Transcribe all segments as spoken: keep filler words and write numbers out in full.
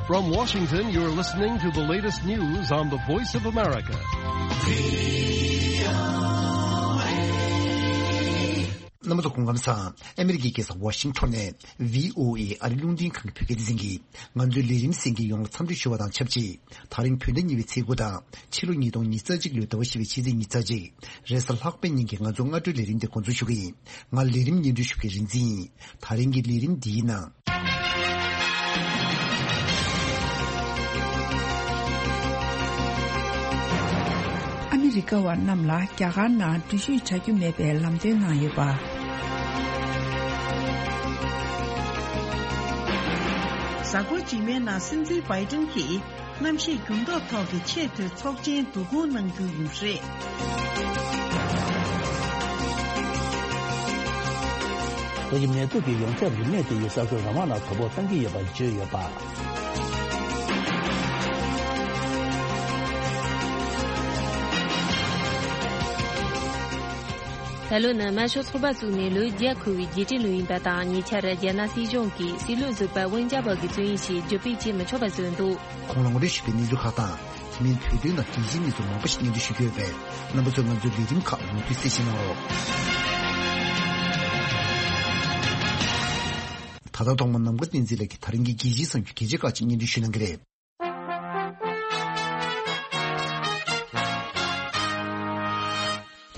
From Washington, you're listening to the latest news on the Voice of America. རྣམ་པ་ཚོ་སྐུ་ཁམས་བཟང་། ཨ་མི་རི་ཀའི་རྒྱལ་ས་ཝ་ཤིང་ཊོན་ནས་བྷི་ཨོ་ཨེ་ཨ་རི་རླུང་འཕྲིན་ཁང་གི་བོད་སྐད་སྡེ་ཚན་གྱིས་ང་ཚོའི་ལས་རིམ་གསན་མཁན་ཡོངས་ལ་འཚམས་འདྲི་ཞུ་བ་དང་ཆབས་ཅིག་ད་རིང་བོད་ཟླ་གཉིས་པའི་ཚེས་དགུ་དང་ཕྱི་ལོ་ཉིས་སྟོང་ཉི་ཤུ་རྩ་གཅིག་ལོའི་ཟླ་བ་བཞི་པའི་ཕྱི་ཚེས་ཉི་ཤུ་རྩ་གཅིག་རེས་གཟའ་ལྷག་པའི་ཉིན་གྱི་ང་ཚོའི་སྔ་དྲོའི་ལས་རིམ་དེ་འགོ་འཛུགས་ཞུ་གི་ཡིན། ང་ལས་རིམ་སྙན་སྒྲོན་ཞུ་མཁན་རིག་འཛིན་ཡིན། ད་རིང་གི་ལས་རིམ་འདིའི་ནང་། ཨ་མི་རི་ཀ་བ་རྣམས་ལ་རྒྱ་གར་ནང་འགྲུལ་བཞུད་བྱ་རྒྱུ་མེད་པའི་ལམ་སྟོན་གནང་ཡོད་པ། གཟའ་འཁོར་རྗེས་མའི་ནང་སྲིད་འཛིན་བྷའི་ཏིན་གྱིས་གནམ་གཤིས་འགྱུར་ལྡོག་ཐོག་གི་ཆེས་མཐོའི་ཚོགས་ཆེན་བསྡུ་སྐོང་གནང་རྒྱུ་ཡིན་རེད། ཏོག་དབྱིབས་ནད་དུག་གི་ཡོངས་ཁྱབ་རིམས་ནད་དེ་ཡིས་ས་ཁུལ་རང་དབང་ལ་དོ་ཕོག་བཏང་གི་ཡོད་པ་བརྗོད་ཡོད་པ། ད་ལོ་ནི་དམར་ཤོག་ཚོགས་པ་བཙུགས་ནས་ལོ་བརྒྱ་འཁོར་བའི་རྒྱལ་སྤྱིའི་ལོ་ཡིན་པ་དང་། ཉེ་ཆར་རྒྱ་ནག་སྲིད་གཞུང་གིས་སྲིད་བློན་ཟུར་པ་ཝུན་ཅཱ་པ་གི་བཙོན་ཡིག་ཞིག་བརྒྱུད་སྤེལ་བྱེད་མི་ཆོག་པ་བཟོས་འདུག་ཁོང་ལ་ངོ་སྤྲོད་ཞུས་པའི་གནས་ཚུལ་ཁག་དང་། དེ་མིན་བོད་དོན་དང་རྒྱལ་སྤྱིའི་གནས་ཚུལ་མང་པོ་ཞིག་སྙན་སྒྲོན་ཞུ་རྒྱུ་ཡོད་པས། རྣམ་པ་ཚོས་ང་ཚོའི་ལས་རིམ་ཁག་མུ་མཐུད་གསན་བཞེས་གནང་རོགས། ད་ལྟ་ཐོག་མར་ནམ་མཁའ་བསྟན་འཛིན་ལགས་ཀྱིས་ད་རིང་གི་རྒྱལ་སྤྱིའི་གསར་འགྱུར་གལ་ཆེ་ཁག་ཅིག་སྙན་སྒྲོན་ཞུ་གནང་གི་རེད།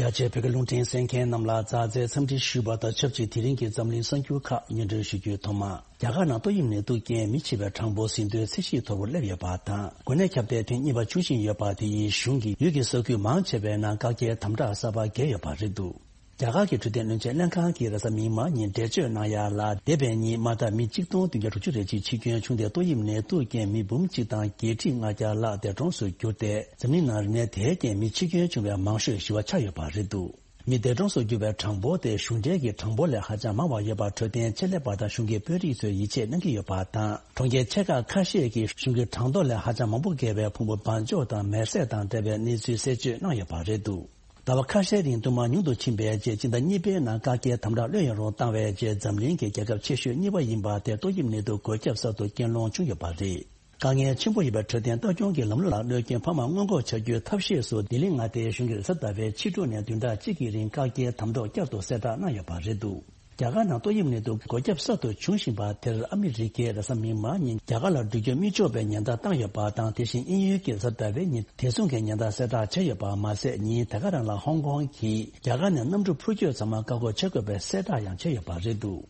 རྒྱ་ཆེའི་བོད་སྐད་རླུང་འཕྲིན་གསན་མཁན་རྣམས་ལ་མཛའ་བརྩེའི་འཚམས་འདྲི་ཞུ་བ་དང་ཆབས་ཅིག་དེ་རིང་གི་འཛམ་གླིང་གསར་འགྱུར་ཁག་སྙན་སྒྲོན་ཞུ་རྒྱུའི་ཐོག་མ། རྒྱ་གར་ནང་ཏོག་དབྱིབས་ནད་དུག་རྐྱེན་མི་ཤི་བའི་གྲངས་འབོར་ཟིན་ཐོའི་ཚད་གཞིའི་མཐོ་པོར་སླེབས་ཡོད་པ་དང་། འགོས་ནད་ཁྱབ་གདལ་ཐེངས་གཉིས་པ་འབྱུང་བཞིན་ཡོད་པ་དེ་ཡིས་གཞུང་གིས་ཡུལ་གྱི་ས་ཁུལ་མང་ཆེ་བའི་ནང་བཀག་རྒྱའི་དམ་དྲག་གསར་པ་བརྒྱབ་ཡོད་པ་རེད་འདུག་རྒྱ་གར་གྱི་འཕྲོད་བསྟེན་བློན་ཆེན་ལྷན་ཁང་གིས་རེས་གཟའ་མིག་དམར་ཉིན་འགྲེལ་བརྗོད་གནང་ཡ་ལ། འདས་པའི་ཉིན་མ་དག་མི་གཅིག་སྟོང་བདུན་བརྒྱ་དྲུག་ཅུ་རེ་གཅིག་འཆི་སྐྱོན་བྱུང་སྟེ། ཏོག་དབྱིབས་ནད་དུག་རྐྱེན་མི་འབུམ་གཅིག་དང་བརྒྱད་ཁྲི་ལྔ་བརྒྱ་ལྷག་འདས་གྲོངས་སུ་གྱུར་ཏེ། འཛམ་གླིང་ནང་རིག་གནས་དེའི་རྐྱེན་མི་འཆི་སྐྱོན་བྱུང་བའི་མང་ཤོས་ཞི་བ་ཆགས་ཡོད་པ་རེད་འདུག་མི་འདས་གྲོངས་སུ་གྱུར་བའི་གྲངས་འབོར་དེ་གཞུང་འབྲེལ་གྱི་གྲངས་འབོར་ལས་ཧ་ཅང་མང་བ་ཡོད་པ་འཕྲོད་བསྟེན་ཆེད་ལས་པ་དང་གཞུང་གི་དཔོན་རིགས་ཚོས་ཡིད་ཆེས་གནང་གི་ཡོད་པ་དང་། གྲོང་ཁྱེར་ཆེ་ཁག་ཁ་ཤས་ཀྱིས་གཞུང་གི་གྲངས་ཐོ་ལས་ཧ་ཅང་མང་པོ་བརྒལ་བའི་ཕུང་པོ་སྦགས་འཇོག་དང་མེར་སྲེག་དང་འབྲེལ་བའི་གནས་ཚུལ་གསལ་བརྗོད་གནང་ཡོད་པ་རེད་འདུག་ཟླ་བ་ཁ་ཤས་རིང་སྟོང་པ་ཉུང་དུ་ཕྱིན་པའི་རྗེས། སྤྱི་ཟླ་གཉིས་པའི་ནང་བཀག་རྒྱའི་དམ་དྲག་ལྷོད་ཡངས་རུ་བཏང་བའི་རྗེས། འཛམ་གླིང་གི་རྒྱལ་ཁབ་ཆེ་ཤོས་གཉིས་པ་ཡིན་པ་དེ་ཏོག་དབྱིབས་ནད་དུག་འགོས་ཁྱབ་གསར་དུ་རྐྱེན་སློང་བྱུང་ཡོད་པ་རེད། དཀའ་ངལ་ཆེན་པོ་ཡོད་པའི་འཕྲོད་བསྟེན་ལྟ་སྐྱོང་གི་ལམ་ལུགས་ལ་གནོད་སྐྱོན་འཕར་མ་སྔོན་འགོག་བྱ་རྒྱུའི་ཐབས་ཤེས་སུ། ལྡི་ལི་མངའ་སྡེའི་གཞུང་གིས་རེས་གཟའ་ཟླ་བའི་ཕྱི་དྲོ་ནས་བདུན་ཕྲག་གཅིག་གི་རིང་བཀག་རྒྱའི་དམ་དྲག་བསྐྱར་དུ་གསལ་བསྒྲགས་གནང་ཡོད་པ་རེད་འདུག་རྒྱ་གར་ནང་ཏོག་དབྱིབས་ནད་དུག་འགོས་ཁྱབ་གསར་དུ་འབྱུང་བཞིན་པ་དེར་ཨ་མི་རི་ཀས་རེས་གཟའ་མིག་དམར་ཉིན་རྒྱ་གར་ལ་འགྲུལ་སྐྱོད་མི་ཆོག་པའི་ཉེན་བརྡ་བཏང་ཡོད་པ་དང་། དེ་བཞིན་དབྱིན་ཡུལ་གྱིས་རེས་གཟའ་ཟླ་བའི་ཉིན་དེ་མཚུངས་ཀྱི་ཉེན་བརྡ་གསལ་བསྒྲགས་བྱས་ཡོད་པ་མ་ཟད། ཉིན་དེ་ག་རང་ལ་ཧོང་ཀོང་གིས་རྒྱ་གར་ནས་གནམ་གྲུ་འཕུར་སྐྱོད་ཚང་མ་བཀག་འགོག་བྱེད་དགོས་པའི་གསལ་བསྒྲགས་ཡང་བྱས་ཡོད་པ་རེད་འདུག་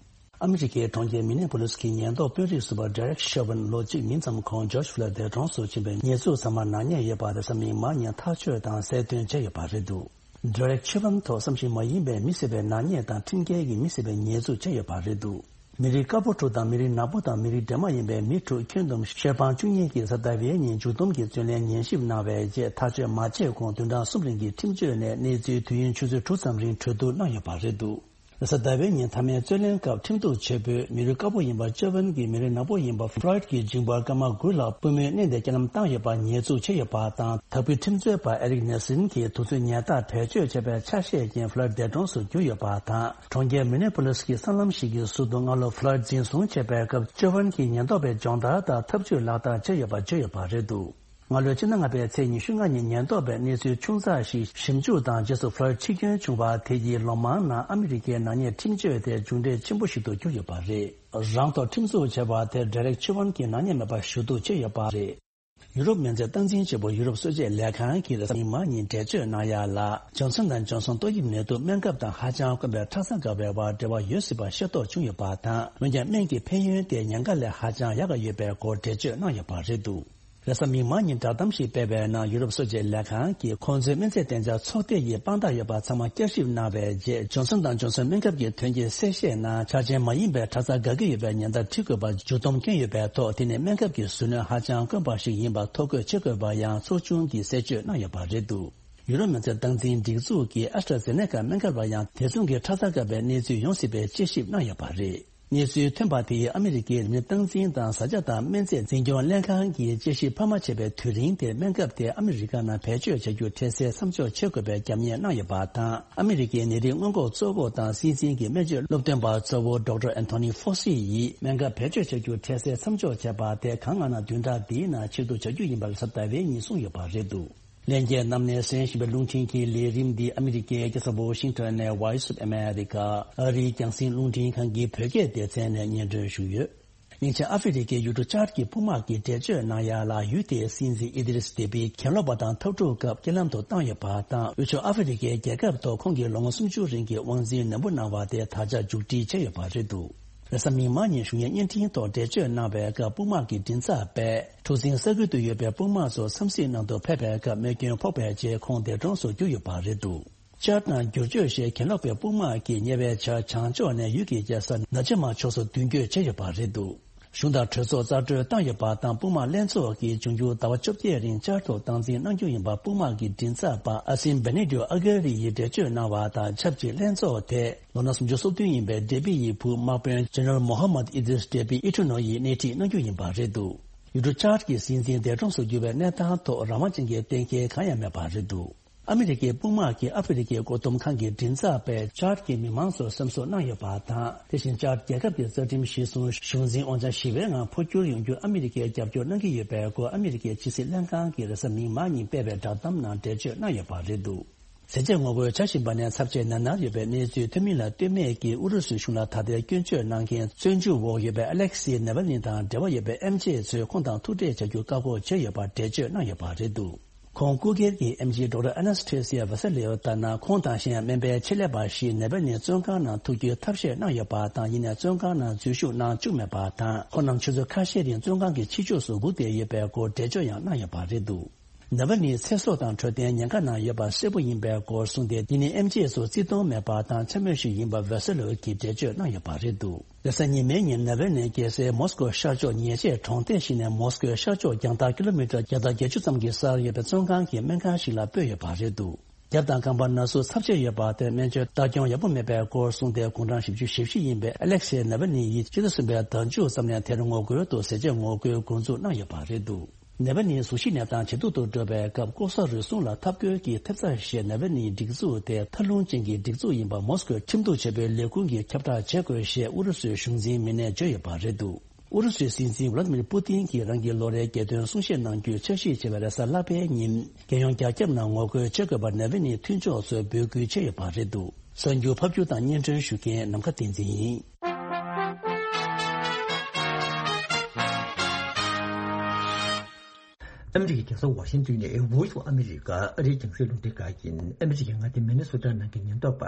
ཨ་མི་རི་ཀའི་གྲོང་ཁྱེར་མི་ནེ་པོ་ལིས་ཀྱི་ཉེན་རྟོག་དཔོན་རིགས་ཟུར་པ་Derek Chauvin ལོ་གཅིག་མིན་ཙམ་གོང་George Floyd འདས་གྲོངས་སུ་ཕྱིན་པའི་ཉེས་འཛུགས་ཚང་མ་ནག་ཉེས་ཡོད་པ་རེས་གཟའ་མིག་དམར་ཉིན་ཐག་གཅོད་དང་གསལ་སྟོན་བྱས་ཡོད་པ་རེད་འདུག Derek Chauvin ཐོག་བསམ་བཞིན་མ་ཡིན་པའི་མི་བསད་པའི་ནག་ཉེས་དང་ཁྲིམས་འགལ་གྱིས་མི་བསད་པའི་ཉེས་འཛུགས་བྱས་ཡོད་པ་རེད་འདུག་མི་རིགས་དཀར་པོ་དྲུག་དང་མི་རིགས་ནག་པོ་དང་མི་རིགས་སྒྲོལ་མ་ཡིན་པའི་མི་དྲུག་ཁྱོན་བསྡོམས་ཤོད་སྤང་བཅུ་གཉིས་ཀྱིས་རེས་གཟའ་ཟླ་བའི་ཉིན་མཇུག་བསྡོམས་ཀྱི་བཙོན་ལེན་ཉན་ཞིབ་གནང་བའི་རྗེས། ཐག་གཅོད་མ་བྱས་གོང་བདུན་ཕྲག་གསུམ་རིང་གི་ཁྲིམས་གཅོད་ནས་གནས་ཚུལ་དུས་ཡུན་ཆུ་ཚོད་དྲུག་ཙམ་རིང་གྲོས་བསྡུར་གནང་ཡོད་པ་རེད་འདུག་རེས་གཟའ་ཟླ་བའི་ཉིན་མཐའ་མའི་རྩོད་ལེན་སྐབས་ཁྲིམས་གཏུག་བྱེད་པོས་མི་རིགས་དཀར་པོ་ཡིན་པ་Chauvin གྱིས་མི་རིགས་ནག་པོ་ཡིན་པ་Floyd གྱི་མཇིང་པར་སྐར་མ་དགུ་ལ་པུས་མོས་མནན་ཏེ་རྐྱེན་ལམ་བཏང་ཡོད་པ་ཉེས་འཛུགས་བྱས་ཡོད་པ་དང་། དྭགས་པོའི་ཁྲིམས་རྩོད་པ་Eric Nelson གྱིས་དུས་ཚོད་ཉལ་ཐག་བེད་སྤྱོད་བྱས་པའི་ཆ་ཤས་ཀྱིས་Floyd འདས་གྲོངས་སུ་གྱུར་ཡོད་པ་དང་། གྲོང་ཁྱེར་མི་ནེ་པོ་ལིས་ཀྱི་སྲང་ལམ་ཞིག་གི་ཟུར་དུ་སྔ་ལོ་Floyd འཛིན་བཟུང་བྱས་པའི་སྐབས་Chauvin གྱིས་ཉེན་རྟོག་པའི་སྦྱོང་བརྡར་དང་ཐབས་ཇུས་ལག་བསྟར་བྱས་ཡོད་པ་བརྗོད་ཡོད་པ་རེད་འདུག་སྔ་ལོའི་ཕྱི་ཟླ་ལྔ་པའི་ཚེས་ཉི་ཤུ་ལྔ་ཉིན་ཉེན་རྟོག་པས་གནས་ཚུལ་ཆུང་ཙག་ཞིག་ཞིབ་འཇུག་དང་རྗེས་སུ་Floyd འཆི་སྐྱོན་བྱུང་བ་དེ་ཡིས་ལོ་མང་ནང་ཨ་མི་རི་ཀའི་ནག་ཉེས་ཁྲིམས་གཅོད་དེ་མཇུག་འབྲས་ཆེན་པོ་ཞིག་ཏུ་གྱུར་ཡོད་པ་རེད། རང་ཐོག་ཁྲིམས་འཛུགས་བྱས་པ་དེར་Derek Chauvin གྱི་ནག་ཉེས་མེད་པར་ཞུ་གཏུག་བྱས་ཡོད་པ་རེད། ཡུ་རོབ་མི་སེར་སྟངས་འཛིན་བྱེད་པོ་ཡུ་རོབ་གསོ་དཔྱད་ལས་ཁང་གིས་རེས་གཟའ་མིག་དམར་ཉིན་འགྲེལ་བརྗོད་གནང་ཡ་ལ། Johnson and Johnson ཏོག་དབྱིབས་ནད་དུག་སྨན་ཁབ་དང་ཧ་ཅང་དཀོན་པའི་ཁྲག་རྩ་འགག་པའི་བར་འབྲེལ་བ་ཡོད་སྲིད་པ་ཤེས་རྟོགས་བྱུང་ཡོད་པ་དང་། འོན་ཀྱང་སྨན་གྱི་ཕན་ཡོན་དེ་ཉེན་ཁ་ལས་ཧ་ཅང་ཡག་ག་ཡོད་པའི་སྐོར་འགྲེལ་བརྗོད་གནང་ཡོད་པ་རེད་འདུག་རེས་གཟའ་མིག་དམར་ཉིན་བསྒྲགས་གཏམ་ཞིག་སྤེལ་བའི་ནང་ཡུ་རོབ་གསོ་དཔྱད་ལས་ཁང་གིས་ཁོང་ཚོའི་སྨན་རྫས་སྟེང་ཆ་ཚོགས་སྡེ་ཡིས་དཔང་རྟགས་ཡོད་པ་ཚང་མ་བསྐྱར་ཞིབ་གནང་བའི་རྗེས། Johnson and Johnson སྨན་ཁབ་ཀྱི་ཐོན་སྐྱེད་གསལ་བཤད་ནང་འཆར་ཅན་མ་ཡིན་པའི་ཁྲག་རྩ་འགག་གི་ཡོད་པའི་ཉེན་བརྡ་བྲིས་དགོས་པ་མཇུག་བསྡོམས་བསྐྱོན་ཡོད་པའི་ཐོག་དེ་ནི་སྨན་ཁབ་ཀྱི་ཟུར་སྣོན་ཧ་ཅང་དཀོན་པ་ཞིག་ཡིན་པ་ཐོ་འགོད་བྱེད་དགོས་པ་ཡང་ཚོགས་ཆུང་གིས་གསལ་བརྗོད་གནང་ཡོད་པ་རེད་འདུག་ཡུ་རོབ་མི་སེར་སྟངས་འཛིན་སྒྲིག་འཛུགས་ཀྱིས་AstraZeneca སྨན་ཁབ་ལ་ཡང་དེ་མཚུངས་ཀྱི་ཁྲག་རྩ་འགག་པའི་གནས་ཚུལ་ཡོང་སྲིད་པའི་དཔྱད་ཞིབ་གནང་ཡོད་པ་རེད། གནས་ཚུལ་ཐོན་པ་དེས་ཨ་མི་རི་ཀའི་རིམས་ནད་སྟངས་འཛིན་དང་བཟའ་བཅའ་དང་སྨན་རྫས་འཛིན་སྐྱོང་ལྷན་ཁང་གིས་དཔྱད་ཞིབ་འཕར་མ་བྱས་པའི་དུས་རིང་དེར་སྨན་ཁབ་དེ་ཨ་མི་རི་ཀ་ནང་བེད་སྤྱོད་བྱ་རྒྱུ་འཕྲལ་སེལ་མཚམས་འཇོག་བྱེད་དགོས་པའི་རྒྱབ་གཉེར་གནང་ཡོད་པ་དང་། ཨ་མི་རི་ཀའི་ནད་རིགས་སྔོན་འགོག་གཙོ་འགོ་དང་སྲིད་འཛིན་གྱི་སྨན་བཅོས་སློབ་སྟོན་པ་གཙོ་བོ་ཌོག་ཊར་ཨན་ཐོ་ནི་ཧྥོ་སི་ཡིས་སྨན་ཁབ་བེད་སྤྱོད་བྱ་རྒྱུ་འཕྲལ་སེལ་མཚམས་འཇོག་བྱས་པ་དེ་གང་སྔ་ན་བདུན་ཕྲག་འདིའི་ནང་ཕྱིར་བསྡུ་བྱ་རྒྱུ་ཡིན་པ་རེས་གཟའ་ཟླ་བའི་ཉིན་གསུངས་ཡོད་པ་རེད་འདུག་ལྷན་རྒྱས་རྣམས་ནས་གསན་བཞིན་པའི་རླུང་འཕྲིན་གྱི་ལས་རིམ་འདི་ཨ་མི་རི་ཀའི་རྒྱལ་ས་ཝོ་ཤིང་ཊོན་ནས་Voice of America ཨ་རིའི་རྒྱང་སྲིང་རླུང་འཕྲིན་ཁང་གི་བོད་སྐད་སྡེ་ཚན་ནས་སྙན་སྒྲོན་ཞུས་ཡོད། སྙིང་ཆེན་ཨ་ཧྥེ་རི་ཁའི་ཡུལ་གྲུ་ཅཱཌ་ཀྱི་དཔུང་དམག་གིས་འགྲེལ་བརྗོད་གནང་ཡ་ལ། ཡུལ་དེའི་སྲིད་འཛིན་ཨི་དི་རིས་དེ་བྷི་གྱེན་ལོག་པ་དང་འཐབ་འཁྲུག་སྐབས་རྐྱེན་ལམ་དུ་བཏང་ཡོད་པ་དང་། དབུས་ཕྱོགས་ཨ་ཧྥེ་རི་ཁའི་རྒྱལ་ཁབ་ཐོག་ཁོང་གིས་ལོ་ངོ་སུམ་ཅུ་རིང་གི་དབང་འཛིན་ནན་པོ་གནང་བ་དེ་ད་ཆ་མཇུག་སྒྲིལ་བྱས་ཡོད་པ་རེད་འདུག་རེས་གཟའ་མིག་དམར་ཉིན་གཞུང་གཉེར་བརྙན་འཕྲིན་ཐོག་འགྲེལ་བརྗོད་གནང་བའི་སྐབས། དཔུང་དམག་གི་མགྲིན་ཚབ་པས་གྲུ་གཟིངས་ས་ཁུལ་དུ་ཡོད་པའི་དཔུང་དམག་ཚོ་འཚམས་གཟིགས་གནང་དུ་ཕེབས་པའི་སྐབས། རྨས་སྐྱོན་ཕོག་པའི་རྗེས་ཁོང་འདས་གྲོངས་སུ་གྱུར་ཡོད་པ་རེད་འདུག་ཅཱཌ་ནང་བསྒྱུར་བཅོས་བཞིན་གྱེན་ལོག་པའི་དཔུང་དམག་གིས་ཉེ་བའི་ཆར་བྱང་ཕྱོགས་ནས་ཡུལ་གྱི་རྒྱལ་ས་ནཱ་ཇི་མ་ཕྱོགས་སུ་མདུན་སྐྱོད་བྱས་ཡོད་པ་རེད་འདུག་གཞུང་དང་གྲོས་ཚོགས་རྩ་སྤྲོད་བཏང་ཡོད་པ་དང་། དཔུང་དམག་ལྷན་ཚོགས་ཀྱིས་འབྱུང་འགྱུར་ཟླ་བ་བཅོ་བརྒྱད་རིང་ཅཱཌ་ཐོག་སྟངས་འཛིན་གནང་རྒྱུ་ཡིན་པ་དཔུང་དམག་གི་མགྲིན་ཚབ་པ་ཨ་སིན་བེ་ནེ་ཏིའོ་ཨ་གྷ་རི་ཡིས་འགྲེལ་བརྗོད་གནང་བ་དང་ཆབས་ཅིག་ལྷན་ཚོགས་དེ་ལོ་ན་སུམ་ཅུ་སོ་བདུན་ཡིན་པའི་ཌེ་བྷི་ཡི་བུ་དམག་དཔོན་ཇེ་ནེ་རལ་མོ་ཧ་མད་ཨི་དི་རིས་ཌེ་བྷི་ཨི་ཊུ་ནོ་ཡིས་སྣེ་ཁྲིད་གནང་རྒྱུ་ཡིན་པ་རེད་འདུག་ཡུལ་གྲུ་ཅཱཌ་ཀྱི་སྲིད་འཛིན་འདས་གྲོངས་སུ་གྱུར་བའི་གནས་སྟངས་ཐོག་རང་དབང་ཅན་གྱི་གཏན་འཁེལ་གང་ཡང་མེད་པ་རེད་འདུག་ཨ་མི་རི་ཀའི་དཔུང་དམག་གིས་ཨ་ཧྥེ་རི་ཁའི་བཀོད་འདོམས་ཁང་གི་མགྲིན་ཚབ་པས་ཅཱཌ་ཀྱི་མི་མང་ཚོར་སེམས་གསོ་གནང་ཡོད་པ་དང་། དེ་བཞིན་ཅཱཌ་རྒྱལ་ཁབ་ཀྱི་རྩ་ཁྲིམས་གཞིར་བཟུང་གཞུང་འཛིན་དབང་ཆ་ཞི་བའི་ངང་འཕོ་འགྱུར་ཡོང་རྒྱུར་ཨ་མི་རི་ཀས་རྒྱབ་སྐྱོར་གནང་གི་ཡོད་པའི་སྐོར་ཨ་མི་རི་ཀའི་ཕྱི་སྲིད་ལྷན་ཁང་གིས་རེས་གཟའ་མིག་དམར་ཉིན་སྤེལ་བའི་བསྒྲགས་གཏམ་ནང་འགྲེལ་བརྗོད་གནང་ཡོད་པ་རེད་འདུག་ཟས་བཅད་ངོ་རྒོལ་བྱ་བཞིན་པ་ནས་ཚབས་ཆེ་ན་ན་ཡོད་པའི་གནས་ཚུལ་ཐོན་མིན་ལ་ལྟོས་མེད་ཀྱིས་ཨུ་རུ་སུའི་གཞུང་ལ་ད་ལྟའི་སྐྱོན་བརྗོད་གནང་མཁན་བཙོན་འཇུག་འོག་ཡོད་པའི་ཨ་ལེག་སི་ནེ་ཝལ་ནི་དང་འབྲེལ་བ་ཡོད་པའི་ཨེམ་ཆི་ཚོས་ཁོང་དང་ཐུག་འཕྲད་བྱ་རྒྱུ་བཀག་འགོག་བྱས་ཡོད་པར་འགྲེལ་བརྗོད་གནང་ཡོད་པ་རེད་འདུག་ཁོང་སྐུ་སྒེར་གྱི་ཨེམ་ཆི་ཌོག་ཊར་ཨ་ནེ་སི་ཐེ་སི་ཡ་ཝེ་སེ་ལེའོ་ལྟར་ན། ཁོང་དང་གཞན་སྨན་པའི་ཆེད་ལས་པ་ཞིག་ནེ་ཝལ་ནི་བཙོན་ཁང་ནང་ཐུག་རྒྱུའི་ཐབས་ཤེས་གནང་ཡོད་པ་དང་། ཡིན་ནའི་བཙོན་ཁང་ནང་འཛུལ་ཞུགས་གནང་བཅུག་མེད་པ་དང་། ཁོང་རྣམས་ཆུ་ཚོད་ཁ་ཤས་རིང་བཙོན་ཁང་གི་ཕྱི་ཕྱོགས་སུ་སྒུག་བསྡད་ཡོད་པའི་སྐོར་འགྲེལ་བརྗོད་ཡང་གནང་ཡོད་པ་རེད་འདུག་ནེ་ཝལ་ནི་ཚེ་སྲོག་དང་འཕྲོད་བསྟེན་ཉེན་ཁ་ནང་ཡོད་པ་གསལ་པོ་ཡིན་པའི་སྐོར་གསུངས་ཏེ། འདི་ནི་ཨེམ་ཆི་ཚོ་བརྩི་མཐོང་མེད་པ་དང་འཕྱ་སྨོད་ཞིག་ཡིན་པ་ཝེ་སེ་ལོ་གིས་འགྲེལ་བརྗོད་གནང་ཡོད་པ་རེད་འདུག་རེས་གཟའ་ཉི་མའི་ཉིན་ནེ་ཝལ་ནི་རྒྱལ་སའི་མོ་སི་ཀོ་ཤར་ཕྱོགས་ཉེ་ཆར་གྲོང་རྡལ་ཞིག་ནས་མོ་སི་ཀོའི་ཤར་ཕྱོགས་རྒྱང་ཐག་ཀི་ལོ་མི་ཊར་བརྒྱ་དང་བརྒྱད་ཅུ་ཙམ་གྱི་སར་ཡོད་པའི་བཙོན་ཁང་གི་སྨན་ཁང་ཞིག་ལ་སྤོས་ཡོད་པ་རེད་འདུག་རྒྱབ་དང་རྐང་པར་ན་ཟུག་ཚབས་ཆེ་ཡོད་པ་དེར་སྨན་བཅོས་ལྟ་སྐྱོང་ཡག་པོ་མེད་པའི་སྐོར་གསུངས་ཏེ། དགུང་གྲངས་བཞི་བཅུ་ཞེ་བཞི་ཡིན་པའི་ཨ་ལེག་སེ་ནེ་ཝལ་ནི་ཡིས་ཕྱི་ཟླ་གསུམ་པའི་ཟླ་མཇུག་ཙམ་ནས་དེར་ངོ་རྒོལ་དུ་ཟས་བཅད་ངོ་རྒོལ་འགོ་འཛུགས་གནང་ཡོད་པ་རེད་འདུག་ནེ་ཝལ་ནིའི་གཟུགས་གཞི་གནས་སྟངས་ཇེ་སྡུག་ཏུ་འགྲོ་བའི་སྐབས། ལྐོག་ཟ་རུལ་སུངས་ལ་འཐབ་རྒོལ་གྱི་ཐེབས་རྩ་ཞེས་ནེ་ཝལ་ནིའི་སྒྲིག་འཛུགས་དེ་མཐའ་ལྷུང་ཅན་གྱི་སྒྲིག་འཛུགས་ཡིན་པ་མོ་སི་ཀོའི་ཁྲིམས་གཏུག་བྱེད་པོའི་ལས་ཁུངས་ཀྱིས་ཁྱབ་བསྒྲགས་བྱེད་དགོས་ཞེས་ཨུ་རུ་སུའི་གཞུང་འཛིན་མི་སྣས་བརྗོད་ཡོད་པ་རེད་འདུག་ཨུ་རུ་སུའི་སྲིད་འཛིན་ཝ་ལ་ཏི་མིར་པུ་ཏིན་གྱིས་རང་གི་ལོ་རེའི་རྒྱལ་སྟོན་གསུང་བཤད་གནང་རྒྱུའི་འཆར་གཞི་བྱས་པའི་རེས་གཟའ་ལྷག་པའི་ཉིན། རྒྱལ་ཡོངས་རྒྱ་ཁྱབ་ནང་ངོ་རྒོལ་བྱེད་དགོས་པར་ནེ་ཝལ་ནིའི་མཐུན་ཕྱོགས་ཚོས་འབོད་སྐུལ་བྱས་ཡོད་པ་རེད་འདུག་གསར་འགྱུར་ཕབ་སྒྱུར་དང་སྙན་སྒྲོན་ཞུ་མཁན་ནམ་མཁའ་བསྟན་འཛིན་ཡིན། ཨ་མི་རི་ཀའི་རྒྱལ་ས་ཝ་ཤིང་ཏོན་ནས་Voice of America ཨ་རིའི་རྒྱང་སྲིང་རླུང་འཕྲིན་ཁང་ཡིན། ཨ་མི་རི་ཀའི་མངའ་སྡེ་མི་ནི་སོ་ཊ་ནང་གི་ཉེན་རྟོག་པ་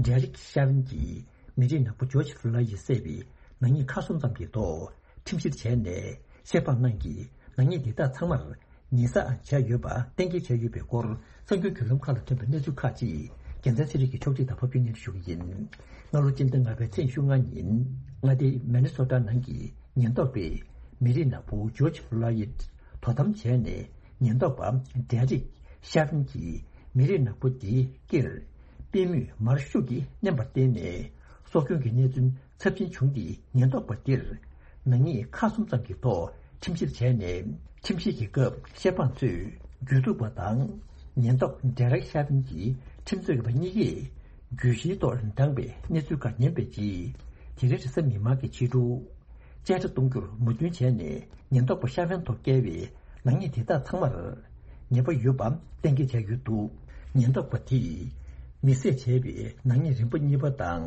ཌེ་རིག་ཤ་ཝིན་གྱིས་མི་རིགས་ནག་པོ་ཇོརྗ་ཕུ་ལོ་ཡིད་བསད་པའི་ནག་ཉེས་ཁག་གསུམ་ཙམ་གྱི་ཐོག་ཁྲིམས་བཤེར་བྱས་ནས། བཤེར་དཔང་རྣམས་ཀྱིས་ནག་ཉེས་འདི་དག་ཚང་མར་ཉེས་བསགས་བྱས་ཡོད་པ་གཏན་འཁེལ་བྱས་ཡོད་པའི་སྐོར། གསར་འགྱུར་བརྒྱུད་ལམ་ཁག་ལ་ཐོན་པའི་གནས་ཚུལ་ཁག་ཅིག་རྒྱལ་མཚན་ཚེ་རིང་གིས་ཕྱོགས་སྒྲིག་དང་ཕབ་སྒྱུར་སྙན་སྒྲོན་ཞུ་གི་ཡིན། སྔ་ལོ་སྤྱི་ཟླ་ལྔ་པའི་ཚེས་ཉི་ཤུ་ལྔ་ཉིན། མངའ་སྡེ་མི་ནི་སོ་ཊ་ནང་གི་ཉེན་རྟོག་པས་མི་རིགས་ནག་པོ་ཇོརྗ་ཕུ་ལོ་ཡིད་དོ་དམ་བྱས་ནས། ཉེན་རྟོག་པ་ཌེ་རིག་ཤ་ཝིན་གྱིས་མི་རིགས་ནག་པོ་འདིའི་སྐེར་པུས་མོས་མར་ཤུགས་ཀྱིས་མནན་པར་བརྟེན་ནས། སྲོག་སྐྱོན་གྱི་གནས་ཚུལ་ཚབས་ཆེན་བྱུང་སྟེ། ཉེན་རྟོག་པ་འདིར་ནག་ཉེས་ཁག་གསུམ་ཙམ་གྱི་ཐོག་ཁྲིམས་བཤེར་བྱས་ནས། ཁྲིམས་བཤེར་གྱི་སྐབས་བཤེར་དཔང་ཚོས་རྒྱུགས་འཐུ་བ་དང་། ཉེན་རྟོག་ཌེ་རེག་ཤ་ཝིན་གྱི་ཁྲིམས་རྩོད་པ་གཉིས་ཀས་གྱོད་གཞིའི་ཐོག་བགྲངས་པའི་གནས་ཚུལ་ཁག་ཉན་པའི་རྗེས། དེ་རིང་རེས་གཟའ་མིག་དམར་གྱི་ཕྱི་དྲོ། བཅད་ཁྲ་གཏོང་རྒྱུར་མོས་མཐུན་བྱས་ནས། ཉེན་རྟོག་པ་ཤ་ཝན་ཐོག་བཀལ་བའི་ནག་ཉེས་དེ་དག་ཚང་མར་ཉེས་པ་ཡོད་པ་གཏན་འཁེལ་བྱས་ཡོད་འདུག་ཉེན་རྟོག་པ་དེས་མི་བསད་བྱས་པའི་ནག་ཉེས་རིམ་པ་གཉིས་པ་དང་།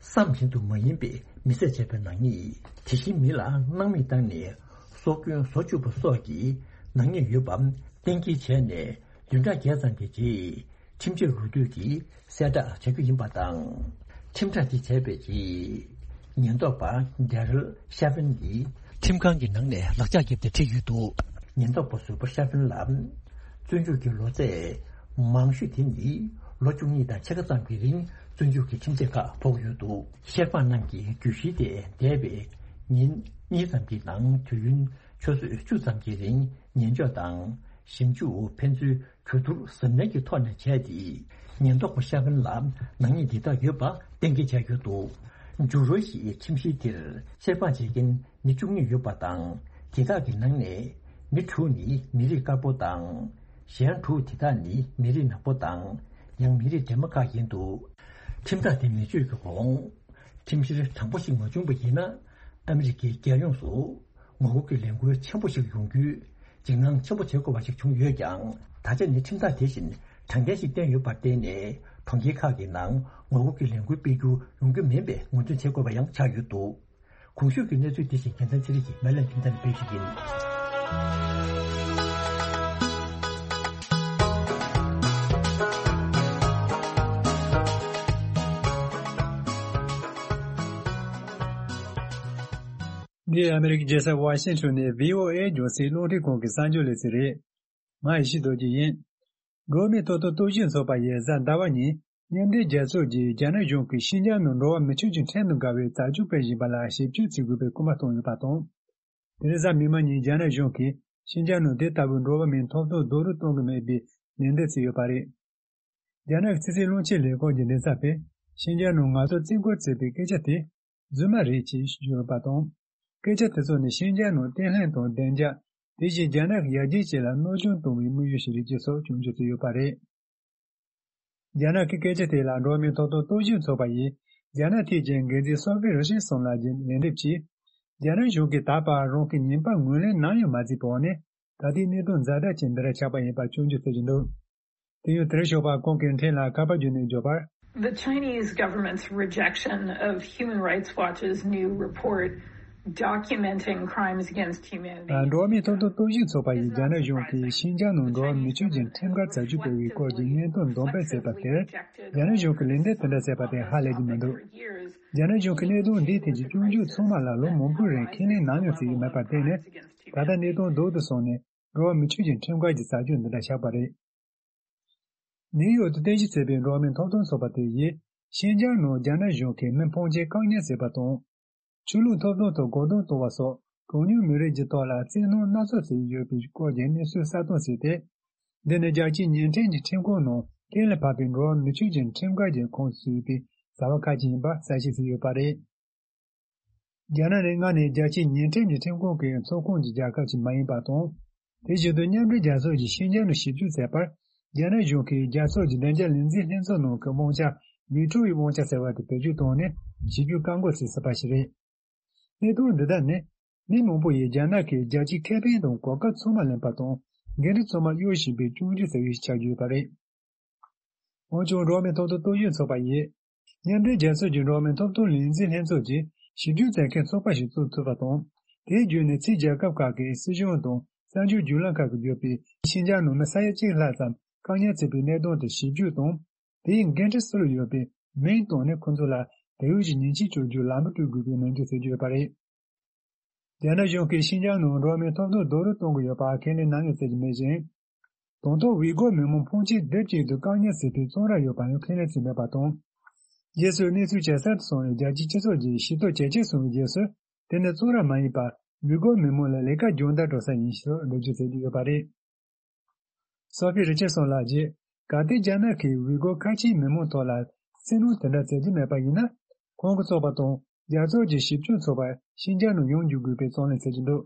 བསམ་བཞིན་དུ་མ་ཡིན་པའི་མི་བསད་བྱས་པའི་ནག་ཉེས། དེ་བཞིན་མི་ལ་སྣང་མེད་བཏང་ནས་སྲོག་སྐྱོན་བཟོ་བཅུག་པ་སོགས་ཀྱི་ནག་ཉེས་ཡོད་པ་གཏན་འཁེལ་བྱས་ནས། བདུན་ཕྲག་བརྒྱད་ཙམ་གྱི་རྗེས། ཁྲིམས་ཆད་ལོ་དུས་ཀྱིས་གསལ་བསྒྲགས་བྱ་རྒྱུ་ཡིན་པ་དང་། ཁྲིམས་ཐག་དེ་བྱས་པའི་རྗེས། ཉེན་རྟོག་པ་ཌེ་རལ་ཤ་ཕིན་གྱིས་ཁྲིམས་ཁང་གི་ནང་ནས་ལག་ལྕགས་བརྒྱབ་སྟེ་ཁྲིད་ཡོད་འདུག་ཉེན་རྟོག་པ་ཟུར་པ་ཤ་ཕིན་ལ། བཙོན་འཇུག་གི་ལོ་ཚད་མང་ཤོས་དེ་ནི་ལོ་བཅུ་གཉིས་དང་ཕྱེད་ཀ་ཙམ་གྱི་རིང་བཙོན་འཇུག་གི་ཁྲིམས་ཆད་ཁག་ཕོག་ཡོད་འདུག་བཤེར་དཔང་རྣམས་ཀྱིས་གྱོད་གཞི་དེ་འདས་པའི་ཉིན་གཉིས་ཙམ་གྱི་ནང་དུས་ཡུན་ཆུ་ཚོད་བཅུ་ཙམ་གྱི་རིང་ཉན་འཇོག་དང་ཞིབ་འཇུག་ཕན་ཚུན་གྱོད་བསྡུར་གཟབ་ནན་གྱི་ཐོག་ནས་བྱས་ཏེ། ཉེན་རྟོག་པ་ཤ་ཕིན་ལ་ནག་ཉེས་འདི་དག་ཡོད་པ་གཏན་འཁེལ་བྱས་ཡོད་འདུག་ཇུ་རོ་ཞིའི་ཁྲིམས་གཞི་འདིར་བཤེར་དཔང་བྱེད་མཁན་མི་བཅུ་གཉིས་ཡོད་པ་དང་། དེ་དག་གི་ནང་ནས་མི་དྲུག་ནི་མི་རིགས་དཀར་པོ་དང་། གཞན་དྲུག་དེ་དག་ནི་མི་རིགས་ནག་པོ་དང་། ཡང་མི་རིགས་འདྲེས་མ་ཁག་ཡིན་འདུག་ཁྲིམས་ཐག་དེ་མི་གཅོད་ཀྱི་གོང་། ཁྲིམས་བཤེར་དྲང་པོ་ཞིག་མ་བྱུང་བ་ཡིན་ན། ཨ་མི་རི་ཀའི་རྒྱལ་ཡོངས་སུ་ངོ་རྒོལ་གྱི་ལས་འགུལ་ཆེན་པོ་ཞིག་ཡོང་རྒྱུའི་འཇིགས་སྣང་ཆེན་པོ་བྱེད་དགོས་པ་ཞིག་བྱུང་ཡོད་ཀྱང་། ད་ཆ་ནི་ཁྲིམས་ཐག་དེ་བཞིན་དྲང་བདེན་ཞིག་བསྟན་ཡོད་པར་བརྟེན་ནས། གྲོང་ཁྱེར་ཁག་གི་ནང་ངོ་རྒོལ་གྱི་ལས་འགུལ་སྤེལ་རྒྱུ་ཡོང་རྒྱུ་མིན་པའི་ངོས་འཛིན་བྱེད་དགོས་པ་ཡང་ཆགས་ཡོད་འདུག་གོང་ཞུས་ཀྱི་གནས་ཚུལ་འདི་བཞིན་རྒྱལ་མཚན་ཚེ་རིང་གིས་མེ་ལན་ཁྱིམ་ཚང་ནས་སྤེལ་ཞུས་ཡིན། འདི་ཨ་མི་རི་ཀའི་རྒྱལ་ས་ཝ་ཤིང་ཊོན་ནས་བྷི་ཨོ་ཨེ་རྒྱང་སྲིང་རླུང་འཕྲིན་ཁང་གི་གསར་འགྱུར་ལེ་ཚན་རེད། ང་ཡེ་ཤེས་རྡོ་རྗེ་ཡིན། འགྲོ་བ་མིའི་ཐོབ་ཐང་རྟོག་ཞིབ་ཚོགས་པ་ཡིས་གཟའ་ཟླ་བ་ཉིན་མཉམ་འབྲེལ་རྒྱལ་ཚོགས་ཀྱིས་རྒྱ་ནག་གཞུང་གིས་ཤིན་ཅང་ནང་འགྲོ་བ་མི་ཆོས་ཀྱི་ཁྲིམས་དང་འགལ་བའི་བྱ་སྤྱོད་སྤེལ་བཞིན་པ་ལ་ཞིབ་དཔྱོད་བྱེད་དགོས་པའི་སྐུལ་མ་བཏང་ཡོད་པ་དང་། དེ་རིང་གཟའ་མིག་དམར་ཉིན་རྒྱ་ནག་གཞུང་གིས་ཤིན་ཅང་ནང་དེ་ལྟ་བུའི་འགྲོ་བ་མིའི་ཐོབ་ཐང་རྡོག་རོལ་གཏོང་གི་མེད་པའི་ལན་འདེབས་བྱས་ཡོད་པ་རེད། རྒྱ་ནག་གི་ཕྱི་སྲིད་བློན་ཆེན་ལས་ཁུངས་ཀྱི་མགྲིན་ཚབ་པས་ཤིན་ཅང་ནང་ང་ཚོར་བཙན་བཀོལ་བྱས་པའི་སྐད་ཆ་དེ་རྫུན་མ་རེད་ཅེས་བརྗོད་ཡོད་པ་དང་། སྐད་ཆ་དེ་ཚོ་ནི་ཤིན་ཅང་ནང་བརྟན་ལྷིང་དང་བདེ་འཇགས། དེ་བཞིན་རྒྱ་ནག་གི་ཡར་རྒྱས་ཆེད་ལ་གནོད་སྐྱོན་གཏོང་བའི་དམིགས་ཡུལ་ཞིག་རེད་ཅེས་སོགས་སྐྱོན་བརྗོད་བྱས་ཡོད་པ་རེད། རྒྱ་ནག་གི་སྐད་ཆ་དེ་ལ་འགྲོ་བ་མིའི་ཐོབ་ཐང་རྟོག་ཞིབ་ཚོགས་པ་ཡིས་རྒྱ་ནག་ཐད་ཀྱི་འགན་འཛིན་སོ་ཕི་རི་ཆར་སོན་ལགས་ཀྱིས་ལན་འདེབས་ཀྱིས། རྒྱ་ནག་གཞུང་གིས་ད་བར་རང་གི་ཉེས་པ་ངོས་ལེན་ནམ་ཡང་མ་བྱས་པའི་འོག་ནས། ད་ལྟའི་གནད་དོན་ཛ་དྲག་ཅན་འདི་འདྲ་ཆགས་པ་ཡིན་པ་སྐྱོན་བརྗོད་བྱེད་ཀྱི་འདུག་དེ་ཡང་དེར་ཞོགས་པ་ཁོང་གིས་འཕྲིན་ལ་ཁ་པར་བརྒྱུད་ནས་བརྗོད་པར། The Chinese government's rejection of Human Rights Watch's new report documenting crimes against humanity. འགྲོ་བ་མིའི་ཐོབ་ཐང་རྟོག་ཞིབ་ཚོགས་པ་ཡིས་རྒྱ་ནག་གཞུང་གིས་ཤིན་ཅང་ནང་འགྲོ་བ་མི་ཆོས་ཀྱི་ཁྲིམས་འགལ་བྱ་སྤྱོད་སྤེལ་བའི་སྐོར་གྱི་སྙན་ཐོ་འདོན་སྤེལ་བྱས་པ་དེར། རྒྱ་ནག་གཞུང་གིས་ལན་འདེབས་དེ་འདྲ་བྱས་པ་དེ་ཧ་ལས་ཀྱི་མི་འདུག་རྒྱ་ནག་གཞུང་གིས་གནད་དོན་འདིའི་ཐད་ཀྱི་སྐྱོན་བརྗོད་ཚང་མ་ལ་ལོ་མང་པོའི་རིང་ཁས་ལེན་ནམ་ཡང་བྱས་ཡོད་མེད་པར་བརྟེན་ནས། ད་ལྟ་གནད་དོན་རྡོག་ཏུ་སོང་ནས། འགྲོ་བ་མི་ཆོས་ཀྱི་ཁྲིམས་འགལ་གྱི་བྱ་སྤྱོད་འདི་འདྲ་བཞག་པ་རེད། ནིའུ་ཡོག་ཏུ་རྟེན་གཞི་བྱས་པའི་འགྲོ་བ་མིའི་ཐོབ་ཐང་ཚོགས་པ་དེ་ཡིས། ཤིན་ཅང་ནང་རྒྱ་ནག་གཞུང་གིས་མི་ཕོན་ཆེ་བཀག་ཉར་བྱས་པ་དང་། ཆོས་ལུགས་ཐོབ་ཐང་ཐོག་རྒོལ་རྡུང་གཏོང་བ་སོགས་གྲངས་ཉུང་མི་རིགས་ཀྱི་ཐོག་ལ་བཙན་གནོན་སྣ་ཚོགས་བྱས་ཡོད་པའི་སྐོར་གྱི་གནས་ཚུལ་གསལ་སྟོན་བྱས་ཏེ། འདི་ནི་རྒྱལ་སྤྱིའི་ཉིན་ཁྲིམས་ཀྱི་ཁྲིམས་ཁང་ནང་གཏན་ལ་ཕབ་པའི་འགྲོ་བ་མི་ཆོས་ཀྱི་ཁྲིམས་འགལ་གྱི་ཁོངས་སུ་ཚུད་པའི་བྱ་བ་ཁག་ཅིག་ཡིན་པ་གསལ་བཤད་བྱས་ཡོད་པ་རེད། རྒྱ་ནག་ནི་སྔར་ནས་རྒྱལ་སྤྱིའི་ཉིན་ཁྲིམས་ཀྱི་ཁྲིམས་ཁང་གི་ཚོགས་ཁོངས་ཀྱི་རྒྱལ་ཁབ་ཅིག་མ་ཡིན་པ་དང་། དེ་བཞིན་དུ་མཉམ་འབྲེལ་རྒྱལ་ཚོགས་ཀྱིས་ཤིན་ཅང་ནང་ཞིབ་འཇུག་མཛད་པར། རྒྱ་ནག་གཞུང་གིས་རྒྱལ་ཚོགས་ཀྱི་བདེ་འཇགས་ལས་འཛིན་ལྷན་ཚོགས་ནང་གི་དབང་ཆ། ཝི་ཊོའི་དབང་ཆ་ཟེར་བ་དེ་བེད་སྤྱོད་བཏང་ནས་ཞིབ་འཇུག་བཀག་འགོག་བྱས་ཟིན་པ་ཞིག་རེད། གནད་དོན་འདི་དག་ནི། མི་མང་པོ་ཡིས་རྒྱ་ནག་གིས་རྒྱལ་སྤྱིའི་ཁེ་ཕན་དང་གོ་སྐབས་ཚང་མ་ལེན་པ་དང་། འགན་འཁྲི་ཚང་མ་གཡོལ་བཞིན་པའི་སྐྱོན་བརྗོད་ཟེར་བའི་ཆ་བརྗོད་པ་རེད། འོན་ཀྱང་། འགྲོ་བ་མིའི་ཐོབ་ཐང་རྟོག་ཞིབ་ཚོགས་པ་ཡིས། མཉམ་འབྲེལ་རྒྱལ་ཚོགས་ཀྱི་འགྲོ་བ་མིའི་ཐོབ་ཐང་ལས་འཛིན་ལྷན་ཚོགས་ཀྱིས་ཞིབ་འཇུག་མཛད་མཁན་ཚོགས་པ་ཞིག་བཙུགས་ཐུབ་པ་དང་། དེའི་བརྒྱུད་ནས་ཕྱིའི་རྒྱལ་ཁབ་ཁག་གི་སྲིད་གཞུང་དང་གསར་འགྱུར་བརྒྱུད་ལམ་ཁག་གིས་བརྗོད་པའི་ཤིན་ཅང་ནང་མི་ས་ཡ་གཅིག་ལྷག་ཙམ་བཀག་ཉར་བྱས་པའི་གནད་དོན་དེ་ཞིབ་འཇུག་དང་། དེའི་འགན་འཁྲི་སུ་ལ་ཡོད་པའི་མིང་བཏོན་ནས་ཁོ་ཚོ་ལ་བལ་ཡུལ་གྱི་ཉེས་ཆད་གཅོད་རྒྱུའི་ལམ་བུ་བསྐྲུན་དགོས་པའི་ནན་བརྗོད་བྱེད་ཀྱི་ཡོད་པ་རེད། རྒྱ་ནག་གཞུང་གིས་ཤིན་ཅང་ནང་འགྲོ་བ་མིའི་ཐོབ་ཐང་རྡོག་རོལ་གཏོང་གི་ཡོད་པ་ཁས་ལེན་ནམ་ཡང་བྱེད་ཀྱི་མེད་ཅིང་། དང་ཐོག་ཝི་གོ་མི་མང་ཕོན་ཆེ་སྡེབ་གཅིག་ཏུ་བཀག་ཉར་བྱས་པའི་བཙོན་རར་ཡོད་པ་ཡང་ཁས་ལེན་བྱས་མེད་པ་དང་། རྗེས་སུ་གནས་ཚུལ་ཇེ་གསར་དུ་སོང་བའི་རྒྱལ་སྤྱིའི་སྤྱི་ཚོགས་ཀྱི་ཞི་མཐུན་ཇེ་ཆེར་སོང་བའི་རྗེས་སུ། དེ་ནི་བཙོན་ར་མ་ཡིན་པར་ཝི་གོ་མི་མང་ལ་ལས་ཀ་སྦྱོང་བརྡར་སྤྲོད་ས་ཡིན་ཞེས་འགྲེལ་བརྗོད་བྱེད་ཀྱི་ཡོད་པ་རེད། སོ་ཕི་རི་ཆར་སོན་ལགས་ཀྱིས། གལ་ཏེ་རྒྱ་ནག་གིས་ཝི་གོ་ཁ་ཆེའི་མི་མང་ཐོག་ལ་བཙན་གནོན་དེ་འདྲ་བྱེད་ཀྱི་མེད་པ་ཡིན་ན། ཁོང་གི་ཚོགས་པ་དང་རྒྱལ་ཚོགས་ཀྱི་ཞིབ་དཔྱོད་ཚོགས་པ་ཤིན་ཅང་ནང་ཡོང་འཇུག་དགོས་པའི་བརྩོན་ལེན་བྱེད་ཀྱི་འདུག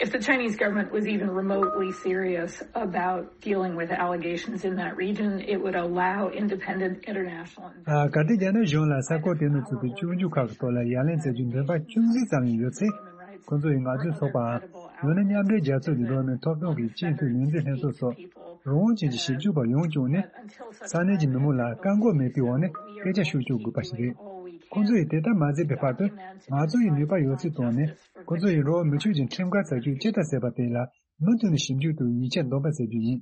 If the Chinese government was even remotely serious about dealing with allegations in that region, it would allow independent international ཨ། གལ་ཏེ་རྒྱ་ནག་གཞུང་ལ་ས་ཁུལ་དེ་ནང་ཚུད་པའི་སྐྱོན་བརྗོད་ཁག་གི་ཐོག་ལ་ཡ་ལན་བྱེད་རྒྱུའི་འདུན་པ་ཅུང་ཟད་ཙམ་ཡང་ཡོད་ཚེ། ཁོ་ཚོ་ཡིས་ང་ཚོའི་ཚོགས་པའམ། ཡང་ན་མཉམ་འབྲེལ་རྒྱལ་ཚོགས་ཀྱི་འགྲོ་བ་མིའི་ཐོབ་ཐང་གི་སྤྱི་འཐུས་ལས་འཛིན་ལྷན་ཚོགས་སོགས་རང་དབང་ཅན་གྱི་ཞིབ་འཇུག་པ་ཡོངས་བསྐྱངས་ནས། ས་གནས་ཀྱི་མི་མང་ལ་བཀག་འགོག་མེད་པའི་འོག་ནས་སྐད་ཆ་ཤོད་བཅུག་དགོས་པ་ཞིག་རེད། ཁོ་ཚོ་ཡིས་དེ་ལྟར་མ་བྱས་པའི་བར་དུ། ང་ཚོ་ཡིས་ནུས་པ་ཡོད་ཚད་བཏོན་ནས། ཁོ་ཚོ་ཡིས་འགྲོ་བ་མི་ཆོས་ཀྱི་ཁྲིམས་འགལ་བྱ་སྤྱོད་ཇི་ལྟར་བྱས་པ་དེ་ལ་མུ་མཐུད་ནས་ཞིབ་འཇུག་དང་ཡིག་ཆ་འདོན་སྤེལ་བྱ་རྒྱུ་ཡིན།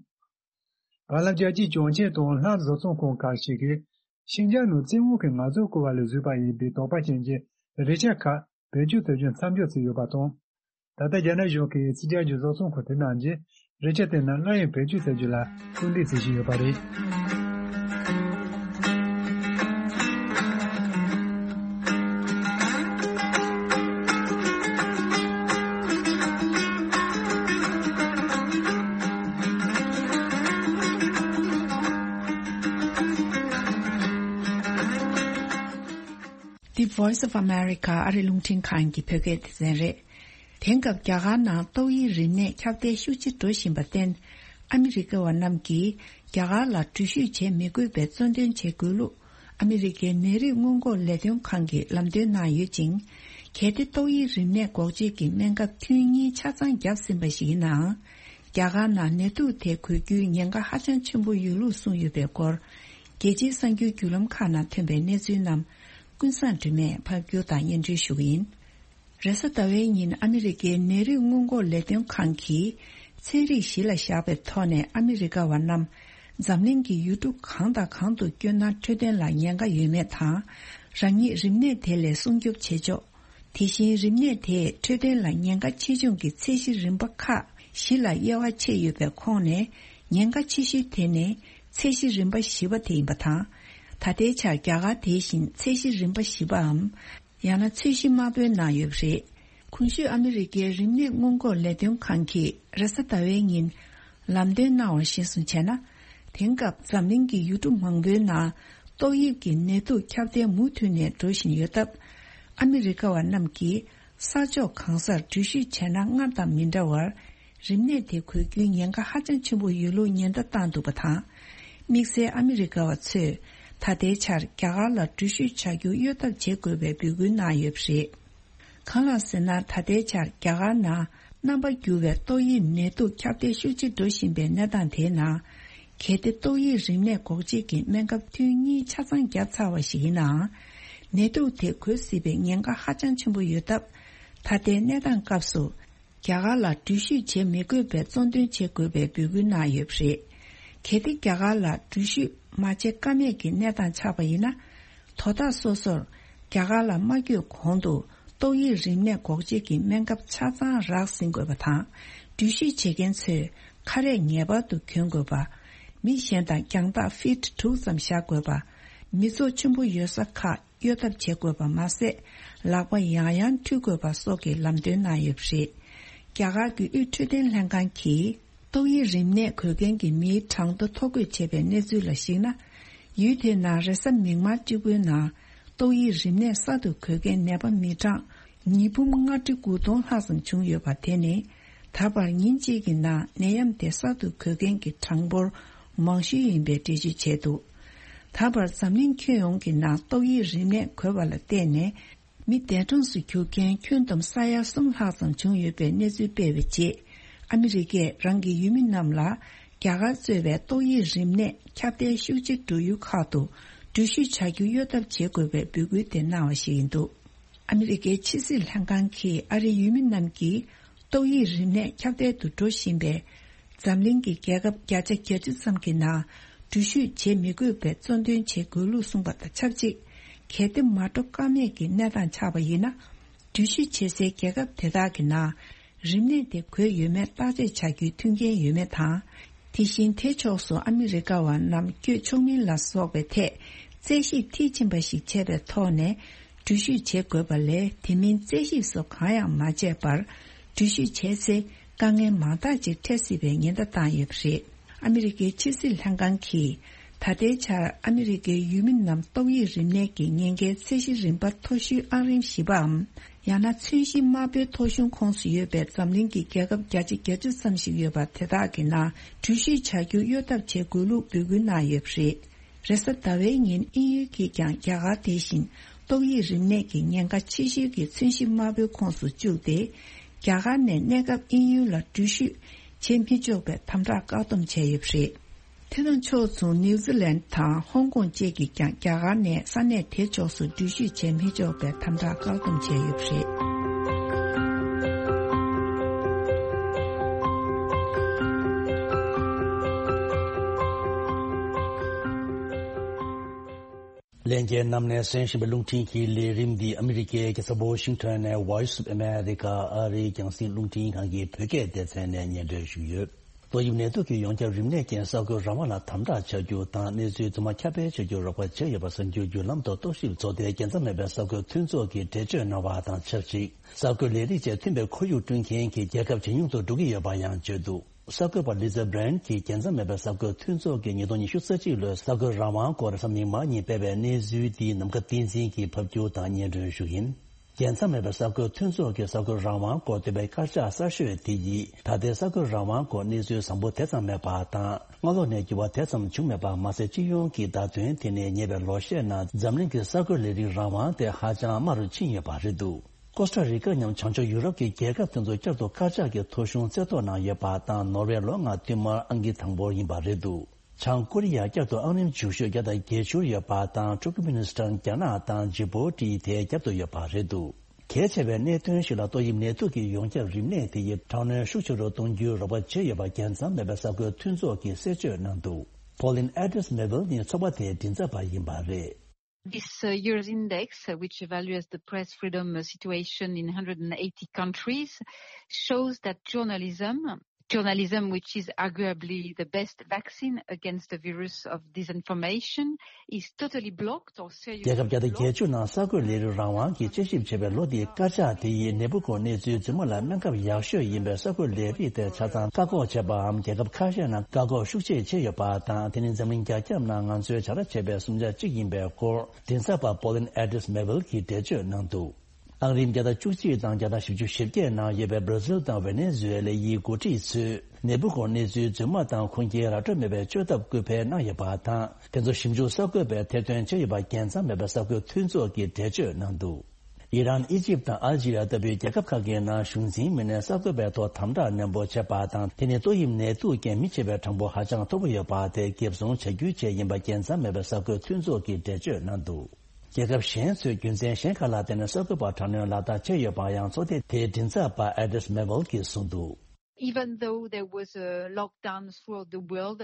བར་ལམ། རྒྱལ་སྤྱིའི་གྱོང་ཆེན་དང་ལྷག་བཟོ་ཚོང་ཁང་ཁག་ཅིག་གིས། ཤིན་ཅང་ནང་བཙན་དབང་གིས་ང་ཚོའི་བཀོད་པ་ལ་བཟོས་པ་ཡིན་པའི་དོགས་པ་ཅན་གྱི་རས་ཆ་ཁག་བེད་སྤྱོད་བྱ་རྒྱུ་མཚམས་འཇོག་བྱས་ཡོད་པ་དང་། ད་ལྟ་རྒྱ་ནག་གཞུང་གིས་ཕྱི་རྒྱལ་གྱི་བཟོ་ཚོང་ཁང་དེ་རྣམས་ཀྱིས་རས་ཆ་དེ་རྣམས་སླར་ཡང་བེད་སྤྱོད་བྱ་རྒྱུ་ལ་སྐུལ་འདེད་བྱེད་བཞིན་ཡོད་པ་རེད། The Voice of America ཨ་རི་རླུང་འཕྲིན་ཁང་གི་བོད་སྐད་སྡེ་ཚན་རེད། དེང་སྐབས་རྒྱ་གར་ནང་ཏོག་དབྱིབས་རིམས་ནད་ཁྱབ་གདལ་ཤུགས་ཆེ་འགྲོ་བཞིན་པར་བརྟེན། ཨ་མི་རི་ཀ་བ་རྣམས་ཀྱིས་རྒྱ་གར་ལ་འགྲུལ་བཞུད་བྱེད་མི་དགོས་པའི་གཙོ་འདོན་བྱེད་དགོས་ལུགས། ཨ་མི་རི་ཀའི་ནད་རིགས་སྔོན་འགོག་ལས་དོན་ཁང་གིས་ལམ་སྟོན་གནང་ཡོད་ཅིང་། གལ་ཏེ་ཏོག་དབྱིབས་རིམས་ནད་འགོག་བཅོས་ཀྱི་སྨན་ཁབ་ཐུན་གཉིས་ཆ་ཚང་བརྒྱབ་ཟིན་པ་ཞིག་ཡིན་ནའང་། རྒྱ་གར་ནང་ནད་དུག་དེ་འགོས་རྒྱུའི་ཉེན་ཁ་ཧ་ཅང་ཆེན་པོ་ཡོད་ལུགས་གསུངས་ཡོད་པའི་སྐོར། རྒྱལ་སྤྱིའི་གསར་འགྱུར་བརྒྱུད་ལམ་ཁག་ནང་ཐོན་པའི་གནས་ཚུལ་རྣམས། ཀུན་བཟང་སྒྲོལ་མས་ཕབ་སྒྱུར་དང་སྙན་སྒྲོན་ཞུ་གི་ཡིན། རེས་གཟའ་ཟླ་བའི་ཉིན་ཨ་མི་རི་ཀའི་ནད་རིགས་སྔོན་འགོག་ལས་དོན་ཁང་གིས་ཚན་རིག་གཞི་ལ་བཞག་པའི་ཐོག་ནས་ཨ་མི་རི་ཀ་བ་རྣམས་འཛམ་གླིང་གི་ཡུལ་གྲུ་གང་དང་གང་དུ་བསྐྱོད་ན་འཕྲོད་བསྟེན་ལ་ཉེན་ཁ་ཡོད་མེད་དང་། རང་ཉིད་རིམས་ནད་དེ་ལས་སྲུང་སྐྱོབ་བྱེད་ཕྱོགས། དེ་བཞིན་རིམས་ནད་དེས་འཕྲོད་བསྟེན་ལ་ཉེན་ཁ་ཆེ་ཆུང་གི་ཚད་གཞི་རིམ་པ་ཁག་བཞི་ལ་དབྱེ་བ་ཕྱེ་ཡོད་པའི་ཁོངས་ནས་ཉེན་ཁ་ཆེ་ཤོས་དེ་ནི་ཚད་གཞི་རིམ་པ་བཞི་པ་དེ་ཡིན་པ་དང་། ད་ལྟའི་ཆར་རྒྱ་གར་དེ་བཞིན་ཚད་གཞི་རིམ་པ་བཞི་པའམ། ཡང་ན་ཚད་གཞི་དམར་པོའི་ནང་ཡོད་པ་རེད། གོང་ཞུས་ཨ་མི་རི་ཀའི་རིམས་ནད་སྔོན་འགོག་ལས་དོན་ཁང་གིས་རེས་གཟའ་ཟླ་བའི་ཉིན་ལམ་སྟོན་གནང་བར་གཞིར་བཟུང་བྱས་ན། དེང་སྐབས་འཛམ་གླིང་གི་ཡུལ་གྲུ་མང་པོའི་ནང་ཏོག་དབྱིབས་ཀྱི་ནད་དུག་ཁྱབ་གདལ་མུ་མཐུད་ནས་འགྲོ་བཞིན་ཡོད་སྟབས། ཨ་མི་རི་ཀ་བ་རྣམས་ཀྱིས་ས་ཕྱོགས་གང་སར་འགྲུལ་བཞུད་བྱས་ན་སྔར་དང་མི་འདྲ་བར། རིམས་ནད་དེ་འགོས་རྒྱུའི་ཉེན་ཁ་ཧ་ཅང་ཆེན་པོ་ཡོད་ལུགས་ཉེན་བརྡ་བཏང་འདུག་པ་དང་། དམིགས་བསལ་ཨ་མི་རི་ཀ་བ་ཚོས་ད་ལྟའི་ཆར་རྒྱ་གར་ལ་འགྲུལ་བཞུད་བྱ་རྒྱུ་གཡོལ་ཐབས་བྱེད་དགོས་པའི་འབོད་སྐུལ་གནང་ཡོད་པ་རེད། གང་ལགས་ཟེར་ན། ད་ལྟའི་ཆར་རྒྱ་གར་ནང་རྣམ་པ་འགྱུར་བའི་ཏོག་དབྱིབས་ནད་དུག་ཁྱབ་གདལ་ཤུགས་ཆེ་འགྲོ་བཞིན་པའི་གནས་སྟངས་དེའི་ནང་། གལ་ཏེ་ཏོག་དབྱིབས་རིམས་ནད་འགོག་བྱེད་ཀྱི་སྨན་ཁབ་ཐུན་གཉིས་ཆ་ཚང་བརྒྱབ་ཚར་བ་ཞིག་ཡིན་ནའང་། ནད་དུག་དེ་འགོས་སྲིད་པའི་ཉེན་ཁ་ཧ་ཅང་ཆེན་པོ་ཡོད་སྟབས། ད་ལྟའི་གནས་སྟངས་སྐབས་སུ། རྒྱ་གར་ལ་འགྲུལ་བཞུད་བྱེད་མི་དགོས་པའི་གཙོ་འདོན་བྱེད་དགོས་པའི་འབོད་སྐུལ་གནང་ཡོད་པ་རེད། གལ་ཏེ་རྒྱ་གར་ལ་འགྲུལ་བཞུད་མ་བྱེད་ཀ་མེད་ཀྱི་གནས་སྟངས་ཆགས་པ་ཡིན་ན། དོ་བདག་སོ་སོར་རྒྱ་གར་ལ་མ་བསྐྱོད་གོང་དུ་ཏོག་དབྱིབས་རིམས་ནད་འགོག་བྱེད་ཀྱི་སྨན་ཁབ་ཆ་ཚང་རག་ཟིན་དགོས་པ་དང་། འགྲུལ་བཞུད་བྱེད་མཁན་ཚོས་ཁ་རས་ངེས་པར་དུ་གྱོན་དགོས་པ། མི་གཞན་དང་རྒྱང་ཐག་ཕིཊ་དྲུག་ཙམ་བཞག་དགོས་པ། མི་ཚོགས་ཆེན་པོ་ཡོད་ས་ཁག་གཡོལ་ཐབས་བྱེད་དགོས་པ་མ་ཟད། ལག་པ་ཡང་ཡང་འཁྲུད་དགོས་པ་སོགས་ཀྱི་ལམ་སྟོན་གནང་ཡོད་པ་རེད། རྒྱ་གར་གྱི་དབུས་འཕྲོད་བསྟེན་ལྷན་ཁང་གིས་ཏོག་དབྱིབས་རིམས་ནད་འགོས་མཁན་གྱི་མིའི་གྲངས་ཐོ་ཐོ་འགོད་བྱས་པའི་གནས་ཚུལ་ལ་གཞིགས་ན། ཡུལ་དེའི་ནང་རེས་གཟའ་མིག་དམར་གཅིག་པུའི་ནང་ཏོག་དབྱིབས་རིམས་ནད་གསར་དུ་འགོས་མཁན་ནད་པ་མི་གྲངས་ཉིས་འབུམ་ལྔ་ཁྲི་དགུ་སྟོང་ལྷག་ཙམ་བྱུང་ཡོད་པ་དེ་ནི། ད་བར་ཉིན་གཅིག་གི་ནང་ནད་ཡམས་དེ་གསར་དུ་འགོས་མཁན་གྱི་གྲངས་འབོར་མང་ཤོས་ཡིན་པའི་འགྲེལ་བརྗོད་བྱས་འདུག་ད་བར་འཛམ་གླིང་ཁྱོན་ཡོངས་ཀྱི་ནང་ཏོག་དབྱིབས་རིམས་ནད་འགོས་པ་ལ་བརྟེན་ནས། མི་འདས་གྲོངས་སུ་གྱུར་མཁན་ཁྱོན་བསྡོམས་ས་ཡ་གསུམ་ལྷག་ཙམ་བྱུང་ཡོད་པའི་གནས་ཚུལ་སྤེལ་བའི་རྗེས། ཨ་མི་རི་ཀས་རང་གི་ཡུལ་མི་རྣམས་ལ་རྒྱ་གར་གཙོས་པའི་ཏོག་དབྱིབས་རིམས་ནད་ཁྱབ་གདལ་ཤུགས་ཆེ་འགྲོ་ཡུལ་ཁག་ཏུ་འགྲུལ་བཞུད་བྱ་རྒྱུ་གཡོལ་ཐབས་བྱེད་དགོས་པའི་འབོད་སྐུལ་དེ་གནང་བ་ཞིག་ཡིན་འདུག་ཨ་མི་རི་ཀའི་ཕྱི་སྲིད་ལྷན་ཁང་གིས་ཨ་རིའི་ཡུལ་མི་རྣམས་ཀྱིས་ཏོག་དབྱིབས་རིམས་ནད་ཁྱབ་གདལ་དུ་འགྲོ་བཞིན་པའི་འཛམ་གླིང་གི་རྒྱལ་ཁབ་བརྒྱ་ཆ་གྱ་གཅིག་ཙམ་གྱི་ནང་འགྲུལ་བཞུད་བྱེད་མི་དགོས་པའི་གཙོ་འདོན་བྱེད་དགོས་ལུགས་གསུངས་པ་དང་ཆབས་ཅིག་གལ་ཏེ་མ་འགྲོ་ཀ་མེད་ཀྱི་གནས་སྟངས་ཆགས་པ་ཡིན་ན། འགྲུལ་བཞུད་བྱེད་སའི་རྒྱལ་ཁབ་དེ་དག་གི་ནང་རིམས་ནད་དེ་འགོས་ཡོད་མེད་བརྟག་དཔྱད་བྱ་རྒྱུའི་མཐུན་རྐྱེན་ཡོད་མེད་དང་། དེ་བཞིན་དེ་ཕྱོགས་སུ་ཨ་མི་རི་ཀ་བ་རྣམས་བསྐྱོད་ཆོག་མིན་ལ་སོགས་པའི་ཐད་རྩད་ཞིབ་མཐིལ་ཕྱིན་པ་ཞིག་བྱས་པའི་ཐོག་ནས། འགྲུལ་བཞུད་བྱེད་དགོས་པ་ལས་དེ་མིན་རྩད་ཞིབ་སོགས་གང་ཡང་མ་བྱས་པར། འགྲུལ་བཞུད་བྱས་ཚེ་དཀའ་ངལ་མང་དག་ཅིག་འཕྲད་སྲིད་པའི་ཉེན་བརྡ་བཏང་ཡོད་པ་རེད། ཨ་མི་རི་ཀའི་ཕྱི་སྲིད་ལྷན་ཁང་གིས། ད་ལྟའི་ཆར་ཨ་མི་རི་ཀའི་ཡུལ་མི་རྣམས་ཏོག་དབྱིབས་རིམས་ནད་ཀྱི་ཉེན་ཁའི་ཚད་གཞི་རིམ་པ་མཐོ་ཤོས་ཨང་རིམ་བཞི་པའམ། ཡང་ན་ཚོས་གཞི་དམར་པོའི་ཐོ་གཞུང་ཁོངས་སུ་ཡོད་པའི་འཛམ་གླིང་གི་རྒྱལ་ཁབ་བརྒྱ་ཆ་གྱ་གཅིག་ཙམ་ཞིག་ཡོད་པ་དེ་དག་གི་ནང་འགྲུལ་བཞུད་བྱ་རྒྱུ་གཡོལ་ཐབས་བྱེད་དགོས་ལུགས་འབོད་སྐུལ་གནང་ཡོད་པ་རེད། རེས་གཟའ་ཟླ་བའི་ཉིན་དབྱིན་ཡུལ་གྱིས་ཀྱང་རྒྱ་གར་དེ་བཞིན་ཏོག་དབྱིབས་རིམས་ནད་ཀྱི་ཉེན་ཁ་ཆེ་ཤོས་ཀྱི་མཚོན་གཞི་དམར་པོའི་ཁོངས་སུ་བཅུག་སྟེ། རྒྱ་གར་ནས་གནས་སྐབས་དབྱིན་ཡུལ་ལ་འགྲུལ་བཞུད་བྱེད་མི་ཆོག་པའི་དམ་དྲག་བཀག་སྡོམ་བྱས་ཡོད་པ་རེད། དེ་དང་ཕྱོགས་མཚུངས་ནིའུ་ཛི་ལན་དང་ཧོང་ཀོང་བཅས་ཀྱིས་ཀྱང་རྒྱ་གར་ནས་ས་གནས་དེ་ཕྱོགས་སུ་འགྲུལ་བཞུད་བྱེད་མི་ཆོག་པའི་དམ་དྲག་བཀག་སྡོམ་བྱས་ཡོད་པ་རེད། ལྷན་རྒྱས་རྣམས་ནས་གསན་བཞིན་པའི་རླུང་འཕྲིན་གྱི་ལས་རིམ་འདི་ཨ་མི་རི་ཀའི་རྒྱལ་ས་ཝོ་ཤིང་ཊོན་ནས་Voice of America ཨ་རིའི་རྒྱང་སྲིང་རླུང་འཕྲིན་ཁང་གི་བོད་སྐད་སྡེ་ཚན་ནས་སྙན་སྒྲོན་ཞུས་ཡོད། ཏོག་དབྱིབས་ནད་དུག་གི་ཡོངས་ཁྱབ་རིམས་ནད་རྐྱེན་གསར་འགོད་རང་དབང་ལ་དམ་དྲག་བྱ་རྒྱུ་དང་། གནས་ཚུལ་ཚང་མ་ཁྱབ་སྤེལ་བྱ་རྒྱུར་རོགས་པ་བྱས་ཡོད་པ་གསར་འགྱུར་བརྒྱུད་ལམ་དང་རྟོག་ཞིབ་ཚོགས་སྡེའི་རྒྱལ་མཚམས་མེད་པའི་གསར་འགོད་མཐུན་ཚོགས་ཀྱིས་འགྲེལ་བརྗོད་གནང་བ་དང་ཆབས་ཅིག་གསར་འགོད་ལས་རིགས་བཅས་མཐུན་པའི་ཁོར་ཡུག་བསྐྲུན་མཁན་གྱི་རྒྱལ་ཁབ་ཇེ་ཉུང་དུ་འགྲོ་གི་ཡོད་པ་ཡང་བརྗོད་འདུག་གསར་འགོད་པ་Lisa Brand གྱིས་རྒྱལ་མཚམས་མེད་པའི་གསར་འགོད་མཐུན་ཚོགས་ཀྱིས་ཉིས་སྟོང་ཉི་ཤུ་རྩ་གཅིག་ལོའི་གསར་འགོད་རང་དབང་སྐོར་གཟའ་མིག་དམར་ཉིན་སྤེལ་བའི་གནས་ཚུལ་འདི་ནམ་མཁའ་བསྟན་འཛིན་གྱིས་ཕབ་སྒྱུར་དང་སྙན་སྒྲོན་ཞུ་གི་ཡིན། རྒྱལ་མཚམས་མེད་པའི་གསར་འགོད་མཐུན་ཚོགས་ཀྱིས་གསར་འགོད་རང་དབང་སྐོར་བཏོན་པའི་དཀར་ཆག་གསར་ཤོས་དེ་ཡིས་ད་ལྟའི་གསར་འགོད་རང་དབང་སྐོར་གནས་ཚུལ་བཟང་པོ་དེ་ཙམ་མེད་པ་དང་། སྔ་ལོགས་ནས་འགྱུར་བ་དེ་ཙམ་བྱུང་མེད་པ་མ་ཟད། སྤྱི་ཡོངས་ཀྱི་བརྡ་དོན་དེ་ནས་ཉེ་བའི་ལོ་ཤས་ནང་འཛམ་གླིང་གི་གསར་འགོད་ལས་རིགས་རང་དབང་དེ་ཧ་ཅང་དམའ་རུ་ཕྱིན་ཡོད་པ་རེད་འདུག་ཀོ་སྟ་རི་ཀ་མཉམ་བྱང་ཕྱོགས་ཡུ་རོབ་ཀྱི་རྒྱལ་ཁབ་དེ་ཚོ་བསྐྱར་དུ་དཀར་ཆག་གི་ཐོ་གཞུང་རྩེ་བཏོག་གནང་ཡོད་པ་དང་། ནོར་ཝེ་ལོ་ལྔ་བསྟུད་མར་ཨང་ཀི་དང་པོར་ཡིན་པ་རེད་འདུག་བྱང་ཀོ་རི་ཡ་བསྐྱར་དུ་ཨང་རིམ་བཅུ་བཞི་བརྒྱ་དང་བརྒྱད་ཅུར་ཡོད་པ་དང་། ཐུར་ཀི་མི་ནི་སི་ཐན། རྒྱ་ནག་དང་ཇི་བོ་ཊི་དེའི་རྒྱབ་ཏུ་ཡོད་པ་རེད་འདུག་གལ་ཆེ་བའི་གནད་དོན་ཞིག་ལ་ཏོག་དབྱིབས་ནད་དུག་གི་ཡོངས་ཁྱབ་རིམས་ནད་དེ་ཡིས་དྲག་གནོན་ཤུགས་ཆེ་རུ་གཏོང་རྒྱུའི་རོགས་པ་བྱས་ཡོད་པ་རྒྱལ་མཚམས་མེད་པའི་གསར་འགོད་མཐུན་ཚོགས་ཀྱིས་གསལ་བརྗོད་གནང་འདུག Pauline Addis Mebel ནི་ཚོགས་པ་དེའི་མགྲིན་ཚབ་པ་ཡིན་པ་རེད། This uh, year's index, uh, which evaluates the press freedom uh, situation in one hundred eighty countries, shows that journalism, journalism which is arguably the best vaccine against the virus of disinformation, is totally blocked or seriously རྒྱལ་ཁབ་བརྒྱ་དང་བརྒྱད་ཅུ་ནང་གསར་འགོད་ལས་རིགས་རང་དབང་གི་དཔྱད་ཞིབ་བྱས་པའི་ལོ་འདིའི་དཀར་ཆག་དེ་ཡིས་ནད་འབུ་འཁོར་གནས་ཚུལ་རྫུན་མ་ལ་སྨན་ཁབ་ཡག་ཤོས་ཡིན་པའི་གསར་འགོད་ལས་རིགས་དེ་ཆ་ཚང་བཀག་འགོག་བྱས་པའམ། རྒྱལ་ཁབ་ཁ་ཤས་ནང་བཀག་འགོག་ཤུགས་ཆེ་བྱས་ཡོད་པ་དང་། དེ་ནི་འཛམ་གླིང་རྒྱ་ཁྱབ་ནང་ང་ཚོས་བྱ་ར་བྱས་པའི་བཟུང་བྱ་གཅིག་ཡིན་པའི་སྐོར་མགྲིན་ཚབ་པ་Pauline Addis Mebel གྱིས་འགྲེལ་བརྗོད་གནང་འདུག་ཨང་རིམ་བརྒྱ་དང་བཅུ་གཅིག་དང་བརྒྱ་དང་བཞི་བཅུ་ཞེ་བརྒྱད་ནང་ཡོད་པའི་བྷར་ཛིལ་དང་ཝེ་ནེ་ཛུ་ཝེ་ལ་ཡི་འགོ་ཁྲིད་ཚོས་ནད་འབུ་འཁོར་གནས་ཚུལ་རྫུན་མ་དང་ཁུངས་སྐྱེལ་ར་སྤྲོད་མེད་པའི་བཅོས་ཐབས་སྐུལ་སྤེལ་གནང་ཡོད་པ་དང་། དེ་ཚོ་ཞིབ་འཇུག་གསར་འགོད་པས་ཐེར་འདོན་བྱས་ཡོད་པ་རྒྱལ་མཚམས་མེད་པའི་གསར་འགོད་མཐུན་ཚོགས་ཀྱིས་འགྲེལ་བརྗོད་གནང་འདུག་ཨི་རན། ཨི་ཇིབ་དང་ཨལ་ཇི་རི་ཡ་ལྟ་བུའི་རྒྱལ་ཁབ་ཁག་གི་ནང་གཞུང་འཛིན་མི་སྣས་གསར་འགོད་པའི་ཐོག་དམ་དྲག་ནན་པོ་བྱས་པ་དང་། དེ་ནི་ཏོག་དབྱིབས་ནད་དུག་རྐྱེན་མི་བྱེད་པའི་གྲངས་འབོར་ཧ་ཅང་མཐོ་པོ་ཡོད་པ་དེ་འགེབས་སྲུང་བྱ་རྒྱུའི་ཆེད་ཡིན་པ་རྒྱལ་མཚམས་མེད་པའི་གསར་འགོད་མཐུན་ཚོགས་ཀྱིས་འགྲེལ་བརྗོད་གནང་འདུག་རྒྱལ་ཁབ་གཞན་ཚོས་རྒྱུ་མཚན་གཞན་ཁག་ལ་བརྟེན་ནས་གསར་འགོད་པ་དྲག་གནོན་ལག་བསྟར་བྱས་ཡོད་པ་ཡང་ཚོགས་སྡེ་དེའི་མགྲིན་ཚབ་པ་Addis Mebel གྱིས་གསུངས་འདུག Even though there was a lockdown throughout the world,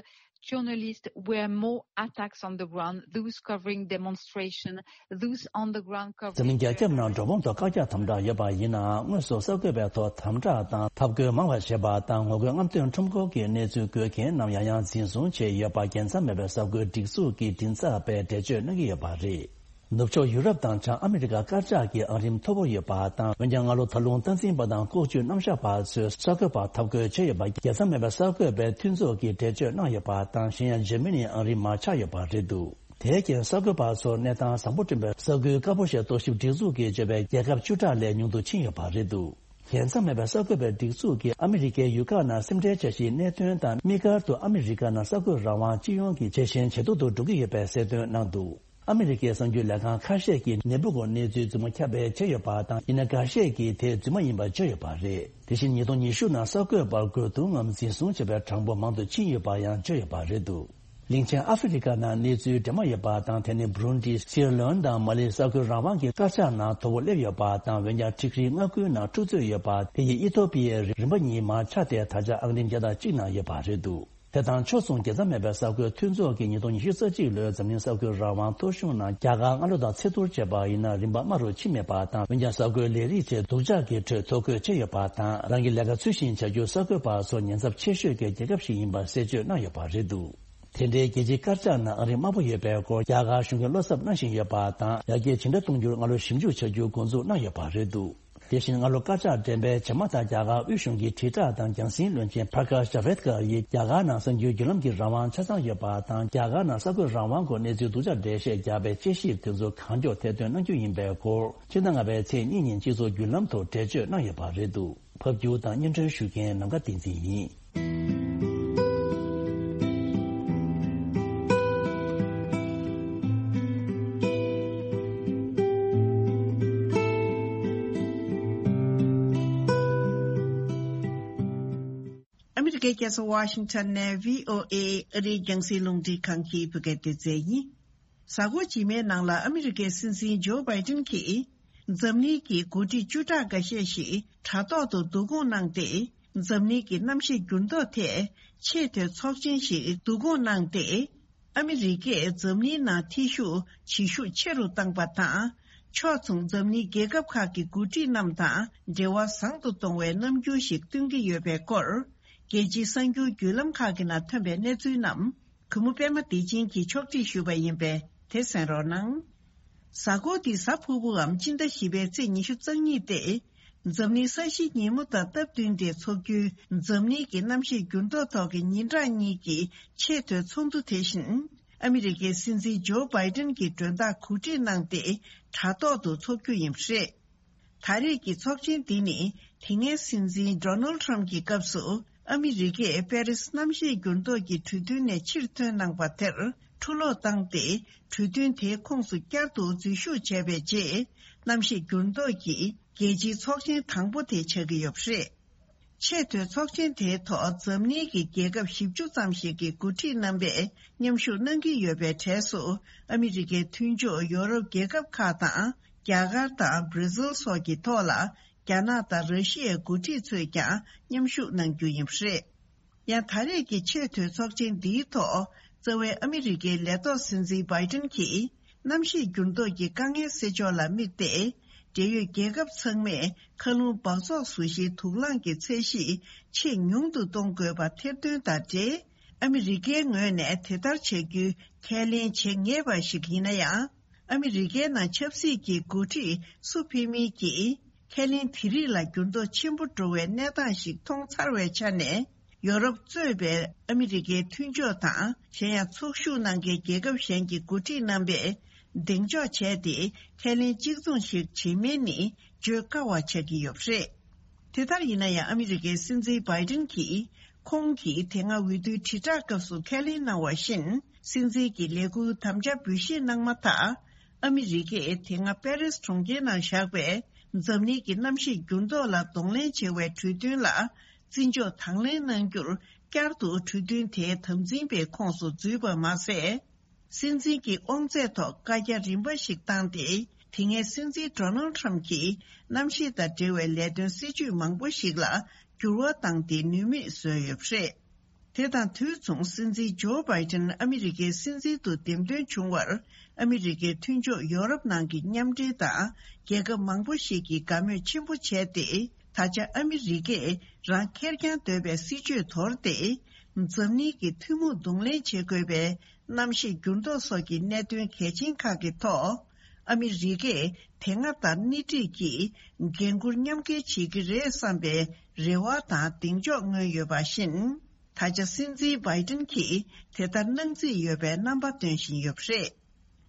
journalists were more attacks on the ground, those covering demonstration, those on the ground འཛམ་གླིང་རྒྱ་ཁྱབ་ནང་འགྲོ་འོང་ཐོག་བཀག་རྒྱ་དམ་དྲག་ཡོད་པ་ཡིན་ནའང་། དངོས་སུ་གསར་འགོད་པའི་ཐོག་དམ་དྲག་དང་འཐབ་རྒོལ་མང་བ་བྱེད་པ་དང་། ངོ་རྒོལ་རྔམ་སྟོན་ཁྲོམ་སྐོར་གྱི་གནས་ཚུལ་འགོད་མཁན་རྣམས་ཡང་ཡང་འཛིན་བཟུང་བྱས་ཡོད་པ་རྒྱལ་མཚམས་མེད་པའི་གསར་འགོད་སྒྲིག་འཛུགས་ཀྱི་མགྲིན་ཚབ་པས་འགྲེལ་བརྗོད་གནང་གི་ཡོད་པ་རེད། ནུབ་ཕྱོགས་ཡུ་རོབ་དང་བྱང་ཨ་མི་རི་ཀ་དཀར་ཆག་གི་ཨང་རིམ་མཐོ་པོ་ཡོད་པ་དང་། འོན་ཀྱང་སྔ་ལོ་ད་ལུང་སྟངས་འཛིན་པ་དང་ལྐོག་ཇུས་རྣམ་གཞག་པ་ཚོས་གསར་འགོད་པར་འཐབ་རྒོལ་བྱས་ཡོད་པ་རྒྱལ་མཚམས་མེད་པའི་གསར་འགོད་པའི་མཐུན་ཚོགས་ཀྱིས་འགྲེལ་བརྗོད་གནང་ཡོད་པ་དང་། གཞན་ཡང་འཇར་མ་ནི་ཨང་རིམ་མར་ཆག་ཡོད་པ་རེད་འདུག་དེའི་རྐྱེན་གསར་འགོད་པ་ཚོར་གནས་སྟངས་བཟང་པོ་བསྐྲུན་པའི་གསར་འགྱུར་དཀར་པོ་ཞེས་རྟོག་ཞིབ་སྒྲིག་འཛུགས་ཀྱིས་བརྗོད་པའི་རྒྱལ་ཁབ་བཅུ་ཕྲག་ལས་ཉུང་དུ་ཕྱིན་ཡོད་པ་རེད་འདུག་རྒྱལ་མཚམས་མེད་པའི་གསར་འགོད་པའི་སྒྲིག་འཛུགས་ཀྱིས་ཨ་མི་རི་ཀའི་ཡུལ་ཁག་ནང་སེམས་ཁྲལ་འཆར་གཞིའི་གནད་དོན་དང་། དམིགས་བཀར་དུ་ཨ་མི་རི་ཀ་ནང་གསར་འགོད་རང་དབང་སྤྱི་ཡོངས་ཀྱི་ཇེ་ཞན་ཇེ་སྡུག་ཏུ་འགྲོ་གི་ཡོད་པའི་གསལ་སྟོན་གནང་འདུག་ཨ་མི་རི་ཀའི་གསར་འགྱུར་ལས་ཁང་ཁ་ཤས་ཀྱིས་ནད་འབུ་འཁོར་གནས་ཚུལ་རྫུན་མ་ཁྱབ་སྤེལ་བྱས་ཡོད་པ་དང་། ཡིན་ན་འགའ་ཤས་ཀྱིས་དེ་རྫུན་མ་ཡིན་པར་བརྗོད་ཡོད་པ་རེད། དེ་བཞིན་ཉིས་སྟོང་ཉི་ཤུ་ནང་གསར་འགོད་པར་རྒོལ་རྡུང་ངམ་འཛིན་བཟུང་བྱས་པའི་གྲངས་འབོར་མང་དུ་ཕྱིན་ཡོད་པ་ཡང་བརྗོད་ཡོད་པ་རེད་འདུག་གླིང་ཆེན་ཨ་ཧྥེ་རི་ཀ་ནང་གནས་ཚུལ་འདྲ་མ་ཡོད་པ་དང་། དེ་ནི་བྷུ་རུན་ཌི། སི་ཡེ་ར་ལེའོན་དང་མ་ལིའི་གསར་འགོད་རང་དབང་གི་དཀར་ཆག་ནང་མཐོ་པོ་སླེབས་ཡོད་པ་དང་། འོན་ཀྱང་འགྲིག་རིགས་ལྔ་དགུའི་ནང་འཁྲུག་རྩོད་ཡོད་པ་དེ་ཡིས་ཨི་ཐོ་པི་ཡའི་རིམ་པ་གཉིས་མར་ཆག་སྟེ་ད་ཆ་ཨང་རིམ་བརྒྱ་དང་གཅིག་ནང་ཡོད་པ་རེད་འདུག་དེ་དང་ཕྱོགས་མཚུངས་རྒྱལ་མཚམས་མེད་པའི་གསར་འགོད་མཐུན་ཚོགས་ཀྱིས་ཉིས་སྟོང་ཉི་ཤུ་རྩ་གཅིག་ལོའི་འཛམ་གླིང་གསར་འགོད་རང་དབང་ཐོ་གཞུང་ནང་རྒྱ་གར་སྔ་ལོ་དང་ཚད་བསྡུར་བྱས་པ་ཡིན་ན་རིམ་པ་དམའ་རུ་ཕྱིན་མེད་པ་དང་། འོན་ཀྱང་གསར་འགོད་ལས་རིགས་ཆེད་སྡུག་ཅག་གི་ཁྲོད་ཐོ་འགོད་བྱས་ཡོད་པ་དང་། རང་གི་ལས་ཀ་ཚུལ་བཞིན་བྱ་རྒྱུར་གསར་འགོད་པ་ཚོ་ཉེན་ཚབས་ཆེ་ཤོས་ཀྱི་རྒྱལ་ཁབ་ཞིག་ཡིན་པ་གསལ་བརྗོད་གནང་ཡོད་པ་རེད་འདུག་དེ་འདྲའི་རྒྱལ་སྤྱིའི་དཀར་ཆག་ནང་ཨང་རིམ་དམའ་པོ་ཡོད་པའི་སྐོར་རྒྱ་གར་གཞུང་གིས་བློ་འཚབ་གནང་བཞིན་ཡོད་པ་དང་། ཡར་རྒྱས་ཇི་འདྲ་གཏོང་རྒྱུར་སྔ་ལོ་ཞིབ་འཇུག་བྱ་རྒྱུ་འགོ་འཛུགས་གནང་ཡོད་པ་རེད་འདུག་དེ་བཞིན་སྔ་ལོ་དཀར་ཆག་འགྲེམས་སྤེལ་བྱས་མ་ཐག་རྒྱ་གར་དབུས་གཞུང་གི་དྲིལ་བསྒྲགས་དང་རྒྱང་སྲིང་བློན་ཆེན་Prakash Javadekar ཡིས་རྒྱ་གར་ནང་གསར་འགྱུར་བརྒྱུད་ལམ་གྱི་རང་དབང་ཆ་ཚང་ཡོད་པ་དང་། རྒྱ་གར་ནང་གསར་འགོད་རང་དབང་སྐོར་གནས་ཚུལ་སྡུག་ཅག་འགྲེལ་བཤད་རྒྱག་པའི་དཔྱད་ཞིབ་དེ་ཚོ་གང་མགྱོགས་ཐེར་འདོན་གནང་རྒྱུ་ཡིན་པའི་སྐོར་ཕྱི་ཟླ་ལྔ་པའི་ཚེས་གཉིས་ཉིན་སྤྱི་ཚོགས་བརྒྱུད་ལམ་ཐོག་འགྲེལ་བརྗོད་གནང་ཡོད་པ་རེད་འདུག་ཕབ་སྒྱུར་དང་སྙན་སྒྲོན་ཞུ་མཁན་ནམ་མཁའ་བསྟན་འཛིན་ཡིན། ཨ་མི་རི་ཀའི་རྒྱལ་ས་ཝ་ཤིང་ཊོན་ནས་བྷི་ཨོ་ཨེ་ཨ་རིའི་རྒྱང་སྲིང་རླུང་འཕྲིན་ཁང་གི་བོད་སྐད་སྡེ་ཚན་ཡིན། གཟའ་འཁོར་རྗེས་མའི་ནང་ལ་ཨ་མི་རི་ཀའི་སྲིད་འཛིན་ཇོ་བྷའི་ཏིན་གྱིས་འཛམ་གླིང་གི་འགོ་ཁྲིད་བཅུ་ཕྲག་འགའ་ཤས་ཤིག་དྲ་ཐོག་ཏུ་བསྡུ་སྐོང་གནང་སྟེ། འཛམ་གླིང་གི་གནམ་གཤིས་འགྱུར་ལྡོག་ཐད་ཆེས་མཐོའི་ཚོགས་ཆེན་ཞིག་བསྡུ་སྐོང་གནང་སྟེ། ཨ་མི་རི་ཀས་འཛམ་གླིང་ནང་ཐེ་ཞུགས་བྱེད་ཤུགས་ཆེ་རུ་བཏང་པ་དང་། ཕྱོགས་མཚུངས་འཛམ་གླིང་རྒྱལ་ཁབ་ཁག་གི་འགོ་ཁྲིད་རྣམས་དང་འབྲེལ་བ་བཟང་དུ་གཏོང་བའི་རྣམ་འགྱུར་ཞིག་སྟོན་གྱི་ཡོད་པའི་སྐོར། རྒྱལ་སྤྱིའི་གསར་འགྱུར་བརྒྱུད་ལམ་ཁག་གི་ནང་ཐོན་པའི་གནས་ཚུལ་རྣམས། གུས་མོ་པད་མ་བདེ་ཆེན་གྱིས་ཕྱོགས་སྒྲིག་ཞུས་པ་ཡིན་པས་དེ་གསན་རོགས་གནང་། གཟའ་འཁོར་འདིའི་གཟའ་ཕུར་བུའམ་སྤྱི་ཟླ་བཞི་པའི་ཚེས་ཉི་ཤུ་རྩ་གཉིས་ཏེ། འཛམ་གླིང་ས་གཞི་ཉིན་མོ་དང་སྟབས་བསྟུན་ཏེ་འཚོགས་རྒྱུའི་འཛམ་གླིང་གི་གནམ་གཤིས་འགྱུར་ལྡོག་ཐོག་གི་ཉིན་གྲངས་གཉིས་ཀྱི་ཆེས་མཐོའི་ཚོགས་འདུ་དེ་བཞིན། ཨ་མི་རི་ཀའི་སྲིད་འཛིན་ཇོ་བྷའི་ཏན་གྱིས་མགྲོན་བདག་གོ་སྒྲིག་གནང་སྟེ། དྲ་ཐོག་ཏུ་འཚོགས་རྒྱུ་ཡིན་པ་རེད། ད་རེས་ཀྱི་ཚོགས་ཆེན་འདི་ནི། དེ་སྔའི་སྲིད་འཛིན་ཌོ་ནལ་ཁྲམ་གྱི་སྐབས་སུ། ཨ་མི་རི་ཀས་པེ་རིས་གནམ་གཤིས་འགྱུར་ལྡོག་གི་གྲོས་མཐུན་ནས་ཕྱིར་ཐོན་གནང་པ་དེར་འཁྲུ་སློག་བཏང་སྟེ། གྲོས་མཐུན་དེའི་ཁོངས་སུ་བསྐྱར་དུ་འཛུལ་ཞུགས་བྱས་པའི་རྗེས། གནམ་གཤིས་འགྱུར་ལྡོག་གི་རྒྱལ་སྤྱིའི་ཚོགས་ཆེན་དང་པོ་དེ་ཆགས་ཀྱི་ཡོད་པ་རེད། ཆེས་མཐོའི་ཚོགས་ཆེན་དེའི་ཐོག་འཛམ་གླིང་གི་རྒྱལ་ཁབ་བཞི་བཅུ་ཙམ་ཞིག་གི་འགོ་ཁྲིད་རྣམ་པས་མཉམ་ཞུགས་གནང་གི་ཡོད་པའི་གྲས་སུ། ཨ་མི་རི་ཀའི་མཐུན་ཕྱོགས་ཡོ་རོབ་རྒྱལ་ཁབ་ཁག་དང་། རྒྱ་གར་དང་བྷར་ཛིལ་སོགས་ཀྱི་ཐོག་ལ། རྒྱ་ནག་དང་ར་ཤི་ཡའི་འགོ་ཁྲིད་ཚོས་ཀྱང་མཉམ་ཞུགས་གནང་རྒྱུ་ཡིན་པ་རེད། ཡང་ད་རེས་ཀྱི་ཆེས་མཐོའི་ཚོགས་ཆེན་འདིའི་ཐོག་རྩ་བའི་ཨ་མི་རི་ཀའི་ལས་ཐོག་སྲིད་འཛིན་བྷའི་ཏན་གྱིས། གནམ་གཤིས་འགྱུར་ལྡོག་གི་དཀའ་ངལ་སེལ་ཕྱོགས་ལ་དམིགས་ཏེ། འབྲེལ་ཡོད་རྒྱལ་ཁབ་ཚང་མས་མཁའ་རླུང་འབག་བཙོག་བཟོ་གཞིའི་དུག་རླངས་ཀྱི་ཚད་གཞི་ཆེས་ཉུང་དུ་གཏོང་དགོས་པ་ཐེར་འདོན་དང་འབྲེལ། ཨ་མི་རི་ཀའི་ངོས་ནས་དེ་ལྟར་བྱ་རྒྱུའི་ཁས་ལེན་བྱེད་ངེས་པ་ཞིག་ཡིན་ན་ཡང་། ཨ་མི་རི་ཀའི་ནང་ཆབ་སྲིད་ཀྱི་འགོ་ཁྲིད་སུ་ཕེབས་མིན་གྱིས། ཁས་ལེན་དེ་རིགས་ལ་འགྱུར་ལྡོག་ཆེན་པོ་འགྲོ་བའི་གནས་སྟངས་ཤིག་མཐོང་ཚར་བའི་ཆ་ནས། ཡོ་རོབ་གཙོས་པའི་ཨ་མི་རི་ཀའི་མཐུན་ཕྱོགས་དང་། གཞན་ཡང་ཚོགས་ཞུགས་གནང་མཁན་རྒྱལ་ཁབ་གཞན་གྱི་འགོ་ཁྲིད་རྣམ་པས་གདེང་འཇོག་བྱས་ཏེ། ཁས་ལེན་གཅིག་མཚུངས་ཤིག་བྱེད་མིན་ནི་བརྗོད་དཀའ་བ་ཆགས་ཀྱི་ཡོད་པ་རེད། དེ་ལྟར་ཡིན་ན་ཡང་། ཨ་མི་རི་ཀའི་སྲིད་འཛིན་བྷའི་ཏན་གྱིས། ཁོང་གིས་དེ་སྔ་འོས་བསྡུའི་དྲིལ་བསྒྲགས་སྐབས་སུ་ཁས་ལེན་གནང་བ་བཞིན། སྲིད་འཛིན་གྱི་ལས་འཁུར་དམ་བཅའ་འབུལ་བཞེས་གནང་མ་ཐག་ཨ་མི་རི་ཀས་དེ་སྔ་པེ་རིས་གྲོང་ཁྱེར་ནང་བཞག་པའི་འཛམ་གླིང་གི་གནམ་གཤིས་འགྱུར་ལྡོག་ལ་གདོང་ལེན་བྱེད་པའི་གྲོས་མཐུན་ལ་བརྩི་འཇོག་དང་ལེན་གནང་རྒྱུར། བསྐྱར་དུ་གྲོས་མཐུན་དེའི་དམ་འཛིན་པའི་ཁོངས་སུ་འཛུལ་པ་མ་ཟད། སྲིད་འཛིན་གྱི་དབང་ཚད་ཐོག་བཀའ་རྒྱ་རིམ་པ་ཞིག་བཏང་སྟེ། དེ་སྔའི་སྲིད་འཛིན་ཌོ་ནལ་ཁྲམ་གྱིས་གནམ་གཤིས་དང་འབྲེལ་བའི་ལས་དོན་སྲིད་ཇུས་མང་པོ་ཞིག་ལ་འགྱུར་བ་བཏང་སྟེ། ནུས་མེད་བཟོས་ཡོད་པ་རེད། དེ་དང་དུས་མཚུངས། སྲིད་འཛིན་ཇོ་བྷའི་ཏན་ཨ་མི་རི་ཀའི་སྲིད་འཛིན་དུ་འདེམས་ཐོན་བྱུང་བར། ཨ་མི་རི་ཀའི་མཐུན་ཕྱོགས་ཡོ་རོབ་ནང་གི་མཉམ་འབྲེལ་དང་། རྒྱལ་ཁབ་མང་པོ་ཞིག་གིས་དགའ་མོས་ཆེན་པོ་བྱས་ཏེ། ད་ཆ་ཨ་མི་རི་ཀས་རང་ཁེར་རྐྱང་འདོད་པའི་སྲིད་ཇུས་དོར་ཏེ། འཛམ་གླིང་གི་ཐུན་མོང་གདོང་ལེན་བྱེད་དགོས་པའི་གནམ་གཤིས་འགྱུར་ལྡོག་སོགས་ཀྱི་གནད་དོན་གལ་ཆེན་ཁག་གི་ཐོག་ཨ་མི་རི་ཀས་དེ་སྔ་ལྟར་སྣེ་ཁྲིད་ཀྱིས་འགན་འཁུར་མཉམ་འགན་བྱེད་ཀྱི་རེད་བསམ་པའི་རེ་བ་དང་གདེང་འཇོག་མངོན་ཡོད་པ་བཞིན། ད་ཆ་སྲིད་འཛིན་བྷའི་ཏན་གྱིས་དེ་ལྟར་གནང་རྩིས་ཡོད་པའི་རྣམ་པ་སྟོན་བཞིན་ཡོད་པ་རེད།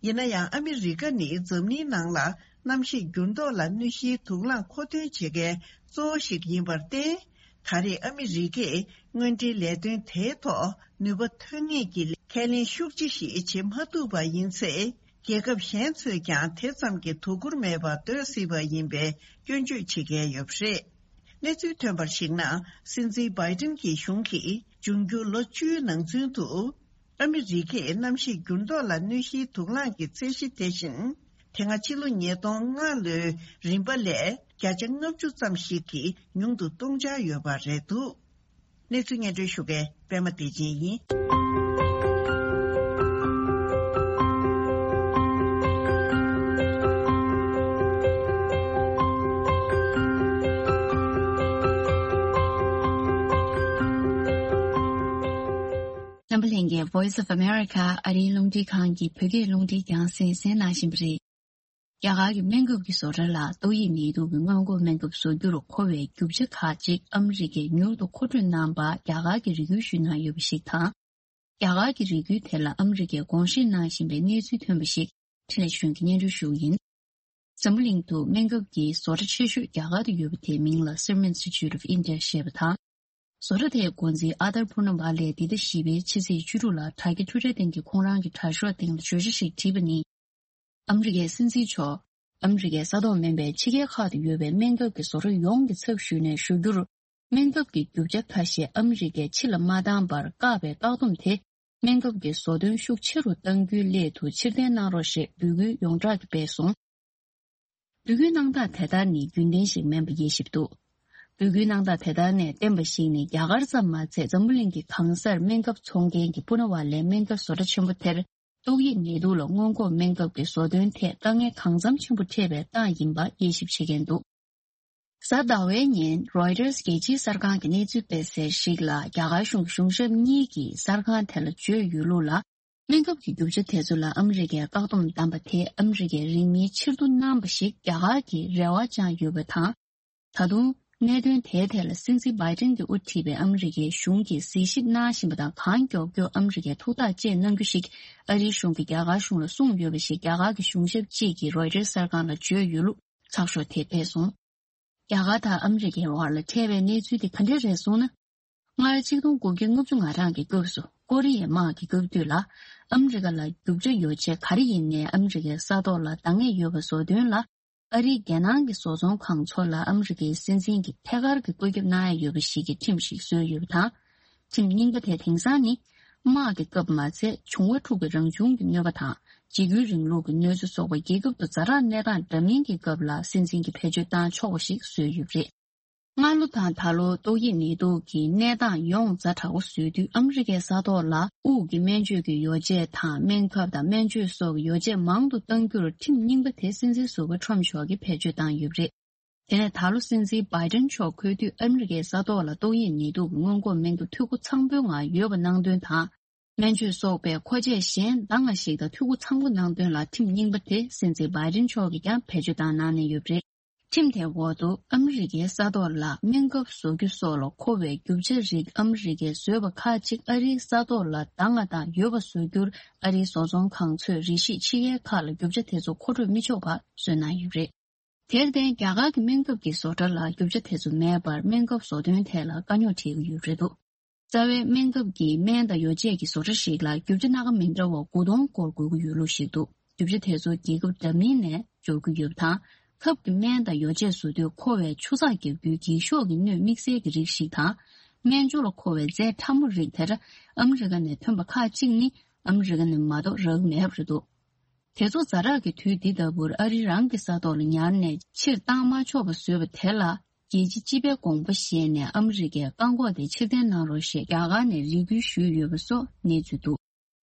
ཡིན་ན་ཡང་། ཨ་མི་རི་ཀ་ནི་འཛམ་གླིང་ནང་ལ་གནམ་གཤིས་འགྱུར་ལྡོག་ལ་གནོད་གཞིའི་དུག་རླངས་མཁོ་འདོན་བྱེད་མཁན་གཙོ་བོ་ཞིག་ཡིན་པར་བརྟེན། ད་རེས་ཨ་མི་རི་ཀས་དངོས་འབྲེལ་ལས་དོན་དེའི་ཐོག་ནུས་པ་ཐོན་ངེས་ཀྱི་ཁས་ལེན་ཤུགས་ཆེ་ཞིག་བྱེད་མ་ཐུབ་པ་ཡིན་ཚེ། རྒྱལ་ཁབ་གཞན་ཚོས་ཀྱང་དེ་ཙམ་གྱི་དོ་ཁུར་མེད་པར་སྡོད་སྲིད་པ་ཡིན་པའི་སྐྱོན་བརྗོད་བྱེད་མཁན་ཡོད་པ་རེད། གནས་ཚུལ་ཐོན་པར་གཞིགས་ན། སྲིད་འཛིན་བྷའི་ཏིན་གྱི་གཞུང་གིས་འབྱུང་འགྱུར་ལོ་བཅུའི་ནང་ཚུན་དུ། ཨ་མི་རི་ཀས་གནམ་གཤིས་འགྱུར་ལྡོག་ལ་གནོད་གཞིའི་དུག་རླངས་ཀྱི་ཚད་གཞི་དེ་བཞིན། དེ་སྔ་ཕྱི་ལོ་ཉིས་སྟོང་ལྔ་ལོའི་རིམ་པ་ལས་བརྒྱ་ཆ་ལྔ་བཅུ་ཙམ་ཞིག་གིས་ཉུང་དུ་གཏོང་འཆར་ཡོད་པ་རེད་འདུག་གནས་ཚུལ་སྙན་སྒྲོན་ཞུ་མཁན་པད་མ་བདེ་ཆེན་ཡིན། འཛམ་བུ་གླིང་གི་Voice of America ཨ་རིའི་རླུང་འཕྲིན་ཁང་གི་བོད་སྐད་རླུང་འཕྲིན་རྒྱང་སྲིང་གསན་གནང་བཞིན་པ་རེད། རྒྱ་གར་གྱི་སྨན་ཁབ་ཀྱི་བཟོ་གྲྭ་ལ་ཏོག་དབྱིབས་ནད་དུག་གི་སྔོན་འགོག་སྨན་ཁབ་བཟོ་རྒྱུར་མཁོ་བའི་རྒྱུ་ཆ་ཁག་ཅིག་ཨ་མི་རི་ཀས་མྱུར་དུ་མཁོ་སྤྲོད་གནང་པར་རྒྱ་གར་གྱིས་རེ་སྐུལ་ཞུས་གནང་ཡོད་པ་ཞིག་དང་། རྒྱ་གར་གྱི་རེ་སྐུལ་དེ་ལ་ཨ་མི་རི་ཀས་དགོངས་བཞེས་གནང་བཞིན་པའི་གནས་ཚུལ་ཐོན་པ་ཞིག་འཕྲིན་ལས་གཞོན་གྱིས་སྙན་སྒྲོན་ཞུ་གི་ཡིན། འཛམ་བུ་གླིང་དུ་སྨན་ཁབ་ཀྱི་བཟོ་གྲྭ་ཆེ་ཤོས་རྒྱ་གར་དུ་ཡོད་པ་དེའི་མིང་ལ་Serum Institute of India ཞེས་པ་དང་། བཟོ་གྲྭ་དེའི་འགོ་འཛིན་ཨ་དར་པུར་ན་བྷ་ལས་འདི་ཟླ་བཞི་པའི་ཕྱི་ཚེས་བཅུ་དྲུག་ལ་དྲ་རྒྱ་ཊུ་ཊར་སྟེང་གི་ཁོང་རང་གི་དྲ་ཤོག་སྟེང་ལ་བརྗོད་བྱ་ཞིག་བྲིས་པ་ནི། ཨ་མི་རི་ཀའི་སྲིད་འཛིན་མཆོག་ཨ་མི་རི་ཀའི་ས་ཐོག་མིན་པའི་ཕྱི་རྒྱལ་ཁག་ཏུ་ཡོད་པའི་སྨན་ཁབ་ཀྱི་བཟོ་གྲྭ་ཡོངས་ཀྱི་ཚབ་ཞུས་ནས་ཞུ་རྒྱུར། སྨན་ཁབ་ཀྱི་རྒྱུ་ཆ་ཁ་ཤས་ཨ་མི་རི་ཀས་ཕྱི་ལ་མ་བཏང་བར་བཀག་པའི་བཀག་སྡོམ་དེ། སྨན་ཁབ་ཀྱི་བཟོ་འདོན་ཤུགས་ཆེ་རུ་གཏང་རྒྱུའི་སླད་དུ་ཕྱིར་འཐེན་གནང་རོགས་ཞེས་འབོད་སྐུལ་ཡོངས་གྲགས་ཀྱིས་སྤེལ་སོང་། འབོད་སྐུལ་གནང་སྟངས་དེ་ལྟར་ནི་རྒྱུན་ལྡན་ཞིག་མིན་པ་དབྱེ་ཞིབ་འདུག་འབོད་སྐུལ་གནང་སྟངས་དེ་ལྟར་ནས་བསྟན་པ་ཞིག་ནི། རྒྱ་གར་ཙམ་མ་ཚད་འཛམ་བུ་གླིང་གི་གང་སར་སྨན་ཁབ་འཚོང་མཁན་གྱི་པུ་ན་ཝ་ལའི་སྨན་ཁབ་བཟོ་གྲྭ་ཆེན་པོ་དེར། ཏོག་དབྱིབས་ནད་དུག་ལ་སྔོན་འགོག་སྨན་ཁབ་ཀྱི་བཟོ་འདོན་ཐད་དཀའ་ངལ་གང་འཚམ་ཆེན་པོ་འཕྲད་པའི་རྟགས་ཡིན་པ་དབྱེ་ཞིབ་བྱེད་མཁན་འདུག་གཟའ་ཟླ་བའི་ཉིན་Reuters་རྒྱལ་སྤྱིའི་གསར་ཁང་གི་གནས་ཚུལ་སྤེལ་གསལ་ཞིག་ལ། རྒྱ་གར་གཞུང་གི་གཞུང་ཞབས་གཉིས་ཀྱིས་གསར་ཁང་དེ་ལ་བརྗོད་ཡོད་ལུགས་ལ། སྨན་ཁབ་ཀྱི་རྒྱུ་ཆ་དེ་ཚོ་ལ་ཨ་མི་རི་ཀས་བཀག་སྡོམ་བསྡམས་པ་དེ་ཨ་མི་རི་ཀས་རིང་མིན་ཕྱིར་བསྡུ་གནང་བ་ཞིག་རྒྱ་གར་གྱིས་རེ་བ་བཅངས་ཡོད་པ་དང་། ད་དུང་གནད་དོན་དེའི་ཐད་ལ་སྲིད་འཛིན་བྷའི་ཏིན་གྱིས་དབུ་ཁྲིད་པའི་ཨ་མི་རི་ཀའི་གཞུང་གིས་གཟིགས་ཞིབ་གནང་བཞིན་པ་དང་། གང་མགྱོགས་མགྱོགས་ཨ་མི་རི་ཀས་ཐུགས་ཐག་བཅད་གནང་རྒྱུ་ཞིག་ཨ་རིའི་གཞུང་གིས་རྒྱ་གར་གཞུང་ལ་གསུངས་ཡོད་པ་ཞིག་རྒྱ་གར་གྱི་གཞུང་ཞབས་གཅིག་གིས་རོའི་ཊར་གསར་ཁང་ལ་བརྗོད་ཡོད་ལུགས་ཚགས་ཤོག་དེས་སྤེལ་སོང་། རྒྱ་གར་དང་ཨ་མི་རི་ཀའི་བར་ལ་འཕྲད་པའི་གནས་ཚུལ་དེ་ག་འདྲ་རེད་གསུངས་ན། སྔར་ཆིག་སྟོང་དགུ་བརྒྱ་ལྔ་བཅུ་ང་གྲངས་ཀྱི་སྐབས་སུ་ཀོ་རི་ཡའི་དམག་གི་སྐབས་དུས་ལ། ཨ་མི་རི་ཀ་ལ་རྒྱུ་ཆ་ཡོ་བྱད་ག་རེ་ཡིན་ནའི་ཨ་མི་རི་ཀའི་ས་ཐོག་ལ་འདང་ངེས་ཡོད་པ་བཟོ་དོན་ལ། ཨ་རིའི་རྒྱལ་ནང་གི་བཟོ་ཚོང་ཁང་ཚོ་ལ་ཨ་མི་རི་ཀའི་སྲིད་འཛིན་གྱིས་ཐད་ཀར་གྱི་བཀོད་ཁྱབ་གནང་ཡ་ཡོད་པ་ཞིག་གི་ཁྲིམས་ཤིག་བཟོས་ཡོད་པ་དང་། ཁྲིམས་རྙིང་པ་དེ་དེང་སང་ནི། དམག་གི་སྐབས་མ་ཚད་འབྱུང་བ་འཁྲུག་པའི་རང་བྱུང་གི་གནོད་པ་དང་། འཇིགས་སྐུལ་རིང་ལུགས་ཀྱི་གནོད་འཚེ་སོགས་པ་རྒྱལ་ཁབ་ཏུ་ཛ་དྲག་གནས་སྟངས་འདྲ་མིན་གྱི་སྐབས་ལ་སྲིད་འཛིན་གྱིས་བེད་སྤྱོད་བཏང་ཆོག་པ་ཞིག་བཟོས་ཡོད་པ་རེད། སྔ་ལོ་དང་ད་ལོ་ཏོག་དབྱིབས་ནད་དུག་གི་གནས་སྟངས་ཡོངས་ཛ་དྲག་པོ་བཟོས་དུས། ཨ་མི་རི་ཀའི་ས་ཐོག་ལ་དབུགས་ཀྱི་སྨན་བཅོས་ཀྱི་ཡོ་བྱད་དང་། སྨན་ཁབ་དང་སྨན་བཅོས་སོགས་ཀྱི་ཡོ་བྱད་མང་དུ་གཏང་རྒྱུར་ཁྲིམས་རྙིང་པ་དེ་སྲིད་འཛིན་ཟུར་པ་ཁྲོམ་མཆོག་གིས་བེད་སྤྱོད་བཏང་ཡོད་པ་རེད། དེ་ནས་ད་ལོ་སྲིད་འཛིན་བྷའི་ཏིན་མཆོག་འཁོད་དུས་ཨ་མི་རི་ཀའི་ས་ཐོག་ལ་ཏོག་དབྱིབས་ནད་དུག་གི་སྔོན་འགོག་སྨན་ཁབ་འཐུས་སྒོ་ཚང་པོའི་ངང་ཡོད་པ་གནང་དོན་དང་། སྨན་བཅོས་སོགས་པའི་མཁོ་ཆས་གཞན་འདང་ང་ཞིག་དང་འཐུས་སྒོ་ཚང་པོ་གནང་དོན་ལ་ཁྲིམས་རྙིང་པ་དེ་སྲིད་འཛིན་བྷའི་ཏིན་མཆོག་གིས་ཀྱང་བེད་སྤྱོད་བཏང་གནང་གནང་ཡོད་པ་རེད། ཁྲིམས་དེའི་འོག་ཏུ་ཨ་མི་རི་ཀའི་ས་ཐོག་ལ་སྨན་ཁབ་བཟོ་རྒྱུ་སོགས་ལ་མཁོ་བའི་རྒྱུ་ཆ་རིགས་ཨ་མི་རི་ཀས་བཟོས་པ་ཁག་ཅིག་ཨ་རིའི་ས་ཐོག་ལ་འདང་ང་དང་ཡོད་པ་བཟོ་རྒྱུར། ཨ་རིའི་བཟོ་ཚོང་ཁང་ཚོས་རིགས་ཤིག་ཕྱི་རྒྱལ་ཁག་ལ་རྒྱུ་ཆ་དེ་ཚོ་མཁོ་སྤྲོད་མི་ཆོག་པ་བཟོས་གནང་ཡོད་པ་རེད། དེར་བརྟེན། རྒྱ་གར་གྱི་སྨན་ཁབ་ཀྱི་བཟོ་གྲྭ་ལ་རྒྱུ་ཆ་དེ་ཚོ་མེད་པར། སྨན་ཁབ་བཟོ་དོན་ཐད་ལ་དཀའ་རྙོག་འཕྲད་ཀྱི་ཡོད་པ་རེད་འདུག་རྩ་བའི་སྨན་ཁབ་ཀྱི་སྨན་དང་ཡོ་བྱད་ཀྱི་བཟོ་གྲྭ་ཞིག་ལ་རྒྱུ་ཆ་སྣ་ཁ་མི་འདྲ་བ་དགུ་སྟོང་སྐོར་དགོས་ཀྱི་ཡོད་ལུགས་ཤིག་འདུག་རྒྱུ་ཆ་དེ་ཚོ་རྒྱལ་ཁབ་འདྲ་མིན་ནས་འབྱོར་གྱི་ཡོད་པ་དང་། ཁབ་ཀྱི་སྨན་དང་ཡོ་བྱད་བཟོ་དུས་མཁོ་བའི་ཆུ་ཚགས་རྒྱག་རྒྱུའི་འགྱིག་ཤོག་གི་སྣོད་དམིགས་བསལ་གྱི་རིགས་ཤིག་དང་། སྨན་སྦྱོར་ལ་མཁོ་བའི་རྫས་ཕྲ་མོ་རིགས་དེར་ཨ་མི་རི་ཀ་ནས་ཐོན་པ་ཁག་ཅིག་ནི་ཨ་མི་རི་ཀ་ནས་མ་གཏོགས་རག་གི་མེད་པ་རེད་འདུག་དེ་ཚོ་ཛ་དྲག་གི་དུས་འདི་ལྟ་བུར་ཨ་རི་རང་གི་ས་ཐོག་ལ་ཉར་ནས་ཕྱིར་བཏང་མ་ཆོག་པ་བཟོས་པ་དེ་ལ། རྒྱལ་སྤྱིའི་སྤྱི་པའི་དགོངས་པ་བཞེས་ནས་ཨ་མི་རི་ཀས་བཀག་འགོག་དེ་ཕྱིར་འཐེན་གནང་རོགས་ཞེས་རྒྱ་གར་ནས་རེ་སྐུལ་ཞུས་ཡོད་པ་སོགས་གནས་ཚུལ་འདུག་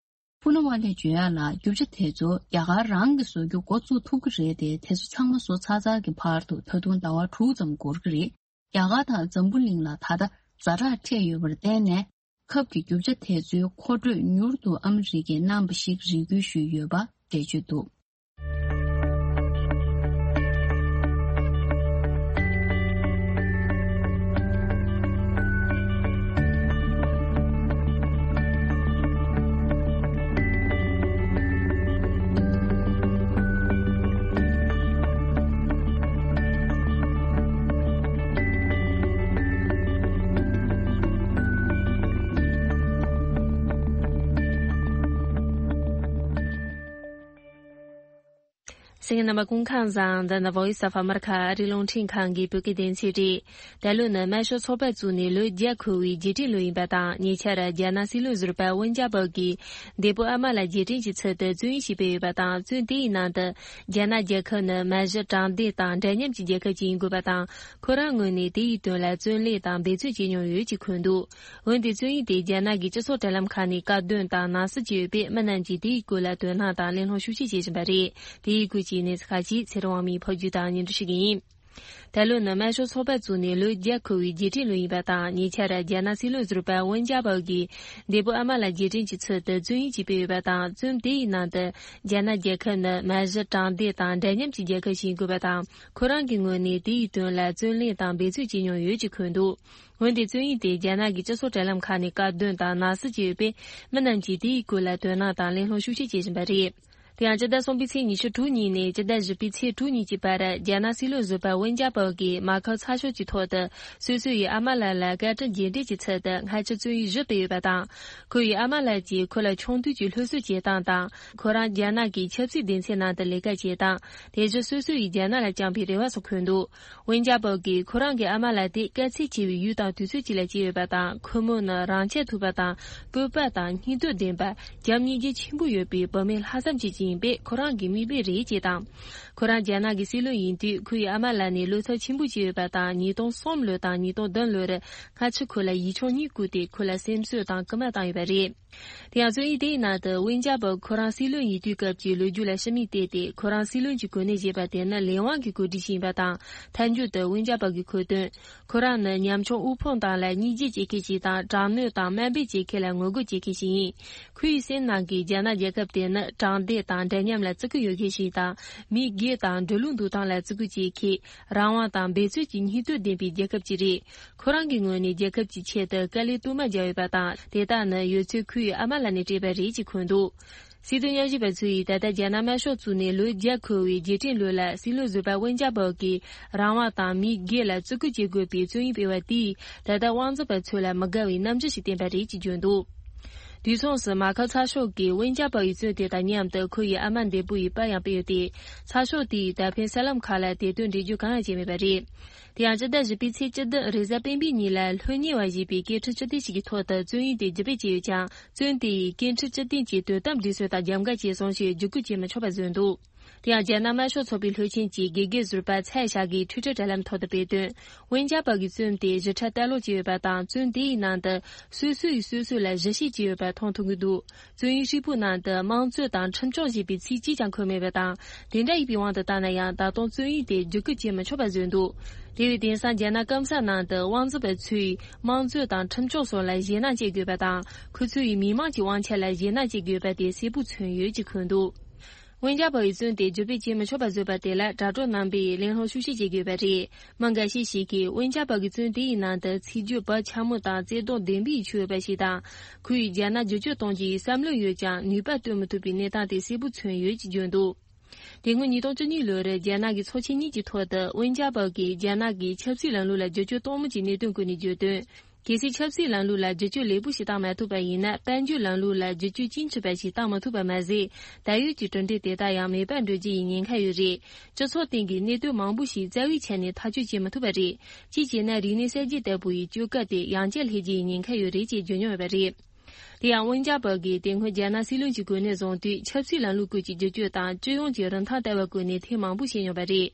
ཕུ་ནུ་ཝ་ལེས་བརྗོད་ཡག་ལ། རྒྱུ་ཆ་དེ་ཚོ་རྒྱ་གར་རང་གིས་བཟོ་རྒྱུ་འགོ་བཙུགས་ཐུབ་ཀྱི་རེད་དེ། དེ་ཚོ་ཚང་མ་བཟོ་ཚར་ཚར་གྱི་བར་དུ་ད་དུང་ཟླ་བ་དྲུག་ཙམ་འགོར་གྱི་རེད། རྒྱ་གར་དང་འཛམ་བུ་གླིང་ལ་ད་ལྟ་ཛ་དྲག་འཕྲད་ཡོད་པར་བརྟེན་ནས། ཁབ་ཀྱི་རྒྱུ་ཆ་དེ་ཚོའི་མཁོ་སྤྲོད་མྱུར་དུ་ཨ་མི་རི་ཀས་གནང་བ་ཞིག་རེ་སྐུལ་ཞུས་ཡོད་པ་འགྲེལ་བརྗོད་འདུག་གསན་མཁན་རྣམ་པ་སྐུ་ཁམས་བཟང་། འདི་ནི་Voice of America ཨ་རིའི་རླུང་འཕྲིན་ཁང་གི་བོད་སྐད་སྡེ་ཚན་རེད། ད་ལོ་ནི་དམར་ཤོག་ཚོགས་པ་བཙུགས་ནས་ལོ་བརྒྱ་འཁོར་བའི་རྗེས་དྲན་ལོ་ཡིན་པ་དང་། ཉེ་ཆར་རྒྱ་ནག་སྲིད་བློན་ཟུར་པ་ཝུན་ཅཱ་པའོ་གིས་འདས་པོ་ཨ་མ་ལགས་རྗེས་དྲན་གྱི་ཚུལ་དུ་བཙོན་ཡིག་ཅིག་སྤེལ་ཡོད་པ་དང་། བཙོན་དེ་ཡི་ནང་དུ་རྒྱ་ནག་རྒྱལ་ཁབ་ནི་མ་གཞི་དྲང་བདེན་དང་འདྲ་མཉམ་གྱི་རྒྱལ་ཁབ་ཅིག་ཡིན་དགོས་པ་དང་། ཁོ་རང་ངོས་ནས་དེ་ཡི་དོན་ལ་བརྩོན་ལེན་དང་འབད་བརྩོན་བྱེད་མྱོང་ཡོད་ཅེས་འཁོད་འདུག་འོན་ཏེ་བཙོན་ཡིག་དེ་རྒྱ་ནག་གི་སྤྱི་ཚོགས་དྲ་ལམ་ཁག་ནས་བཀག་སྡོམ་དང་ནང་གསེས་བྱས་ཡོད་པས། མི་རྣམས་ཀྱིས་དེའི་སྐོར་ལ་དོ་སྣང་དང་གླེང་སློང་ཤུགས་ཆེ་བྱེད་བཞིན་པ་རེད། དེའི་སྐོར་གྱི་གནས་ཚུལ་ཁག་ཅིག་ཚེ་རིང་དབང་མོས་ཕབ་སྒྱུར་དང་སྙན་སྒྲོན་ཞུ་གི་ཡིན། ད་ལོ་ནི་དམར་ཤོག་ཚོགས་པ་བཙུགས་ནས་ལོ་བརྒྱ་འཁོར་བའི་རྗེས་དྲན་ལོ་ཡིན་པ་དང་། ཉེ་ཆར་རྒྱ་ནག་སྲིད་བློན་ཟུར་པ་ཝུན་ཅཱ་པའོ་གིས་འདས་པོ་ཨ་མ་ལགས་རྗེས་དྲན་གྱི་ཚུལ་དུ་བཙོན་ཡིག་ཅིག་སྤེལ་ཡོད་པ་དང་། བཙོན་དེ་ཡི་ནང་དུ་རྒྱ་ནག་རྒྱལ་ཁབ་ནི་མ་གཞི་དྲང་བདེན་དང་འདྲ་མཉམ་གྱི་རྒྱལ་ཁབ་ཞིག་ཡིན་དགོས་པ་དང་། ཁོ་རང་གི་ངོས་ནས་དེ་ཡི་དོན་ལ་བརྩོན་ལེན་དང་འབད་བརྩོན་བྱེད་མྱོང་ཡོད་ཅེས་འཁོད་འདུག་འོན་ཏེ་བཙོན་ཡིག་དེ་རྒྱ་ནག་གི་སྤྱི་ཚོགས་དྲ་ལམ་ཁག་ནས་བཀག་སྡོམ་དང་ནང་གསེས་བྱས་ཡོད་པས། མི་རྣམས་ཀྱིས་དེའི་སྐོར་ལ་དོ་སྣང་དང་གླེང་སློང་ཤུགས་ཆེ་བྱེད་བཞིན་པ་རེད། དེ་ཡང་སྤྱི་ཟླ་གསུམ་པའི་ཚེས་ཉི་ཤུ་དྲུག་ཉིན་ནས་སྤྱི་ཟླ་བཞི་པའི་ཚེས་དྲུག་ཉིན་གྱི་བར། རྒྱ་ནག་སྲིད་བློན་ཟུར་པ་ཝུན་ཅཱ་པའོ་གིས་མ་ཁག་ཚ་ཤོས་ཀྱི་ཐོག་ཏུ་སོ་སོ་ཡི་ཨ་མ་ལགས་ལ་བཀའ་དྲིན་རྗེས་དྲན་གྱི་ཚུལ་དུ་སྔ་ཕྱི་བཙོན་ཡིག་བཞི་སྤེལ་ཡོད་པ་དང་། ཁོ་ཡི་ཨ་མ་ལགས་ཀྱིས་ཁོ་ལ་ཆུང་དུས་ཀྱི་སློབ་གསོ་བྱེད་སྟངས་དང་། ཁོ་རང་རྒྱ་ནག་གི་ཆབ་སྲིད་སྡེ་ཚན་ནང་དུ་ལས་ཀ་བྱེད་སྟངས། དེ་བཞིན་སོ་སོ་ཡིས་རྒྱ་ནག་ལ་བཅངས་པའི་རེ་བ་སོགས་འཁོད་འདུག་ཝུན་ཅཱ་པའོ་གིས་ཁོ་རང་གི་ཨ་མ་ལགས་དེ་དཀའ་ཚེགས་ཆེ་བའི་ཡུལ་དང་དུས་ཚོད་ཅིག་ལ་སྐྱེས་ཡོད་པ་དང་། ཁོ་མོ་ནི་རང་ཆས་མཐུག་པ་དང་། སྤོབས་པ་དང་སྙིང་སྟོབས་ལྡན་པ། བྱམས་སྙིང་རྗེ་ཆེན་པོ་ཡོད་པའི་བུད་མེད་ལྷག་བསམ་ཅན་ཅིག་ཡིན་པས། ཁོ་རང་གི་མིག་དཔེ་རེད་ཅེས་དང་། ཁོ་རང་རྒྱ་ནག་གི་སྲིད་བློན་ཡིན་དུས། ཁོ་ཡི་ཨ་མ་ལགས་ནི་བློ་འཚབ་ཆེན་པོ་བྱས་ཡོད་པ་དང་། ཉིས་སྟོང་གསུམ་ལོ་དང་ཉིས་སྟོང་བདུན་ལོར་སྔ་ཕྱི་ཁོ་ལ་ཡིག་ཆུང་གཉིས་བསྐུར་ཏེ། ཁོ་ལ་སེམས་གསོ་དང་སྐུལ་མ་བཏང་ཡོད་པ་རེད། དེ་ཡང་བཙོན་ཡིག་དེའི་ནང་དུ་ཝེན་ཅཱ་པའོ་ཁོ་རང་སྲིད་བློན་ཡིན་དུས་སྐབས་ཀྱི་ལོ་རྒྱུས་ལ་ཕྱི་མིག་བལྟས་ཏེ། ཁོ་རང་སྲིད་བློན་གྱི་གོ་གནས་བཞེས་པ་དེ་ནི་ལས་དབང་གི་གོ་སྒྲིག་ཞིག་ཡིན་པ་དང་། མཐའ་མཇུག་ཏུ་ཝེན་ཅཱ་པའོ་གིས་འཁོད་དོན། ཁོ་རང་ནི་ཉམ་ཆུང་དབུལ་ཕོངས་དག་ལ་སྙིང་རྗེ་བྱེད་མཁན་ཞིག་དང་། དྲག་གནོན་དང་དམའ་འབེབས་བྱེད་མཁན་ལ་ངོ་རྒོལ་བྱེད་མཁན་ཞིག་ཡིན། ཁོའི་སེམས་ནང་གི་རྒྱ་ནག་རྒྱལ་ཁབ་དེ་ནི་དྲང་བདེན་དང་འདྲ་མཉམ་ལ་བརྩི་བཀུར་ཡོད་མཁན་ཞིག་དང་། མི་སྒེར་དང་འགྲོ་ལུགས་འདུག་སྟངས་ལ་བརྩི་བཀུར་བྱེད་མཁན། རང་དབང་དང་འབད་རྩོལ་གྱི་སྙིང་སྟོབས་ལྡན་པའི་རྒྱལ་ཁབ་ཅིག་རེད། ཁོ་རང་གི་ངོས་ནས་རྒྱལ་ཁབ་ཀྱི་ཆེད་དུ་དཀའ་ལས་སྟོབས་མ་བརྒྱབ་ཡོད་པ་དང་། དེ་དག་ནི་ཡོད་ཚད་ཁོའི་ཨ་མ་ལགས་ནས་སྤྲད་པ་རེད་ཅེས་འཁོད་འདུག། སྲིད་དོན་ཉམས་ཞིབ་པ་ཚོས་ད་ལྟ་རྒྱ་ནག་དམར་ཤོག་བཙུགས་ནས་ལོ་བརྒྱ་འཁོར་བའི་རྗེས་དྲན་ལོ་ལ། སྲིད་བློན་ཟུར་པ་ཝེན་ཅཱ་པའོ་གིས་རང་དབང་དང་མི་སྒེར་ལ་བརྩི་བཀུར་བྱེད་དགོས་པའི་བཙོན་ཡིག་སྤེལ་བ་དེས། ད་ལྟ་དབང་འཛིན་པ་ཚོ་ལ་མི་དགའ་བའི་རྣམ་འགྱུར་ཞིག་བསྟན་པ་རེད་ཅེས་བརྗོད་འདུག། དུས་མཚུངས་སུ་མ་ཁའོ་ཚགས་ཤོག་གིས་ཝེན་ཅཱ་པའོ་ཡི་བཙོན་དེ་དང་མཉམ་དུ་ཁོ་ཡི་ཨ་མ་འདས་པོ་ཡི་པར་ཡང་སྤེལ་ཡོད་དེ། ཚགས་ཤོག་དེས་ད་ཕན་གསར་ལམ་ཁག་ལ་དེ་དོན་འགྲེལ་བརྗོད་གང་ཡང་བྱས་མེད་པ་རེད། དེ་ཡང་སྤྱི་ཟླ་བཞི་པའི་ཚེས་བཅུ་བདུན་རེས་གཟའ་སྤེན་པའི་ཉིན་ལ་ལྷོད་ཉེ་བ་ཞེས་པའི་སྐད་འཕྲིན་སྤྱི་སྟེགས་ཤིག་གི་ཐོག་ཏུ་བཙོན་ཡིག་དེ་བརྒྱུད་སྤེལ་བྱས་ཡོད་ཀྱང་། བཙོན་དེ་ཡིས་སྐད་འཕྲིན་སྤྱི་སྟེགས་ཀྱི་དོན་དམ་སྒྲིག་སྲོལ་དང་རྒྱབ་འགལ་བྱས་སོང་ཞེས་བརྒྱུད་སྐུལ་བྱེད་མི་ཆོག་པ་བཟོས་འདུག། དེ་ཡང་རྒྱ་ནག་དམར་ཤོག་ཚོགས་པའི་ལྷོད་ཆེན་གྱི་དགེ་རྒན་ཟུར་པ་ཚའེ་ཞཱ་གིས་ཊུའི་ཊར་དྲ་ལམ་ཐོག་ཏུ་སྤེལ་དོན། ཝེན་ཅཱ་པའོ་གི་བཙོན་དེ་ཞིབ་ཕྲ་ལྟ་ཀློག་བྱས་ཡོད་པ་དང་། བཙོན་དེའི་ནང་དུ་སོ་སོ་ཡིས་སོ་སོ་ལ་གཞི་བྱེད་ཀྱི་ཡོད་པ་མཐོང་ཐུབ་ཀྱི་འདུག། བཙོན་ཡིག་ཧྲིལ་པོའི་ནང་དུ་དམངས་གཙོ་དང་ཁྲིམས་སྐྱོང་ཞེས་པའི་ཚིག་གཅིག་ཀྱང་འཁོད་མེད་པ་དང་། དེ་འདྲ་ཡིན་པའི་དབང་དུ་བཏང་ན་ཡང་། ད་དུང་བཙོན་ཡིག་དེ་བརྒྱུད་སྐུལ་བྱེད་མི་ཆོག་པ་བཟོས་འདུག། དེ་བས་དེང་སང་རྒྱ་ནག་སྐམ་ས་ནང་དུ་དབང་འཛིན་པ་ཚོས་དམངས་གཙོ་དང་ཁྲིམས་སྐྱོང་སོགས་ལ་ཞེད་སྣང་བྱེད་དགོས་པ་དང་། ཁོ་ཚོ་ཡིས་མི་དམངས་ཀྱི་དབང་ཆ་ལ་ཞེད་སྣང་བྱེད་དགོས་པ་དེ་གསལ་པོ་མཚོན་ཡོད་ཅེས་འཁོད་འདུག། ཝེན་ཅཱ་པའོ་ཡི་བཙོན་དེ་བརྒྱུད་སྤེལ་བྱེད་མི་ཆོག་པ་བཟོས་པ་དེ་ལ་དྲ་གྲོགས་རྣམ་པས་གླེང་སློང་ཤུགས་ཆེ་བྱེད་དགོས་པ་རེད། མི་འགའ་ཤས་ཤིག་གིས་ཝེན་ཅཱ་པའོ་གི་བཙོན་དེའི་ནང་དུ་ཚིག་བརྗོད་བག་ཆགས་མོ་དང་བརྩེ་དུང་ལྡན་པའི་ཆོས་ཡོད་པ་ཞིག་དང་། ཁོ་ཡིས་རྒྱ་ནག་བསྒྱུར་བཅོས་གཏོང་རྒྱུའི་བསམ་བློ་ཡོད་ཀྱང་ནུས་པ་བཏོན་མི་ཐུབ་པའི་གནས་སྟངས་དེ་གསལ་པོ་མཚོན་ཡོད་ཅེས་བརྗོད་འདུག། དེ་སྔོན་ཉིས་སྟོང་བཅུ་གཉིས་ལོར་རྒྱ་ནག་གི་ཚོགས་ཆེན་གཉིས་ཀྱི་ཐོག་ཏུ་ཝེན་ཅཱ་པའོ་གིས་རྒྱ་ནག་གིས་ཆབ་སྲིད་ལམ་ལུགས་ལ་བསྒྱུར་བཅོས་གཏོང་མུས་ཀྱི་གནད་དོན་སྐོར་ནས་བརྗོད་དོན། གལ་སྲིད་ཆབ་སྲིད་ལམ་ལུགས་ལ་བསྒྱུར་བཅོས་ལེགས་པོ་ཞིག་བཏང་མ་ཐུབ་པ་ཡིན་ན། དཔལ་འབྱོར་ལམ་ལུགས་ལ་བསྒྱུར་བཅོས་དཀྱིལ་ཆགས་པ་ཞིག་བཏང་མ་ཐུབ་པ་མ་ཟད། ད་ཡོད་ཀྱི་གྲུབ་འབྲས་དེ་དག་ཡང་མེད་པར་འགྲོ་རྒྱུ་ཡི་ཉེན་ཁ་ཡོད་རེད། སྤྱི་ཚོགས་སྟེང་གི་གནད་དོན་མང་པོ་ཞིག་རྩ་བའི་ཆ་ནས་ཐག་གཅོད་བྱེད་མ་ཐུབ་པ་རེད། གཅིག་བྱས་ན་རིག་གནས་གསར་བརྗེ་ལྟ་བུ་ཡི་བཅོས་སྐབས་དེ་ཡང་བསྐྱར་སླེབས་རྒྱུ་ཡི་ཉེན་ཁ་ཡོད་རེད་ཅེས་བརྗོད་མྱོང་ཡོད་པ་རེད། དེ་ཡང་ཝུན་ཅཱ་པའོ་གིས་དེ་སྔོན་རྒྱ་ནག་སྲིད་བློན་གྱི་གོ་གནས་བཟུང་དུས། ཆབ་སྲིད་ལམ་ལུགས་སྐོར་གྱི་བསྒྱུར་བཅོས་དང་། སྤྱི་ཡོངས་ཀྱི་རིན་ཐང་ལྟ་བ་སྐོར་ནས་ཐེངས་མང་པོ་བཤད་མྱོང་པ་རེད།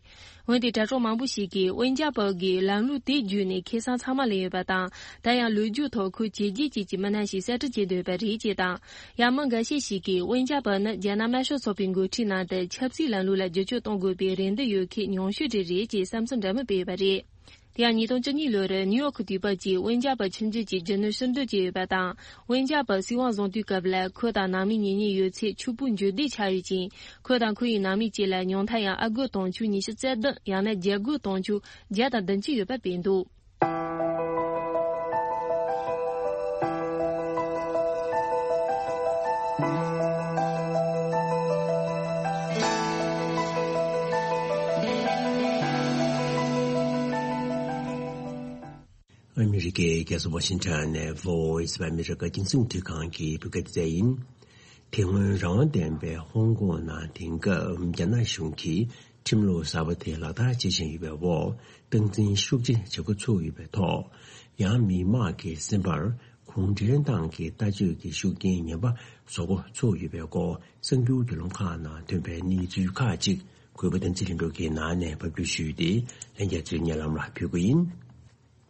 འོན་ཏེ་དྲ་གྲོགས་མང་པོ་ཞིག་གིས་ཝུན་ཅཱ་པའོ་གིས་ལམ་ལུགས་དེ་བརྒྱུད་ནས་ཁེ་བཟང་ཚང་མ་ལེན་ཡོད་པ་དང་། ད་ཡང་ལོ་རྒྱུས་ཐོག་ཁོས་བྱས་རྗེས་ཅན་གྱི་མི་སྣ་ཞིག་གསར་སྐྲུན་བྱེད་འདོད་པ་རེད་ཅེས་དང་། ཡང་མི་འགའ་ཤས་ཤིག་གིས་ཝུན་ཅཱ་པའོ་ནི་རྒྱ་ནག་དམར་ཤོག་ཚོགས་པའི་འགོ་ཁྲིད་ནང་དུ་ཆབ་སྲིད་ལམ་ལུགས་ལ་བསྒྱུར་བཅོས་གཏོང་དགོས་པའི་རེ་འདུན་ཡོད་མཁན་ཉུང་ཤོས་དེ་རེད་ཅེས་བསམ་ཚུལ་འདྲ་མིན་སྤེལ་ཡོད་པ་རེད། དེ་ཡང་ཉིས་སྟོང་བཅུ་གཉིས་ལོར་ནིའུ་ཡོག་གི་དུས་བབ་ཀྱིས་ཝུན་ཅཱ་པའོ་ཁྱིམ་རྒྱུད་ཀྱི་རྒྱུ་ནོར་ཕྱིར་འདོན་བྱས་ཡོད་པ་དང་། ཝུན་ཅཱ་པའོ་སྲིད་དབང་བཟུང་དུས་སྐབས་ལ་ཁོ་དང་ནང་མི་གཉེན་ཉེ་ཡོད་ཚད་ཕྱུག་པོ་འཇོལ་བདེ་ཆགས་ཡོད་ཅིང་། ཁོ་དང་ཁོ་ཡི་ནང་མི་བཅས་ལ་ཉུང་མཐར་ཡང་ཨ་སྒོར་དུང་ཕྱུར་ཉི་ཤུ་རྩ་བདུན། ཡང་ན་རྒྱ་སྒོར་དུང་ཕྱུར་བརྒྱ་དང་བདུན་ཅུ་ཡོད་པ་སྤེལ་འདུག། ཨ་མི་རི་ཀའི་རྒྱལ་ས་ཝ་ཤིང་ཊོན་ནས་Voice of America རྒྱང་སྲིང་འཕྲིན་ཁང་གི་བོད་སྐད་སྡེ་ཚན་ཡིན། དེ་སྔོན་རང་དབང་ལྡན་པའི་ཧོང་ཀོང་ནང་དེང་སྐབས་རྒྱ་ནག་གཞུང་གིས་ཁྲིམས་ལུགས་གསར་པ་དེ་ལག་བསྟར་བྱེད་བཞིན་ཡོད་པའི་འོག་སྟངས་འཛིན་ཤུགས་ཆེ་བྱེད་འགོ་ཚུགས་ཡོད་པའི་ཐོག་ཡང་མི་མང་གི་སེམས་པར་གུང་ཁྲན་ཏང་གི་ལྟ་སྤྱོད་ཀྱི་ཤུགས་རྐྱེན་ངན་པ་བཟོ་འགོ་ཚུགས་ཡོད་པའི་སྐོར་གསར་འགྱུར་བརྒྱུད་ལམ་ཁག་ནང་ཐོན་པའི་གནས་ཚུལ་ཁག་ཅིག་གུས་པ་བསྟན་འཛིན་ལྷུན་གྲུབ་ཀྱིས་ནང་ནས་ཕབ་སྒྱུར་ཞུས་ཏེ་ལྷན་རྒྱས་ཚོའི་སྙན་ལམ་ལ་ཕུལ་གྱི་ཡིན།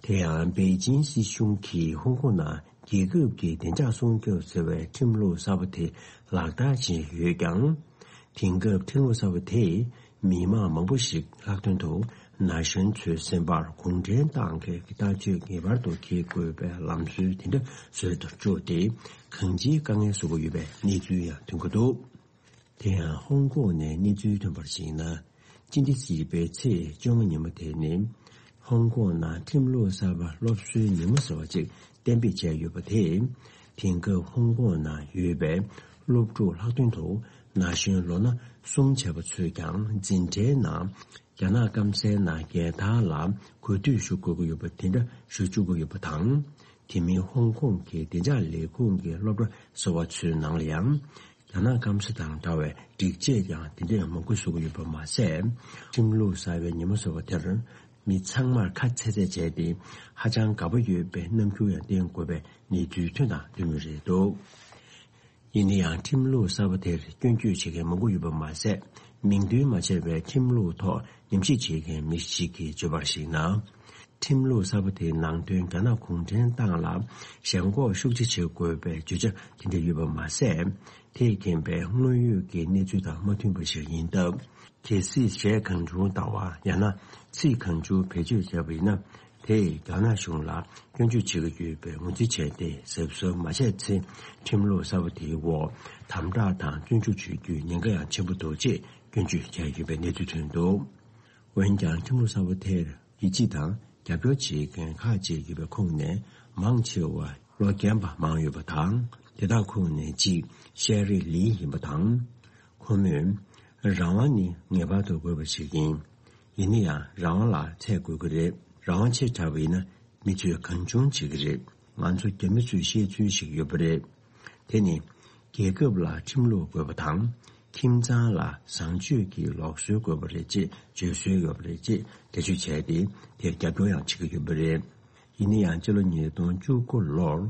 དེ་ཡང་པེ་ཅིན་སྲིད་གཞུང་གིས་ཧོང་ཀོང་ནང་རྒྱལ་ཁབ་ཀྱི་བདེ་འཇགས་སྲུང་སྐྱོབ་ཟེར་བའི་ཁྲིམས་ལུགས་གསར་པ་དེ་ལག་བསྟར་བྱས་ཡོད་ཀྱང་། དེང་སྐབས་ཁྲིམས་ལུགས་གསར་པ་དེས་མི་མང་མང་པོ་ཞིག་ལྷག་དོན་དུ་ན་གཞོན་ཚོའི་སེམས་པར་གུང་ཁྲན་ཏང་གི་ལྟ་སྤྱོད་ངེས་པར་དུ་འཁྱེར་དགོས་པའི་ལམ་སྲོལ་དེ་འདྲ་བཟོས་སུ་བཅུག་སྟེ་གང་ཅིའི་དཀའ་ངལ་བཟོ་གི་ཡོད་པའི་གནས་ཚུལ་ཡང་ཐོན་གྱི་འདུག། དེ་ཡང་ཧོང་ཀོང་ནས་གནས་ཚུལ་ཐོན་པར་གཞིགས་ན། སྤྱི་ཟླ་བཞི་པའི་ཚེས་བཅོ་ལྔ་ཉིན་མོ་དེ་ནི་ཧོང་ཀོང་ནང་ཁྲིམས་ལུགས་གསར་པ་སློབ་གསོའི་ཉིན་མོ་ཟེར་བ་ཅིག་གཏན་འབེབས་བྱས་ཡོད་པ་དེས། དེང་སྐབས་ཧོང་ཀོང་ནང་ཡོད་པའི་སློབ་ཕྲུག་ལྷག་དོན་དུ་ན་གཞོན་ལོ་ན་གསུམ་བྱས་པ་ཚོས་ཀྱང་འཛིན་གྲྭའི་ནང་རྒྱ་ནག་སྐམ་སའི་ནང་རྒྱལ་དར་ལ་གུས་འདུད་ཞུ་དགོས་ཀྱི་ཡོད་པ་དེ་འདྲ་ཞུ་བཅུག་གི་ཡོད་པ་དང་། དེ་མིན་ཧོང་ཀོང་གི་བདེ་འཇགས་ལས་ཁུངས་ཀྱི་སློབ་གྲྭ་ཟེར་བ་ཚོའི་ནང་ལ་ཡང་། རྒྱ་ནག་སྐམ་ས་དང་འདྲ་བའི་སྒྲིག་ཆས་ཀྱང་དེ་འདྲའི་མང་པོ་བཟོ་གི་ཡོད་པ་མ་ཟད། ཁྲིམས་ལུགས་གསར་པའི་ཉིན་མོ་ཟེར་བ་དེར་མི་ཚང་མར་ཁ་ཚེག་ཚེག་བྱས་ཏེ་ཧ་ཅང་དགའ་པོ་ཡོད་པའི་རྣམ་འགྱུར་ཡང་བསྟན་དགོས་པའི་གནས་ཚུལ་ཐོན་དང་ཐོན་མུས་རེད་འདུག། ཡིན་ན་ཡང་ཁྲིམས་ལུགས་གསར་པ་དེར་སྐྱོན་བརྗོད་བྱེད་མཁན་མང་པོ་ཡོད་པ་མ་ཟད། མིང་འདོན་མ་བྱས་པའི་ཁྲིམས་ལུགས་ཐོག་ཉམས་ཞིབ་བྱེད་མཁན་མི་ཞིག་གིས་བརྗོད་པར་གཞིགས་ན། ཁྲིམས་ལུགས་གསར་པ་དེའི་ནང་དོན་རྒྱ་ནག་གུང་ཁྲན་ཏང་ལ་ཞེན་ཁོག་ཤུགས་ཆེ་བྱེད་དགོས་པའི་བརྗོད་བྱ་དེ་འདྲ་ཡོད་པ་མ་ཟད། དེས་ཁེངས་པའི་དངོས་ཡོད་ཀྱི་གནས་ཚུལ་དང་མ་མཐུན་པ་ཞིག་ཡིན་སྟབས། གལ་སྲིད་གཞས་གང་བྱུང་བཏང་བ་ཡང་ན་ཚིག་གང་བྱུང་བེད་སྤྱོད་བྱས་པ་ཡིན་ན། དེས་རྒྱ་ནག་གཞུང་ལ་སྐྱོན་བརྗོད་བྱེད་ཀྱི་ཡོད་པའི་ངོས་འཛིན་བྱས་ཏེ། གཟབ་གཟབ་མ་བྱས་ཚེ། ཁྲིམས་ལུགས་གསར་པ་དེའི་འོག་དམ་དྲག་དང་བཙོན་འཇུག་བྱེད་རྒྱུའི་ཉེན་ཁ་ཡང་ཆེན་པོ་འདུག་ཅེས་སྐྱོན་བརྗོད་བྱས་ཡོད་པའི་གནས་ཚུལ་ཐོན་འདུག་འོན་ཀྱང་། ཁྲིམས་ལུགས་གསར་པ་དེར་ཡིད་ཆེས་དང་རྒྱབ་སྐྱོར་བྱེད་མཁན་ཁག་ཅིག་ཡོད་པའི་ཁོངས་ནས། མང་ཆེ་བ་ལོ་རྒན་པ་མང་ཡོད་པ་དང་། དེ་དག་ཁོངས་ནས་གཅིག་ཤེ་རི་ལི་ཡིན་པ་དང་། ཁོ་མོས། རང་དབང་ནི་ངེས་པར་དུ་དགོས་པ་ཞིག་ཡིན། ཡིན་ན་ཡང་། རང་དབང་ལ་ཚད་དགོས་ཀྱི་རེད། རང་དབང་ཆེ་དྲགས་པ་ཡིན་ན། མི་ཚོས་གང་བྱུང་བྱེད་ཀྱི་རེད། ང་ཚོ་རྒྱ་མི་ཚོས་བཤད་ཚུལ་ཞིག་ཡོད་པ་རེད། དེ་ནི། རྒྱལ་ཁབ་ལ་ཁྲིམས་ལུགས་དགོས་པ་དང་། ཁྱིམ་ཚང་ལ་བཟང་སྤྱོད་ཀྱི་ལུགས་སྲོལ་དགོས་པ་རེད་ཅེས་བརྗོད་སྲོལ་ཡོད་པ་རེད་ཅེས་འགྲེལ་བརྗོད་བྱས་ཏེ། དེར་རྒྱབ་སྐྱོར་ཡང་བྱེད་ཀྱི་ཡོད་པ་རེད། ཡིན་ན་ཡང་། སྤྱི་ལོ་ཉིས་སྟོང་བཅུ་དགུ་ལོར་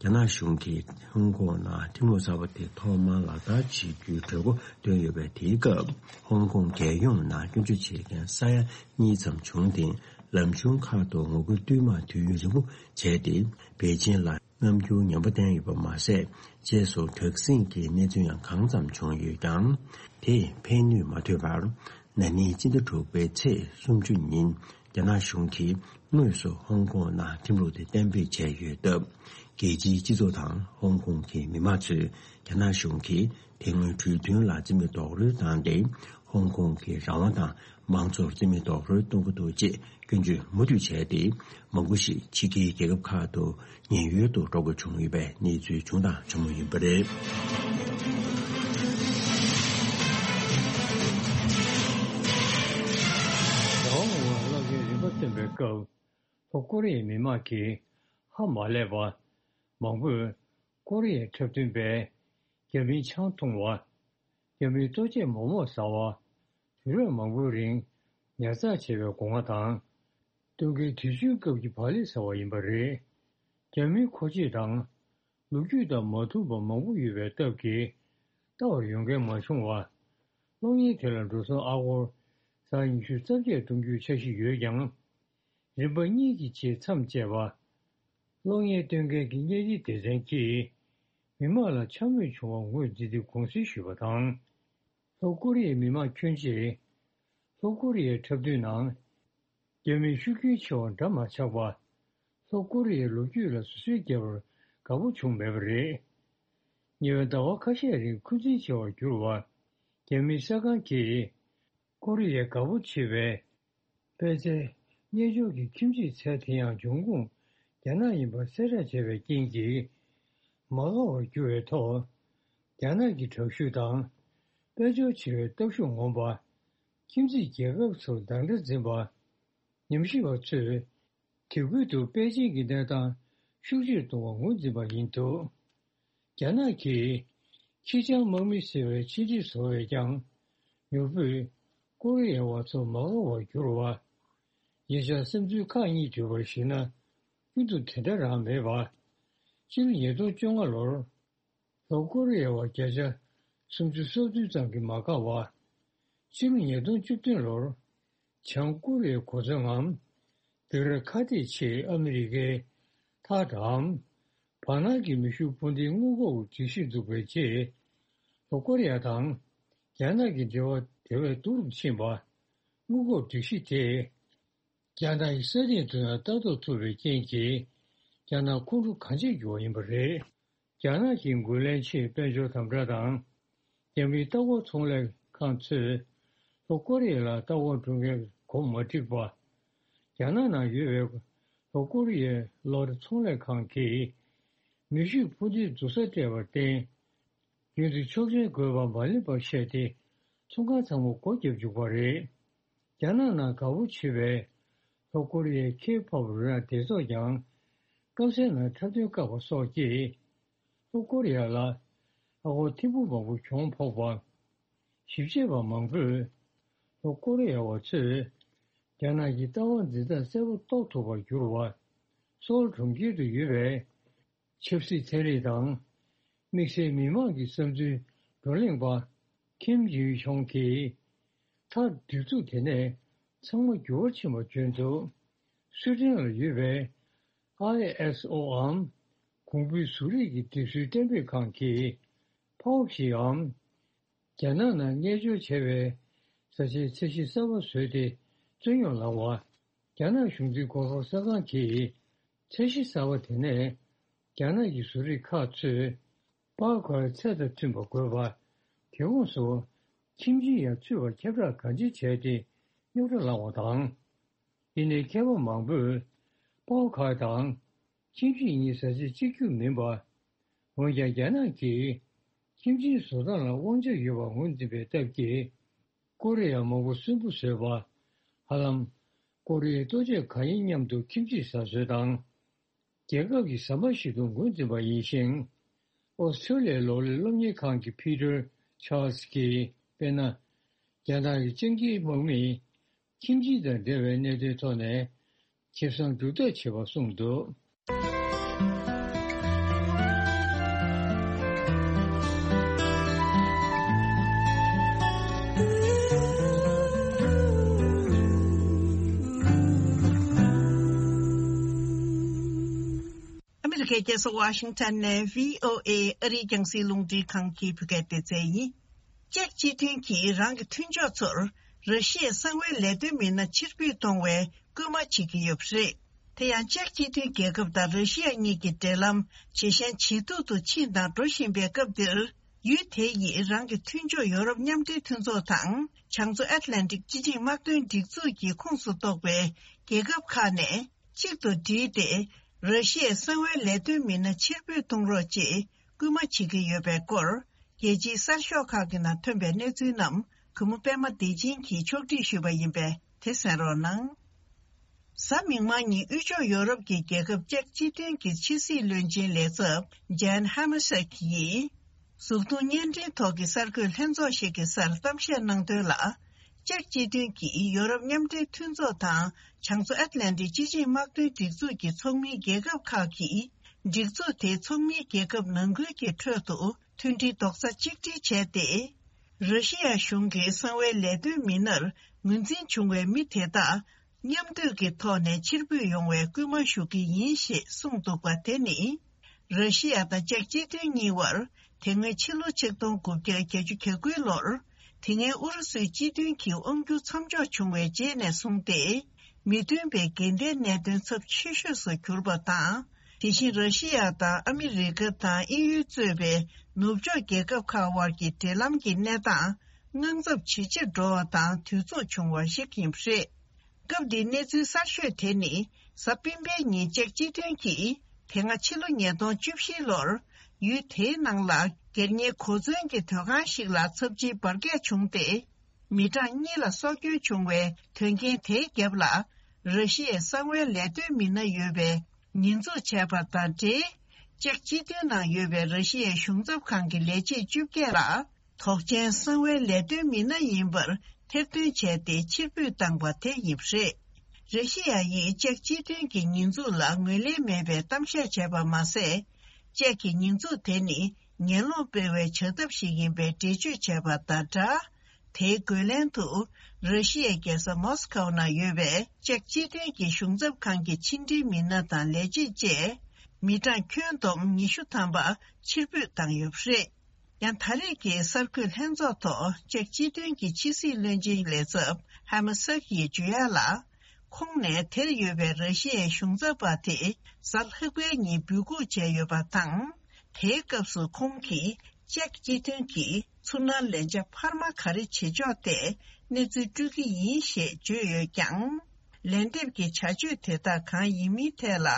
རྒྱ་ནག་གཞུང་གིས་ཧོང་ཀོང་ནང་ཁྲིམས་ལུགས་གསར་པ་དེ་ཐོག་མར་ལག་བསྟར་བྱེད་རྒྱུའི་གྲོས་འགོ་བཏོན་ཡོད་པའི་དེའི་སྐབས། ཧོང་ཀོང་རྒྱལ་ཡོངས་ནང་སྐྱོན་བརྗོད་བྱེད་མཁན་ས་ཡ་གཉིས་ཙམ་བྱུང་སྟེ། ལམ་གཞུང་ཁག་ཏུ་ངོ་རྒོལ་བསྟུད་མར་དུས་ཡུན་རིང་པོ་བྱས་ཏེ། པེ་ཅིན་ལ་རྣམ་འགྱུར་ངན་པ་བསྟན་ཡོད་པ་མ་ཟད། རྗེས་སུ་དྲག་ཟིང་གི་གནས་ཚུལ་ཡང་གང་ཙམ་བྱུང་ཡོད་ཀྱང་། དེས་ཕན་ནུས་མ་ཐོན་པར། ན་ནིང་སྤྱི་ཟླ་དྲུག་པའི་ཚེས་སུམ་ཅུ་ཉིན། རྒྱ་ནག་གཞུང་གིས་དངོས་སུ་ཧོང་ཀོང་ནང་ཁྲིམས་ལུགས་དེ་གཏན་འབེབས་བྱས་ཡོད་སྟབས། རྒྱལ་སྤྱིའི་སྤྱི་ཚོགས་དང་ཧོང་ཀོང་གི་མི་མང་ཚོས་རྒྱ་ནག་གཞུང་གིས་དེ་སྔོན་གྲོས་མཐུན་ལ་རྩིས་མེད་རྡོག་རོལ་བཏང་སྟེ། ཧོང་ཀོང་གི་རང་དབང་དང་མང་གཙོར་རྩིས་མེད་རྡོག་རོལ་གཏོང་གི་འདུག་ཅེས་སྐྱོན་བརྗོད་མུ་མཐུད་བྱས་ཏེ། མང་པོ་ཞིག་ཕྱི་རྒྱལ་རྒྱལ་ཁབ་ཁག་ཏུ་ཉེན་གཡོལ་དུ་འགྲོ་དགོས་བྱུང་ཡོད་པའི་གནས་ཚུལ་བྱུང་དང་འབྱུང་མུས་ཡིན་པ་རེད། ཟླ་བ་སྔོན་མ་བློ་འགེལ་རིམ་པ་བཏོན་པའི་སྐབས། ལྷོ་ཀོ་རི་ཡའི་མི་མང་གིས་ཧ་མ་ལས་པ། མང་པོས་ཀོ་རི་ཡའི་འཁྲབ་སྟོན་པས་རྒྱ་མིའི་ཆང་འཐུང་བ། རྒྱ་མིའི་ལྟོ་ཆས་མོག་མོག་ཟ་བ། དུས་རབས་མང་པོའི་རིང་ཉར་ཚགས་བྱས་པའི་སྒོ་ང་དང་། སྟོན་ཁའི་དུས་ཆེན་སྐབས་ཀྱི་བག་ལེབ་ཟ་བ་ཡིན་པ་རེད། རྒྱ་མིའི་མཁོ་ཆས་དང་། ལོ་རྒྱུས་དང་མ་མཐུན་པ་མང་པོ་ཡོད་པའི་སྟབས་ཀྱིས། ལྟ་བར་ཡོང་མཁན་མ་བྱུང་བ། གློག་བརྙན་དེ་ལ་འགྲོ་སོང་ཨ་སྒོར་ཟ་ཉི་ཤུ་རྩ་བརྒྱད་གཏོང་རྒྱུའི་འཆར་གཞི་ཡོད་ཀྱང་། རིམ་པ་གཉིས་ཀྱི་རྗེས་མཚམས་བཅད་པ། གློག་བརྙན་སྟོན་མཁན་གྱི་བརྙན་རིས་སྡེ་ཚན་གྱིས་མི་མང་ལ་འཕྱ་སྨོད་བྱུང་བ་ངོས་འཛིན་ཏེ་དགོངས་སེལ་ཞུས་པ་དང་། ལྷོ་ཀོ་རི་ཡའི་མི་མང་ཁྱོན་ཆེ། ལྷོ་ཀོ་རི་ཡའི་འཁྲབ་སྟོན་ནང་། རྒྱ་མིའི་ཤུགས་རྐྱེན་ཆེ་བ་འདྲ་མ་ཆགས་པ། ལྷོ་ཀོ་རི་ཡའི་ལོ་རྒྱུས་ལ་བཟོད་བསྲན་རྒྱག་པར་དགའ་པོ་བྱུང་མེད་པ་རེད། ཉེ་བའི་ཟླ་བ་ཁ་ཤས་རིང་འཁོན་འཛིན་ཆེ་བར་གྱུར་བ། རྒྱ་མིའི་གསར་ཁང་གིས། ཀོ་རི་ཡའི་དགའ་པོ་བྱེད་པའི། པད་ཚལ་རྣལ་འབྱོར་གྱི་ཁྱིམ་མཚེས་ཚལ་དེ་ཡང་འབྱུང་ཁུངས་རྒྱ་ནག་ཡིན་པ་གསལ་བསྒྲགས་བྱས་པའི་རྐྱེན་གྱིས། མ་དགའ་བར་གྱུར་བའི་ཐོག་རྒྱ་ནག་གི་དྲག་ཤུགས་དང་། དཔལ་འབྱོར་ཆེ་བའི་སྟོབས་ཤུགས་ངོམ་པ། ཁྱིམ་མཚེས་རྒྱལ་ཁབ་ཚོར་སྡང་དགྲ་འཛིན་པ། ཉམས་ཞིབ་པ་ཚོས། དེ་ཁུལ་དུ་པེ་ཅིང་གི་གནས་སྟངས་ཤུགས་ཆེར་གཏོང་བར་ངོས་འཛིན་པ་ཡིན་འདུག་རྒྱ་ནག་གིས་ཁྱི་སྤྱང་དམག་མི་ཟེར་བའི་ཆེད་ཁྲིད་བཟོ་བས་ཀྱང་། མྱུར་པོས་ཀོ་རི་ཡ་བ་ཚོ་མ་དགའ་བར་གྱུར་བ། ཉེ་ཆར་བསམ་ཚུལ་ཁག་གཉིས་བརྗོད་པར་གཞིགས་ན། ཀུན་ཏུ་དེ་འདྲ་རང་མེད་པ། སྤྱི་ལོ་ཉིས་སྟོང་བཅོ་ལྔ་ལོར། ལྷོ་ཀོ་རི་ཡ་བ་བརྒྱ་ཆ་སུམ་ཅུ་སོ་བདུན་ཙམ་གྱིས་མ་དགའ་བ། སྤྱི་ལོ་ཉིས་སྟོང་བཅུ་བདུན་ལོར། བྱང་ཀོ་རི་ཡའི་གོ་མཚོན་ངམ། སྡིགས་ར་ཁ་གཏད་ཆེད་ཨ་མི་རི་ཀའི་ཐག་འགྲམ། བར་སྣང་གི་མེ་ཤུགས་འཕུར་མདེལ་སྔོན་འགོག་སྒྲིག་གཞི་འཛུགས་པའི་རྗེས། ལྷོ་ཀོ་རི་ཡ་དང་རྒྱ་ནག་གི་འབྲེལ་བ་དེ་བས་སྡུག་རུ་ཕྱིན་པ། སྔོན་འགོག་སྒྲིག་གཞི་དེས། རྒྱ་ནག་གི་ས་སྟེང་དུ་ཡང་ལྟ་རྟོག་ཐུབ་པའི་རྐྱེན་གྱིས། རྒྱ་ནག་ཁོང་ཁྲོ་གང་ཆེར་གྱུར་བ་ཡིན་པ་རེད། རྒྱ་ནག་གི་རྒོལ་ལན་ཆེད་དཔལ་འབྱོར་དམ་དྲག་དང་། རྒྱ་མིའི་ལྟ་སྐོར་ཚོང་ལས་ཁང་ཚོས། ལྷོ་ཀོ་རི་ཡ་ལ་ལྟ་སྐོར་འགྲོ་མཁན་གོ་མ་འགྲིག་པ། རྒྱ་ནག་ནང་ཡོད་པའི་ལྷོ་ཀོ་རི་ཡའི་གློག་ར་ཚོང་ལས་ཁང་གིས། མེ་ཤུགས་འཕུར་མདེལ་རྡུལ་ས་སྤྲད་པར་བརྟེན། རྒྱུན་དུ་ཆོག་མཆན་དགོས་པ་མ་ལེན་པར་བཤད་དེ། ཚོང་ཁང་ཚང་མ་སྒོ་བརྒྱབ་བཅུག་པ་རེད། རྒྱ་ནག་ནང་དགའ་པོ་བྱེད་པའི་ལྷོ་ཀོ་རི་ཡའི་ཁེ་ཕོབ་རོལ་དབྱངས་སྡེ་ཚོགས་ཀྱང་སྐམ་སའི་ནང་འཁྲབ་སྟོན་བཀག་པ་སོགས་ཀྱིས་ལྷོ་ཀོ་རི་ཡ་ལ་ཨ་སྒོར་ཐེར་འབུམ་མང་པོ་གྱོང་ཕོག་པ། ཞིབ་དཔྱད་པ་མང་པོས་ལྷོ་ཀོ་རི་ཡ་བ་ཚོས་རྒྱ་ནག་གི་ལྟ་བ་འཛིན་སྟངས་གསལ་པོ་རྟོགས་ཐུབ་པར་གྱུར་བ། སོལ་གྲོང་ཁྱེར་དུ་ཡོད་པའི། ཆབ་སྲིད་ཚན་རིག་དང་དམིགས་བསལ་མི་མང་གི་བསམ་ཚུལ་བགྲོ་གླེང་པ་ཁིམ་ཡུས་ཆོང་གིས་མཐར་སྒྲིག་འཛུགས་དེ་ནས་ཚང་མ་འགྱུར་བ་ཕྱིན་པ་བརྗོད་འདུག་སུའེ་ཏེན་ལ་ཡོད་པའི་ཨའི་ཨེས་ཨོའམ་གོང་བུའི་གཟུགས་རིས་ཀྱི་སྒྲིག་སྲོལ་གཏན་འབེབས་ཁང་གིས་ཕའོ་ཞིའམ་རྒྱ་ནག་ནང་གནས་སྦྱོར་བྱས་པའི་བཟའ་བཅའི་ཚད་གཞི་གསར་པ་བཟོས་ཏེ་བཙོན་གཡོག་ལངས་པ། རྒྱ་ནག་གཞུང་འཛིན་གོ་སྐབས་གསར་ཁང་གིས་ཚད་གཞི་གསར་པ་དེ་ནས་རྒྱ་ནག་གི་བཟོ་རིག་ཁག་ཚོས་པའོ་ཁའོའི་ཚད་དང་མཐུན་པ་དགོས་པ། དེ་ཁོངས་སུ་ཁྱིམ་ཆས་ཡང་ཚུད་པར་ཁྱབ་བསྒྲགས་གང་ཅི་བྱས་ཏེ་རྙོག་དྲ་བསླངས་པ་དང་། དེ་ནས་མཁས་པ་མང་པོས་པའོ་ཁའོ་དང་ཁྱིམ་ཆས་གཉིས་བཟའ་བཅའ་གཅིག་གྱུར་མིན་པ། འོན་ཀྱང་རྒྱ་ནག་གིས་ཁྱིམ་ཆས་བཟོ་སྟངས་ལ་དབང་ཆ་ཡོད་པར་ངོས་འཛིན་པའི་སྟབས་ཀྱིས། ཀོ་རི་ཡ་མང་པོ་གསོན་པོ་བཟོས་པ། ཧ་ལམ་ཀོ་རི་ཡའི་ལྟོ་ཆས་གང་ཡིན་མཉམ་དུ་ཁྱིམ་ཆས་ཟ་སྲོལ་དང་། རྒྱལ་ཁབ་ཀྱི་ཟ་མ་ཞིག་ཏུ་ངོས་འཛིན་པ་ཡིན་ཞིང་། ཨོ་སི་ཁྲུ་ལི་ཡའི་ལོ་ལེགས་སློབ་གཉེར་ཁང་གི་ཕི་ཏར་ཆཱལ་སི་ཀྱིས་དཔེར་ན། རྒྱ་ནག་གི་སྤྱང་ཀིའི་དམག་མིས་ཁྱིམ་ཆས་དང་འབྲེལ་བའི་གནད་དོན་ཐོག་ནས་ཁེ་བཟང་སྒྲུབ་ཐབས་བྱེད་པ་གསུངས་འདུག། ཨ་མི་རི་ཀའི་རྒྱལ་ས་ཝ་ཤིང་ཊོན་ནས་བྷི་ཨོ་ཨེ་ཨ་རིའི་རྒྱང་སྲིང་རླུང་འཕྲིན་ཁང་གི་བོད་སྐད་སྡེ་ཚན་ཡིན། ཅེཀ་སྤྱི་མཐུན་གྱིས་རང་གི་མཐུན་ཕྱོགས་ཚོར་ར་ཤི་ཡའི་གསང་བའི་ལས་དོན་མི་སྣ་ཕྱིར་འབུད་གཏོང་བའི་སྐུལ་མ་བྱེད་ཀྱི་ཡོད་པ་རེད། དེ་ཡང་ཅེཀ་སྤྱི་མཐུན་རྒྱལ་ཁབ་དང་ར་ཤི་ཡ་གཉིས་ཀྱི་འབྲེལ་ལམ་ཇེ་ཞན་ཇེ་སྡུག་ཏུ་ཕྱིན་དང་འགྲོ་བཞིན་པའི་སྐབས་འདིར། ཡུལ་དེ་ཡིས་རང་གི་མཐུན་ཕྱོགས་ཡོ་རོབ་མཉམ་འབྲེལ་མཐུན་ཚོགས་དང་བྱང་མཚོ་ཨེཊ་ལན་ཊིག་སྤྱི་ཆིངས་དམག་དོན་སྒྲིག་འཛུགས་ཀྱི་ཁོངས་སུ་གཏོགས་པའི་རྒྱལ་ཁབ་ཁག་ནས་གཅིག་ཏུ་བསྒྲིལ་ཏེ། ར་ཤི་ཡའི་གསང་བའི་ལས་དོན་མི་སྣ་ཕྱིར་འབུད་གཏོང་རོགས་ཅེས་སྐུལ་མ་བྱེད་ཀྱི་ཡོད་པའི་སྐོར། རྒྱལ་སྤྱིའི་གསར་ཤོག་ཁག་གི་ནང་ཐོན་པའི་གནས་ཚུལ་རྣམས་གུས་མོ་པད་མ་བདེ་ཆེན་གྱིས་ཕྱོགས་སྒྲིག་ཞུས་པ་ཡིན་པས་དེ་གསན་རོགས་གནང་། གཟའ་མིག་དམར་ཉིན་དབུས་ཕྱོགས་ཡོ་རོབ་ཀྱི་རྒྱལ་ཁབ་ཅེཀ་སྤྱི་མཐུན་གྱི་ཕྱི་སྲིད་བློན་ཆེན་ལས་ཚབ་ཇན་ཧ་མ་སེག་ཡིས། གཟུགས་མཐོང་བརྙན་འཕྲིན་ཐོག་གི་གསར་འགོད་ལྷན་ཚོགས་ཤིག་གི་སར་གཏམ་བཤད་གནང་དོན་ལ། ཅེཀ་སྤྱི་མཐུན་གྱིས་ཡོ་རོབ་མཉམ་འབྲེལ་མཐུན་ཚོགས་དང་བྱང་མཚོ་ཨེཊ་ལན་ཊིག་སྤྱི་ཆིངས་དམག་དོན་སྒྲིག་འཛུགས་ཀྱི་ཚོགས་མིའི་རྒྱལ་ཁབ་ཁག་གིས། སྒྲིག་འཛུགས་དེའི་ཚོགས་མིའི་རྒྱལ་ཁབ་ནང་ཁུལ་གྱི་ཁྲོད་དུ་མཐུན་སྒྲིལ་རྡོག་རྩ་གཅིག་སྒྲིལ་བྱས་ཏེ། ར་ཤི་ཡ་གཞུང་གིས་གསང་བའི་ལས་དོན་མི་སྣར་ངོས་འཛིན་བྱུང་བའི་མི་དེ་དག་མཉམ་འདུས་ཀྱི་ཐོག་ནས་ཕྱིར་འབུད་ཡོང་བའི་སྐུལ་མ་ཞུ་གི་ཡིན་ཞེས་གསུངས་འདུག་པ་དེ་ནི། ར་ཤི་ཡ་དང་ཅེཀ་སྤྱི་མཐུན་གཉིས་བར་དེ་སྔོན་ཕྱི་ལོ་ཆིག་སྟོང་དགུ་བརྒྱ་བརྒྱད་ཅུ་གྱ་དགུའི་ལོར། དེ་སྔའི་ཨུ་རུ་སུའི་སྤྱི་མཐུན་གྱི་དབང་སྒྱུར་མཚམས་འཇོག་བྱུང་བའི་རྗེས་ནས་བཟུང་སྟེ། མི་མཐུན་པའི་འགལ་ཟླའི་གནད་དོན་ཚབས་ཆེ་ཤོས་སུ་གྱུར་པ་དང་། དེ་བཞིན་ར་ཤི་ཡ་དང་ཨ་མི་རི་ཀ་དང་དབྱིན་ཡུལ་གཙོས་པའི་ནུབ་ཕྱོགས་རྒྱལ་ཁབ་ཁག་དབར་གྱི་འབྲེལ་ལམ་གྱི་གནས་སྟངས་དངངས་འཚབ་ཇེ་ཆེར་འགྲོ་བ་དང་དུས་མཚུངས་བྱུང་བ་ཞིག་ཡིན་པ་རེད། སྐབས་འདིའི་གནས་ཚུལ་གསར་ཤོས་དེ་ནི། གཟའ་སྤེན་པའི་ཉིན་ཅེཀ་སྤྱི་མཐུན་གྱིས་དེ་སྔ་ཕྱི་ལོ་ཉིས་སྟོང་བཅུ་བཞིའི་ལོར་ཡུལ་དེའི་ནང་ལ་སྒེར་གཉེར་གོ་མཚོན་གྱི་སྡོད་ཁང་ཞིག་ལ་ཚབས་ཆེའི་འབར་གས་བྱུང་སྟེ། མི་གྲངས་གཉིས་ལ་སྲོག་སྐྱོན་བྱུང་བའི་དོན་རྐྱེན་དེའི་རྒྱབ་ལ། ར་ཤི་ཡའི་གསང་བའི་ལས་དོན་མི་སྣ་ཡོད་པའི་ཉེས་འཛུགས་བྱས་པ་དང་འབྲེལ། ཅེཀ་སྤྱི་མཐུན་ནང་ཡོད་པའི་ར་ཤི་ཡའི་གཞུང་ཚབ་ཁང་གི་ལས་བྱེད་བཅོ་བརྒྱད་ལ། དོགས་ཅན་གསང་བའི་ལས་དོན་མི་སྣ་ཡིན་པར་ཐེར་འདོན་བྱས་ཏེ་ཕྱིར་འབུད་བཏང་པ་དེ་ཡིན་པ་རེད། ར་ཤི་ཡ་ཡིས་ཅེཀ་སྤྱི་མཐུན་གྱི་ཉེས་འཛུགས་ལ་ངོས་ལེན་མེད་པའི་གཏམ་བཤད་བྱས་པ་མ་ཟད། ཅེཀ་གི་ཉེས་འཛུགས་དེ་ནི་ངན་སློང་སྤེལ་བའི་བྱ་ཐབས་ཤིག་ཡིན་པའི་འགྲེལ་བརྗོད་བྱས་པ་དང་སྦྲགས། དེའི་རྒོལ་ལན་དུ། ར་ཤི་ཡའི་རྒྱལ་ས་མོ་སི་ཁོའི་ནང་ཡོད་པའི་ཅེཀ་སྤྱི་མཐུན་གྱི་གཞུང་ཚབ་ཁང་གི་ཕྱི་འབྲེལ་མི་སྣ་དང་ལས་བྱེད་བཅས། མི་གྲངས་ཁྱོན་བསྡོམས་ཉི་ཤུ་ཐམ་པ་ཕྱིར་འབུད་བཏང་ཡོད་པ་རེད། ཡང་ད་རེས་ཀྱི་གསར་འགོད་ལྷན་ཚོགས་ཐོག་ཅེཀ་སྤྱི་མཐུན་གྱི་ཕྱི་སྲིད་བློན་ཆེན་ལས་ཚབ་ཧ་མ་སག་ཡིས་བརྗོད་ཡག་ལ། ཁོང་ནས་དེར་ཡོད་པའི་ར་ཤི་ཡའི་གཞུང་ཚབ་པ་དེ་གཟའ་ལྷག་པའི་ཉིན་འབོད་འགུག་བྱས་ཡོད་པ་དང་། དེའི་སྐབས་སུ་ཁོང་གིས་ཅེཀ་སྤྱི་མཐུན་གྱིས་ཚུར་སྣང་ལན་ཆ་འཕར་མ་ག་རེ་བྱེད་ཆོག་ཐད་གནས་ཚུལ་སྤྲོད་ཀྱི་ཡིན་ཞེས་བརྗོད་ཡོད་ཀྱང་། ལན་འདེབས་ཀྱི་བྱ་སྤྱོད་དེ་དག་གང་ཡིན་མིན་ཐད་ལ།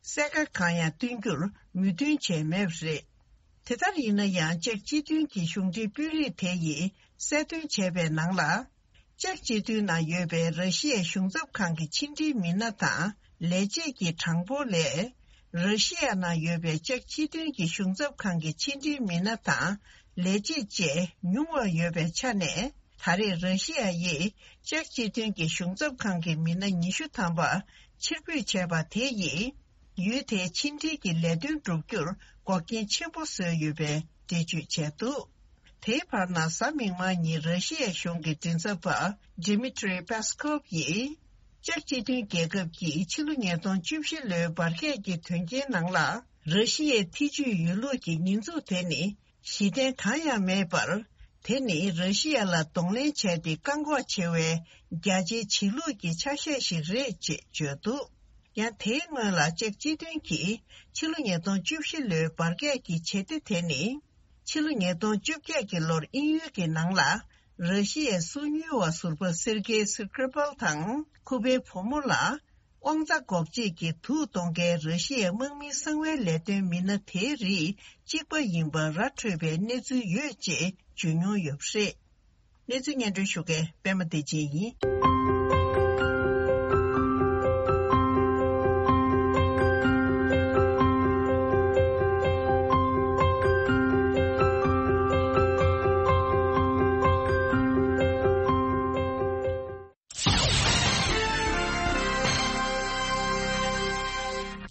གསལ་ཁ་གང་ཡང་སྟོན་རྒྱུར་མོས་མཐུན་བྱས་མེད་པ་རེད། དེ་ལྟར་ཡིན་ན་ཡང་ཅེཀ་སྤྱི་མཐུན་གྱི་གཞུང་འབྲེལ་དཔོན་རིགས་དེ་ཡིས་གསལ་སྟོན་བྱས་པའི་ནང་ལ། ཅེཀ་སྤྱི་མཐུན་ནང་ཡོད་པའི་ར་ཤི་ཡའི་གཞུང་ཚབ་ཁང་གི་ཕྱི་འབྲེལ་མི་སྣ་དང་ལས་བྱེད་ཀྱི་གྲངས་འབོར་ལས། ར་ཤི་ཡ་ནང་ཡོད་པའི་ཅེཀ་སྤྱི་མཐུན་གྱི་གཞུང་ཚབ་ཁང་གི་ཕྱི་འབྲེལ་མི་སྣ་དང་ལས་བྱེད་བཅས་ཉུང་བ་ཡོད་པའི་ཆ་ནས། ད་རེས་ར་ཤི་ཡ་ཡིས་ཅེཀ་སྤྱི་མཐུན་གྱི་གཞུང་ཚབ་ཁང་གི་མི་སྣ་ཉི་ཤུ་ཐམ་པ་ཕྱིར་འབུད་བྱས་པ་དེ་ཡིས། ཡུལ་དེའི་ཕྱི་འབྲེལ་གྱི་ལས་དོན་བསྒྲུབ་རྒྱུར་འགོག་རྐྱེན་ཆེན་པོ་བཟོས་ཡོད་པའི་འགྲེལ་བརྗོད་བྱས་འདུག། དེའི་བར་ན་གཟའ་མིག་དམར་ཉིན་ར་ཤི་ཡའི་གཞུང་གི་མགྲིན་ཚབ་པ་Dmitry Peskov་ཡིས། ཅེཀ་སྤྱི་མཐུན་རྒྱལ་ཁབ་ཀྱིས་ཕྱི་ལོ་ཉིས་སྟོང་བཅུ་བཞི་ལོའི་འབར་གས་ཀྱི་དོན་རྐྱེན་ནང་ལ་ར་ཤི་ཡའི་ཐེ་ཇུས་ཡོད་ལུགས་ཀྱི་ཉེས་འཛུགས་དེ་ནི་གཞི་རྟེན་གང་ཡང་མེད་པར། དེ་ནི་ར་ཤི་ཡ་ལ་གདོང་ལེན་བྱས་ཏེ་བཀག་འགོག་བྱེད་པའི་རྒྱ་ཆེའི་བྱེད་ལུགས་ཀྱི་ཆ་ཤས་ཤིག་རེད་ཅེས་བརྗོད་འདུག་ཡང་དེའི་སྔོན་ལ་ཅེཀ་སྤྱི་མཐུན་གྱིས་ཕྱི་ལོ་ཉིས་སྟོང་བཅུ་བཞི་ལོའི་འབར་གས་ཀྱི་བྱེད་གཏེ་དེ་ནི། ཕྱི་ལོ་ཉིས་སྟོང་བཅོ་བརྒྱད་ཀྱི་ལོར་དབྱིན་ཡུལ་གྱི་ནང་ལ་ར་ཤི་ཡའི་སོ་ཉུལ་བ་ཟུར་པ་སེར་ཀེ་སི་ཀྲི་པལ་དང་ཁུ་པའི་བུ་མོ་ལ་དབང་རྩ་འགོག་བྱེད་ཀྱི་དུག་གཏོང་མཁན་ར་ཤི་ཡའི་དམག་མིའི་གསང་བའི་ལས་དོན་མི་སྣ་དེའི་རིགས་གཅིག་པ་ཡིན་པ་ར་འཕྲོད་པའི་གནས་ཚུལ་ཡོད་ཅེས་བརྗོད་མྱོང་ཡོད་པ་རེད། གནས་ཚུལ་སྙན་སྒྲོན་ཞུ་མཁན་པད་མ་བདེ་ཆེན་ཡིན།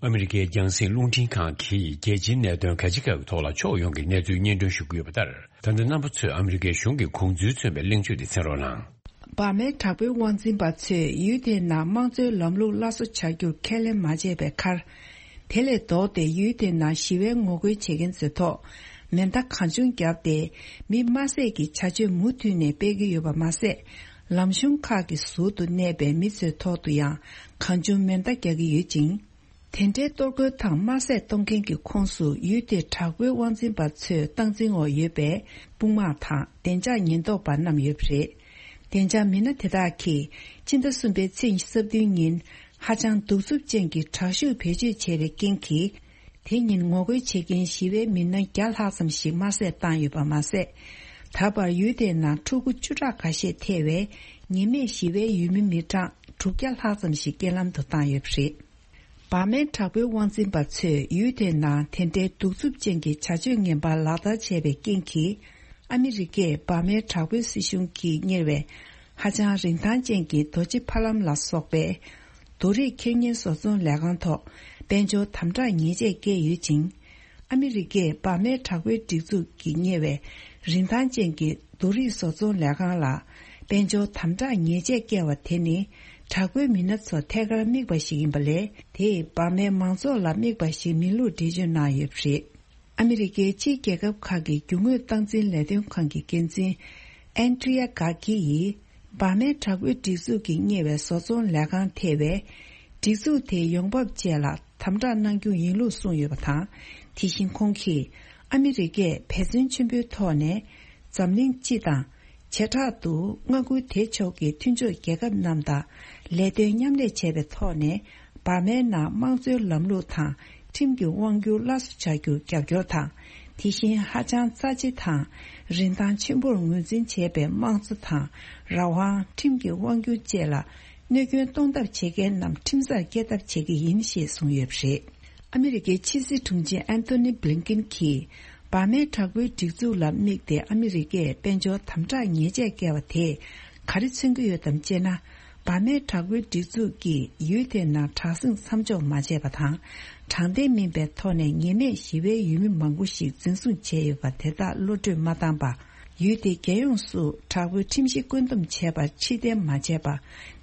ཨ་མི་རི་ཀའི་རྒྱང་སྲིང་རླུང་འཕྲིན་ཁང་གིས་རྒྱལ་སྤྱིའི་གནད་དོན་ག་ཅི་ག་གི་ཐོག་ལ་ཕྱོགས་ཡོངས་ཀྱི་གནས་ཚུལ་སྙན་སྒྲོན་ཞུ་གི་ཡོད་པ་ལྟར། ད་ལྟ་རྣམ་པ་ཚོས་ཨ་མི་རི་ཀའི་གཞུང་གི་དགོངས་ཚུལ་མཚོན་པའི་གླེང་བརྗོད་དེ་གསན་རོགས་གནང་། འབར་མའི་དྲག་པོའི་དབང་འཛིན་པ་ཚོས་ཡུལ་དེའི་ནང་དམངས་གཙོའི་ལམ་ལུགས་སླར་གསོ་བྱ་རྒྱུར་ཁས་ལེན་མ་བྱས་པའི་ཁར། དེ་ལས་ལྡོག་སྟེ་ཡུལ་དེའི་ནང་ཞི་བའི་ངོ་རྒོལ་བྱེད་མཁན་ཚོའི་ཐོག་མེ་མདའ་གང་བྱུང་བརྒྱབ་སྟེ། མི་དམར་བསད་ཀྱི་བྱ་སྤྱོད་མུ་མཐུད་ནས་སྤེལ་གྱི་ཡོད་པ་མ་ཟད། ལམ་གཞུང་ཁག་གི་ཟུར་དུ་གནས་པའི་མི་ཚོའི་ཐོག་ཏུ་ཡང་གང་བྱུང་མེ་མདའ་རྒྱག་གི་ཡོད་ཅིང་། དེ་འདྲའི་གཏོར་རྒོལ་དང་དམར་བསད་གཏོང་མཁན་གྱི་ཁོངས་སུ་ཡུལ་དེའི་དྲག་པོའི་དབང་འཛིན་པ་ཚོས་སྟངས་འཛིན་འོག་ཡོད་པའི་དཔུང་དམག་དང་བདེ་འཇགས་ཉེན་རྟོག་པ་རྣམས་ཡོད་པ་རེད། བདེ་འཇགས་མི་སྣ་དེ་དག་གིས་སྤྱི་ཟླ་གསུམ་པའི་ཚེས་ཉི་ཤུ་རྩ་བདུན་ཉིན་ཧ་ཅང་གདུག་རྩུབ་ཅན་གྱི་དྲག་ཤུགས་བེད་སྤྱོད་བྱས་པའི་རྐྱེན་གྱིས། དེ་ཉིན་ངོ་རྒོལ་བྱེད་མཁན་ཞི་བའི་མི་སྣ་བརྒྱ་ལྷག་ཙམ་ཞིག་དམར་བསད་བཏང་ཡོད་པ་མ་ཟད། ད་བར་ཡུལ་དེའི་ནང་ཕྲུ་གུ་བཅུ་ཕྲག་ཁ་ཤས་ཐེ་བའི་ཉེས་མེད་ཞི་བའི་ཡུལ་མི་མི་གྲངས་དྲུག་བརྒྱ་ལྷག་ཙམ་ཞིག་རྐྱེན་ལམ་དུ་བཏང་ཡོད་པ་རེད། འབར་མའི་དྲག་པོའི་དབང་འཛིན་པ་ཚོས་ཡུལ་དེའི་ནང་དེ་འདྲའི་གདུག་རྩུབ་ཅན་གྱི་བྱ་སྤྱོད་ངན་པ་ལག་བསྟར་བྱས་པའི་རྐྱེན་གྱིས། ཨ་མི་རི་ཀས་འབར་མའི་དྲག་པོའི་སྲིད་གཞུང་གིས་གཉེར་བའི་ཧ་ཅང་རིན་ཐང་ཅན་གྱི་རྡོ་རྗེ་ཕ་ལམ་ལ་སོགས་པའི་རྡོ་རིགས་ཁེ་གཉེར་བཟོ་ཚོང་ལས་ཁང་ཐོག་དཔལ་འབྱོར་དམ་དྲག་ཉེས་ཆད་བཀལ་ཡོད་ཅིང་། ཨ་མི་རི་ཀས་འབར་མའི་དྲག་པོའི་སྒྲིག་འཛུགས་ཀྱིས་གཉེར་བའི་རིན་ཐང་ཅན་གྱི་རྡོ་རིགས་བཟོ་ཚོང་ལས་ཁང་ལ་དཔལ་འབྱོར་དམ་དྲག་ཉེས་ཆད་བཀལ་བ་དེ་ནི་དྲག་པོའི་མི་སྣ་ཚོ་ཐད་ཀར་དམིགས་པ་ཞིག་ཡིན་པ་ལས། དེས་འབར་མའི་མང་ཚོགས་ལ་དམིགས་པ་ཞིག་མིན་ལུགས་འགྲེལ་བརྗོད་གནང་ཡོད་པ་རེད། ཨ་མི་རི་ཀའི་ཕྱིའི་རྒྱལ་ཁབ་ཁག་གི་རྒྱུ་དངོས་སྟངས་འཛིན་ལས་དོན་ཁང་གི་འགན་འཛིན་ཨན་ཏྲི་ཡ་གྷ་ཀི་ཡིས། འབར་མའི་དྲག་པོའི་སྒྲིག་འཛུགས་ཀྱིས་གཉེར་བའི་བཟོ་ཚོང་ལས་ཁང་ཐེ་བའི་སྒྲིག་འཛུགས་དེའི་ཡོང་འབབ་བཅས་ལ་དམ་དྲག་གནང་རྒྱུ་ཡིན་ལུགས་གསུངས་ཡོད་པ་དང་། དེ་བཞིན་ཁོང་གིས་ཨ་མི་རི་ཀས་འབད་བརྩོན་ཆེན་པོའི་ཐོག་ནས་འཛམ་གླིང་སྤྱི་དང་། བྱེ་བྲག་ཏུ་མངའ་ཁུལ་དེ་ཕྱོགས་ཀྱི་མཐུན་ཕྱོགས་རྒྱལ་ཁབ་རྣམས་དང་ལས་དོན་མཉམ་ལས་བྱས་པའི་ཐོག་ནས། འབར་མའི་ནང་དམངས་གཙོའི་ལམ་ལུགས་དང་ཁྲིམས་ཀྱི་དབང་སྒྱུར་སླར་གསོ་བྱ་རྒྱུར་རྒྱབ་སྐྱོར་དང་། དེ་བཞིན་ཧ་ཅང་རྩ་ཆེ་དང་རིན་ཐང་ཆེན་པོར་ངོས་འཛིན་བྱས་པའི་དམངས་གཙོ་དང་རང་དབང་། ཁྲིམས་ཀྱི་དབང་སྒྱུར་བཅས་ལ་གནོད་སྐྱོན་གཏོང་ཐབས་བྱེད་མཁན་རྣམས་ཁྲིམས་སར་བསྐྱལ་ཐབས་བྱེད་ཀྱི་ཡིན་ཞེས་གསུངས་ཡོད་པ་རེད། ཨ་མི་རི་ཀའི་ཕྱི་སྲིད་དྲུང་ཆེ་ཨན་ཐོ་ནི་བྷི་ལིན་ཀིན་གྱིས། འབར་མའི་དྲག་པོའི་སྒྲིག་འཛུགས་ལ་དམིགས་ཏེ་ཨ་མི་རི་ཀས་དཔལ་འབྱོར་དམ་དྲག་ཉེས་ཆད་བཀལ་བ་དེས་ག་རེ་མཚོན་གྱི་ཡོད་དམ་ཅེ་ན། འབར་མའི་དྲག་པོའི་སྒྲིག་འཛུགས་ཀྱིས་ཡུལ་དེའི་ནང་དྲག་ཟིང་མཚམས་འཇོག་མ་བྱས་པ་དང་། དྲང་བདེན་མིན་པའི་ཐོག་ནས་ཉེས་མེད་ཞི་བའི་ཡུལ་མི་མང་པོ་ཞིག་འཛིན་བཟུང་བྱས་ཡོད་པ་དེ་དག་གློད་གྲོལ་མ་བཏང་པ། ཡུལ་དེ་རྒྱལ་ཡོངས་སུ་དྲག་པོའི་ཁྲིམས་གཞི་བཀོད་འདོམས་བྱས་པར་ཕྱིར་འཐེན་མ་བྱས་པ།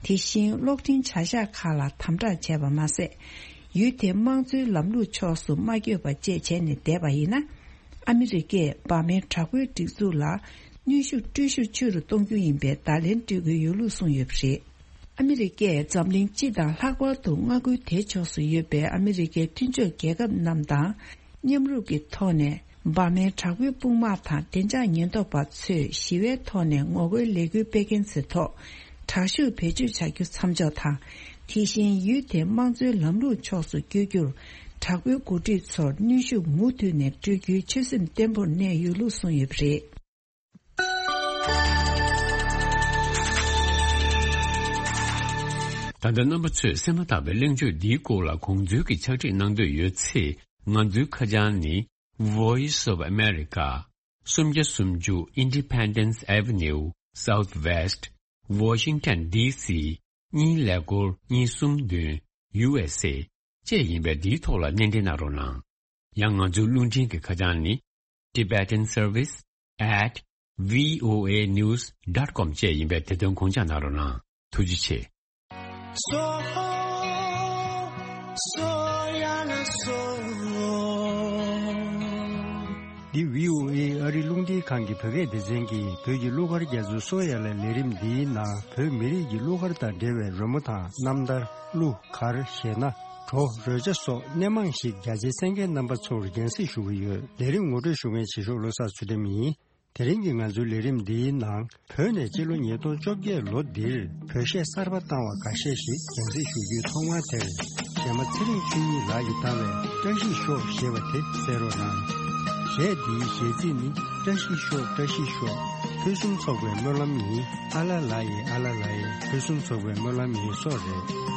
དེ་བཞིན་གློག་འཕྲིན་བྱ་གཞག་ཁག་ལ་དམ་དྲག་བྱས་པ་མ་ཟད། ཡུལ་དེའི་དམངས་གཙོའི་ལམ་ལུགས་ཕྱོགས་སུ་མ་བསྐྱོད་པ་བཅས་བྱས་ནས་བསྡད་པ་ཡིན་ན། ཨ་མི་རི་ཀས་འབར་མའི་དྲག་པོའི་སྒྲིག་འཛུགས་ལ་གནོན་ཤུགས་སྤྲོད་ཤུགས་ཆེ་རུ་གཏོང་རྒྱུ་ཡིན་པའི་བརྡ་ལན་སྤྲོད་ཀྱི་ཡོད་ལུགས་གསུངས་ཡོད་པ་རེད། ཨ་མི་རི་ཀས་འཛམ་གླིང་སྤྱི་དང་ལྷག་པར་དུ་མངའ་ཁུལ་དེ་ཕྱོགས་སུ་ཡོད་པའི་ཨ་མི་རི་ཀའི་མཐུན་ཕྱོགས་རྒྱལ་ཁབ་རྣམས་དང་མཉམ་རུབ་ཀྱི་ཐོག་ནས། འབར་མའི་དྲག་པོའི་དཔུང་དམག་དང་བདེ་འཇགས་ཉེན་རྟོག་པ་ཚོས་ཞི་བའི་ཐོག་ནས་ངོ་རྒོལ་ལས་འགུལ་སྤེལ་མཁན་ཚོའི་ཐོག་དྲག་ཤུགས་བེད་སྤྱོད་བྱ་རྒྱུ་མཚམས་འཇོག་དང་། དེ་བཞིན་ཡུལ་དེའི་དམངས་གཙོའི་ལམ་ལུགས་ཕྱོགས་སུ་བསྐྱོད་རྒྱུར་དྲག་པོའི་འགོ་ཁྲིད་ཚོར་གནོན་ཤུགས་མུ་མཐུད་ནས་སྤྲོད་རྒྱུའི་ཆོད་སེམས་བརྟན་པོར་གནས་ཡོད་ལུགས་གསུངས་ཡོད་པ་རེད། ད་ལྟ་རྣམ་པ་ཚོས་གསན་མ་ཐག་པའི་གླེང་བརྗོད་འདིའི་སྐོར་ལ་དགོངས་ཚུལ་གྱི་ཕྱག་བྲིས་གནང་འདོད་ཡོད་ཚེ། ང་ཚོའི་ཁ་བྱང་ནི། Voice of America། སུམ་བརྒྱ་སུམ་ཅུ་Independence Avenue Southwest Washington D C གཉིས་ཀླད་ཀོར་གཉིས་གསུམ་བདུན་U S A བཅས་ཡིན་པས། འདིའི་ཐོག་ལ་སྣེ་འདྲེན་གནང་རོགས་གནང་། ཡང་ང་ཚོའི་རླུང་འཕྲིན་གྱི་ཁ་བྱང་ནི། Tibetan Service at V O A News dot com བཅས་ཡིན་པས། དེ་དོན་དགོངས་འཇགས་གནང་རོགས་གནང་། ཐུགས་རྗེ་ཆེ། སོ། སོ་ཡ་ན་སོ། འདི་བྷི་ཨོ་ཨེ་ཨ་རི་རླུང་འཕྲིན་ཁང་གི་བོད་སྐད་སྡེ་ཚན་གྱིས་བོད་ཀྱི་གླུ་གར་རྒྱ་མཚོའི་སོ་ཡ་ལ་ལས་རིམ་འདིའི་ནང་བོད་མི་རིགས་ཀྱི་གླུ་གར་དང་འབྲེལ་བའི་རོལ་མོ་དང་རྣམ་ཐར། གླུ་གར་གཞས་སྣ། བྲོ་རོལ་ཆ་སོགས་སྣེ་མང་ཞིག་རྒྱ་ཆེའི་གསན་མཁན་རྣམ་པ་ཚོར་རྒྱང་སྲིང་ཞུ་གི་ཡོད། ལས་རིམ་ངོ་སྤྲོད་ཞུ་མཁན་བྱེད་ཤོག་བློ་བཟང་ཚུལ་ཁྲིམས་ཡིན། དེ་རིང་གི་ང་ཚོའི་ལས་རིམ་འདིའི་ནང་བོད་ནས་སྤྱི་ལོ་ཉིས་སྟོང་བཅོ་བརྒྱད་ལོ་འདིར་བོད་གཞས་གསར་པ་བཏང་བ་འགའ་ཤས་ཤིག་རྒྱང་སྲིང་ཞུ་རྒྱུའི་ཐོག་མ་དེར། གཞས་མ་ཚེ་རིང་ཆོས་ཉིད་ལགས་ཀྱིས་བཏང་བའི་བཀྲ་ཤིས་ཤོག་ཞེས་པ་དེ་གསན་རོགས་གནང་། གཞས་འདིའི་གཞས་ཚིག་ནི། བཀྲ་ཤིས་ཤོག་བཀྲ་ཤིས་ཤོག་ཕུན་སུམ་ཚོགས་པའི་སྨོན་ལམ་ཡིན། ཨ་ལ་ལ་ཡེ་ཨ་ལ་ལ་ཡེ་ཕུན་སུམ་ཚོགས་པའི་སྨོན་ལམ་ཡིན་སོགས་རེད།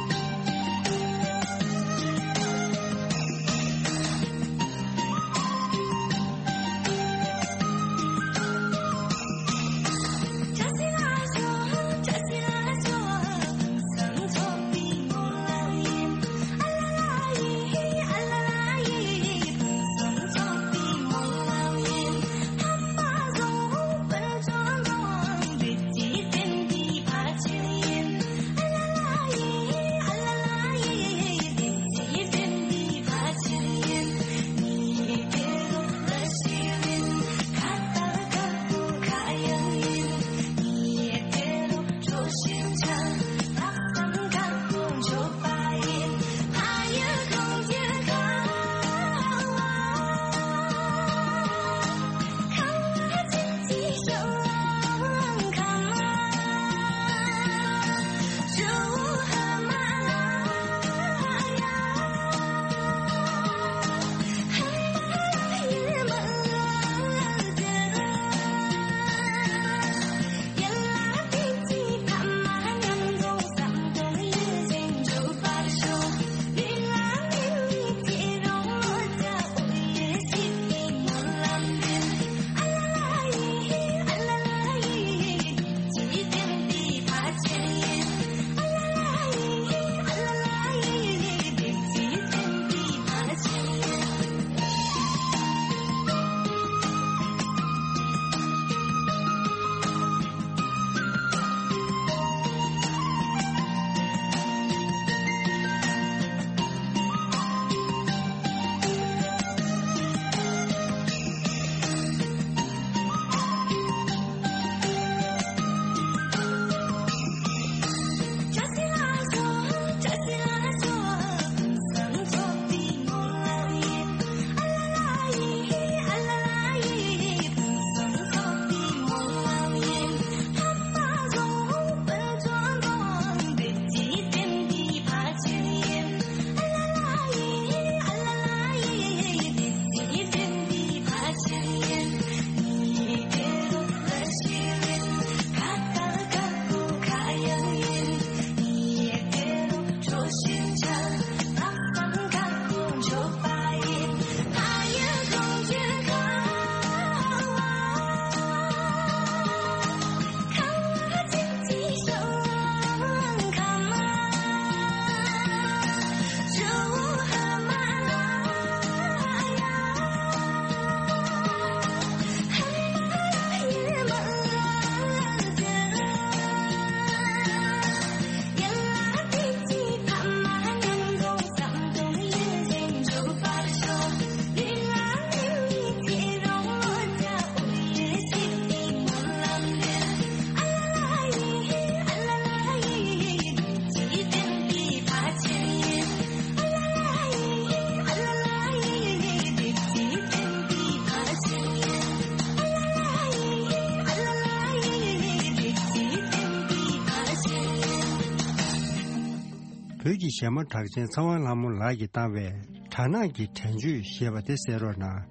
བོད་ཀྱི་གཞས་མ་གྲགས་ཅན་ཚེ་དབང་ལྷ་མོ་ལགས་ཀྱིས་བཏང་བའི་སྦྲ་ནག་གི་དྲན་བརྗོད་ཞེས་པ་དེ་གསན་རོགས་གནང་།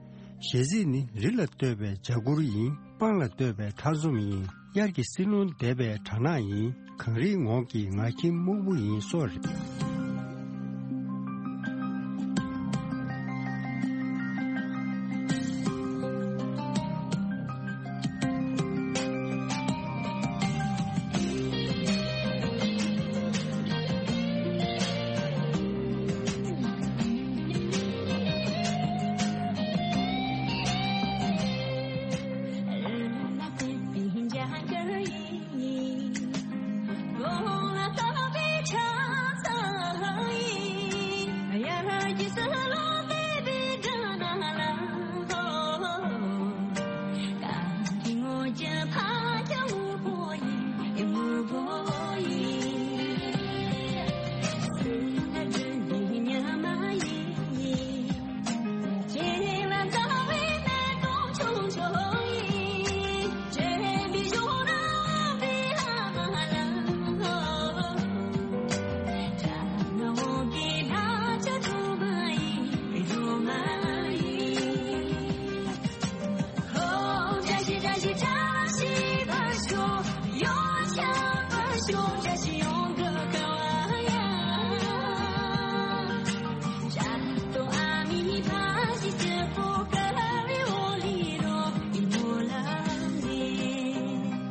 གཞས་ཚིག་ནི། རི་ལ་བཏོད་པའི་འཇའ་གུར་ཡིན། སྤང་ལ་བཏོད་པའི་ཁྲག་འཛོམས་ཡིན། དབྱར་གྱི་བསིལ་རླུང་འདེབས་པའི་སྦྲ་ནག་ཡིན། གངས་རིའི་ངོགས་ཀྱི་ངར་ཁྱིམ་སྨུག་པོ་ཡིན་སོགས་རེད།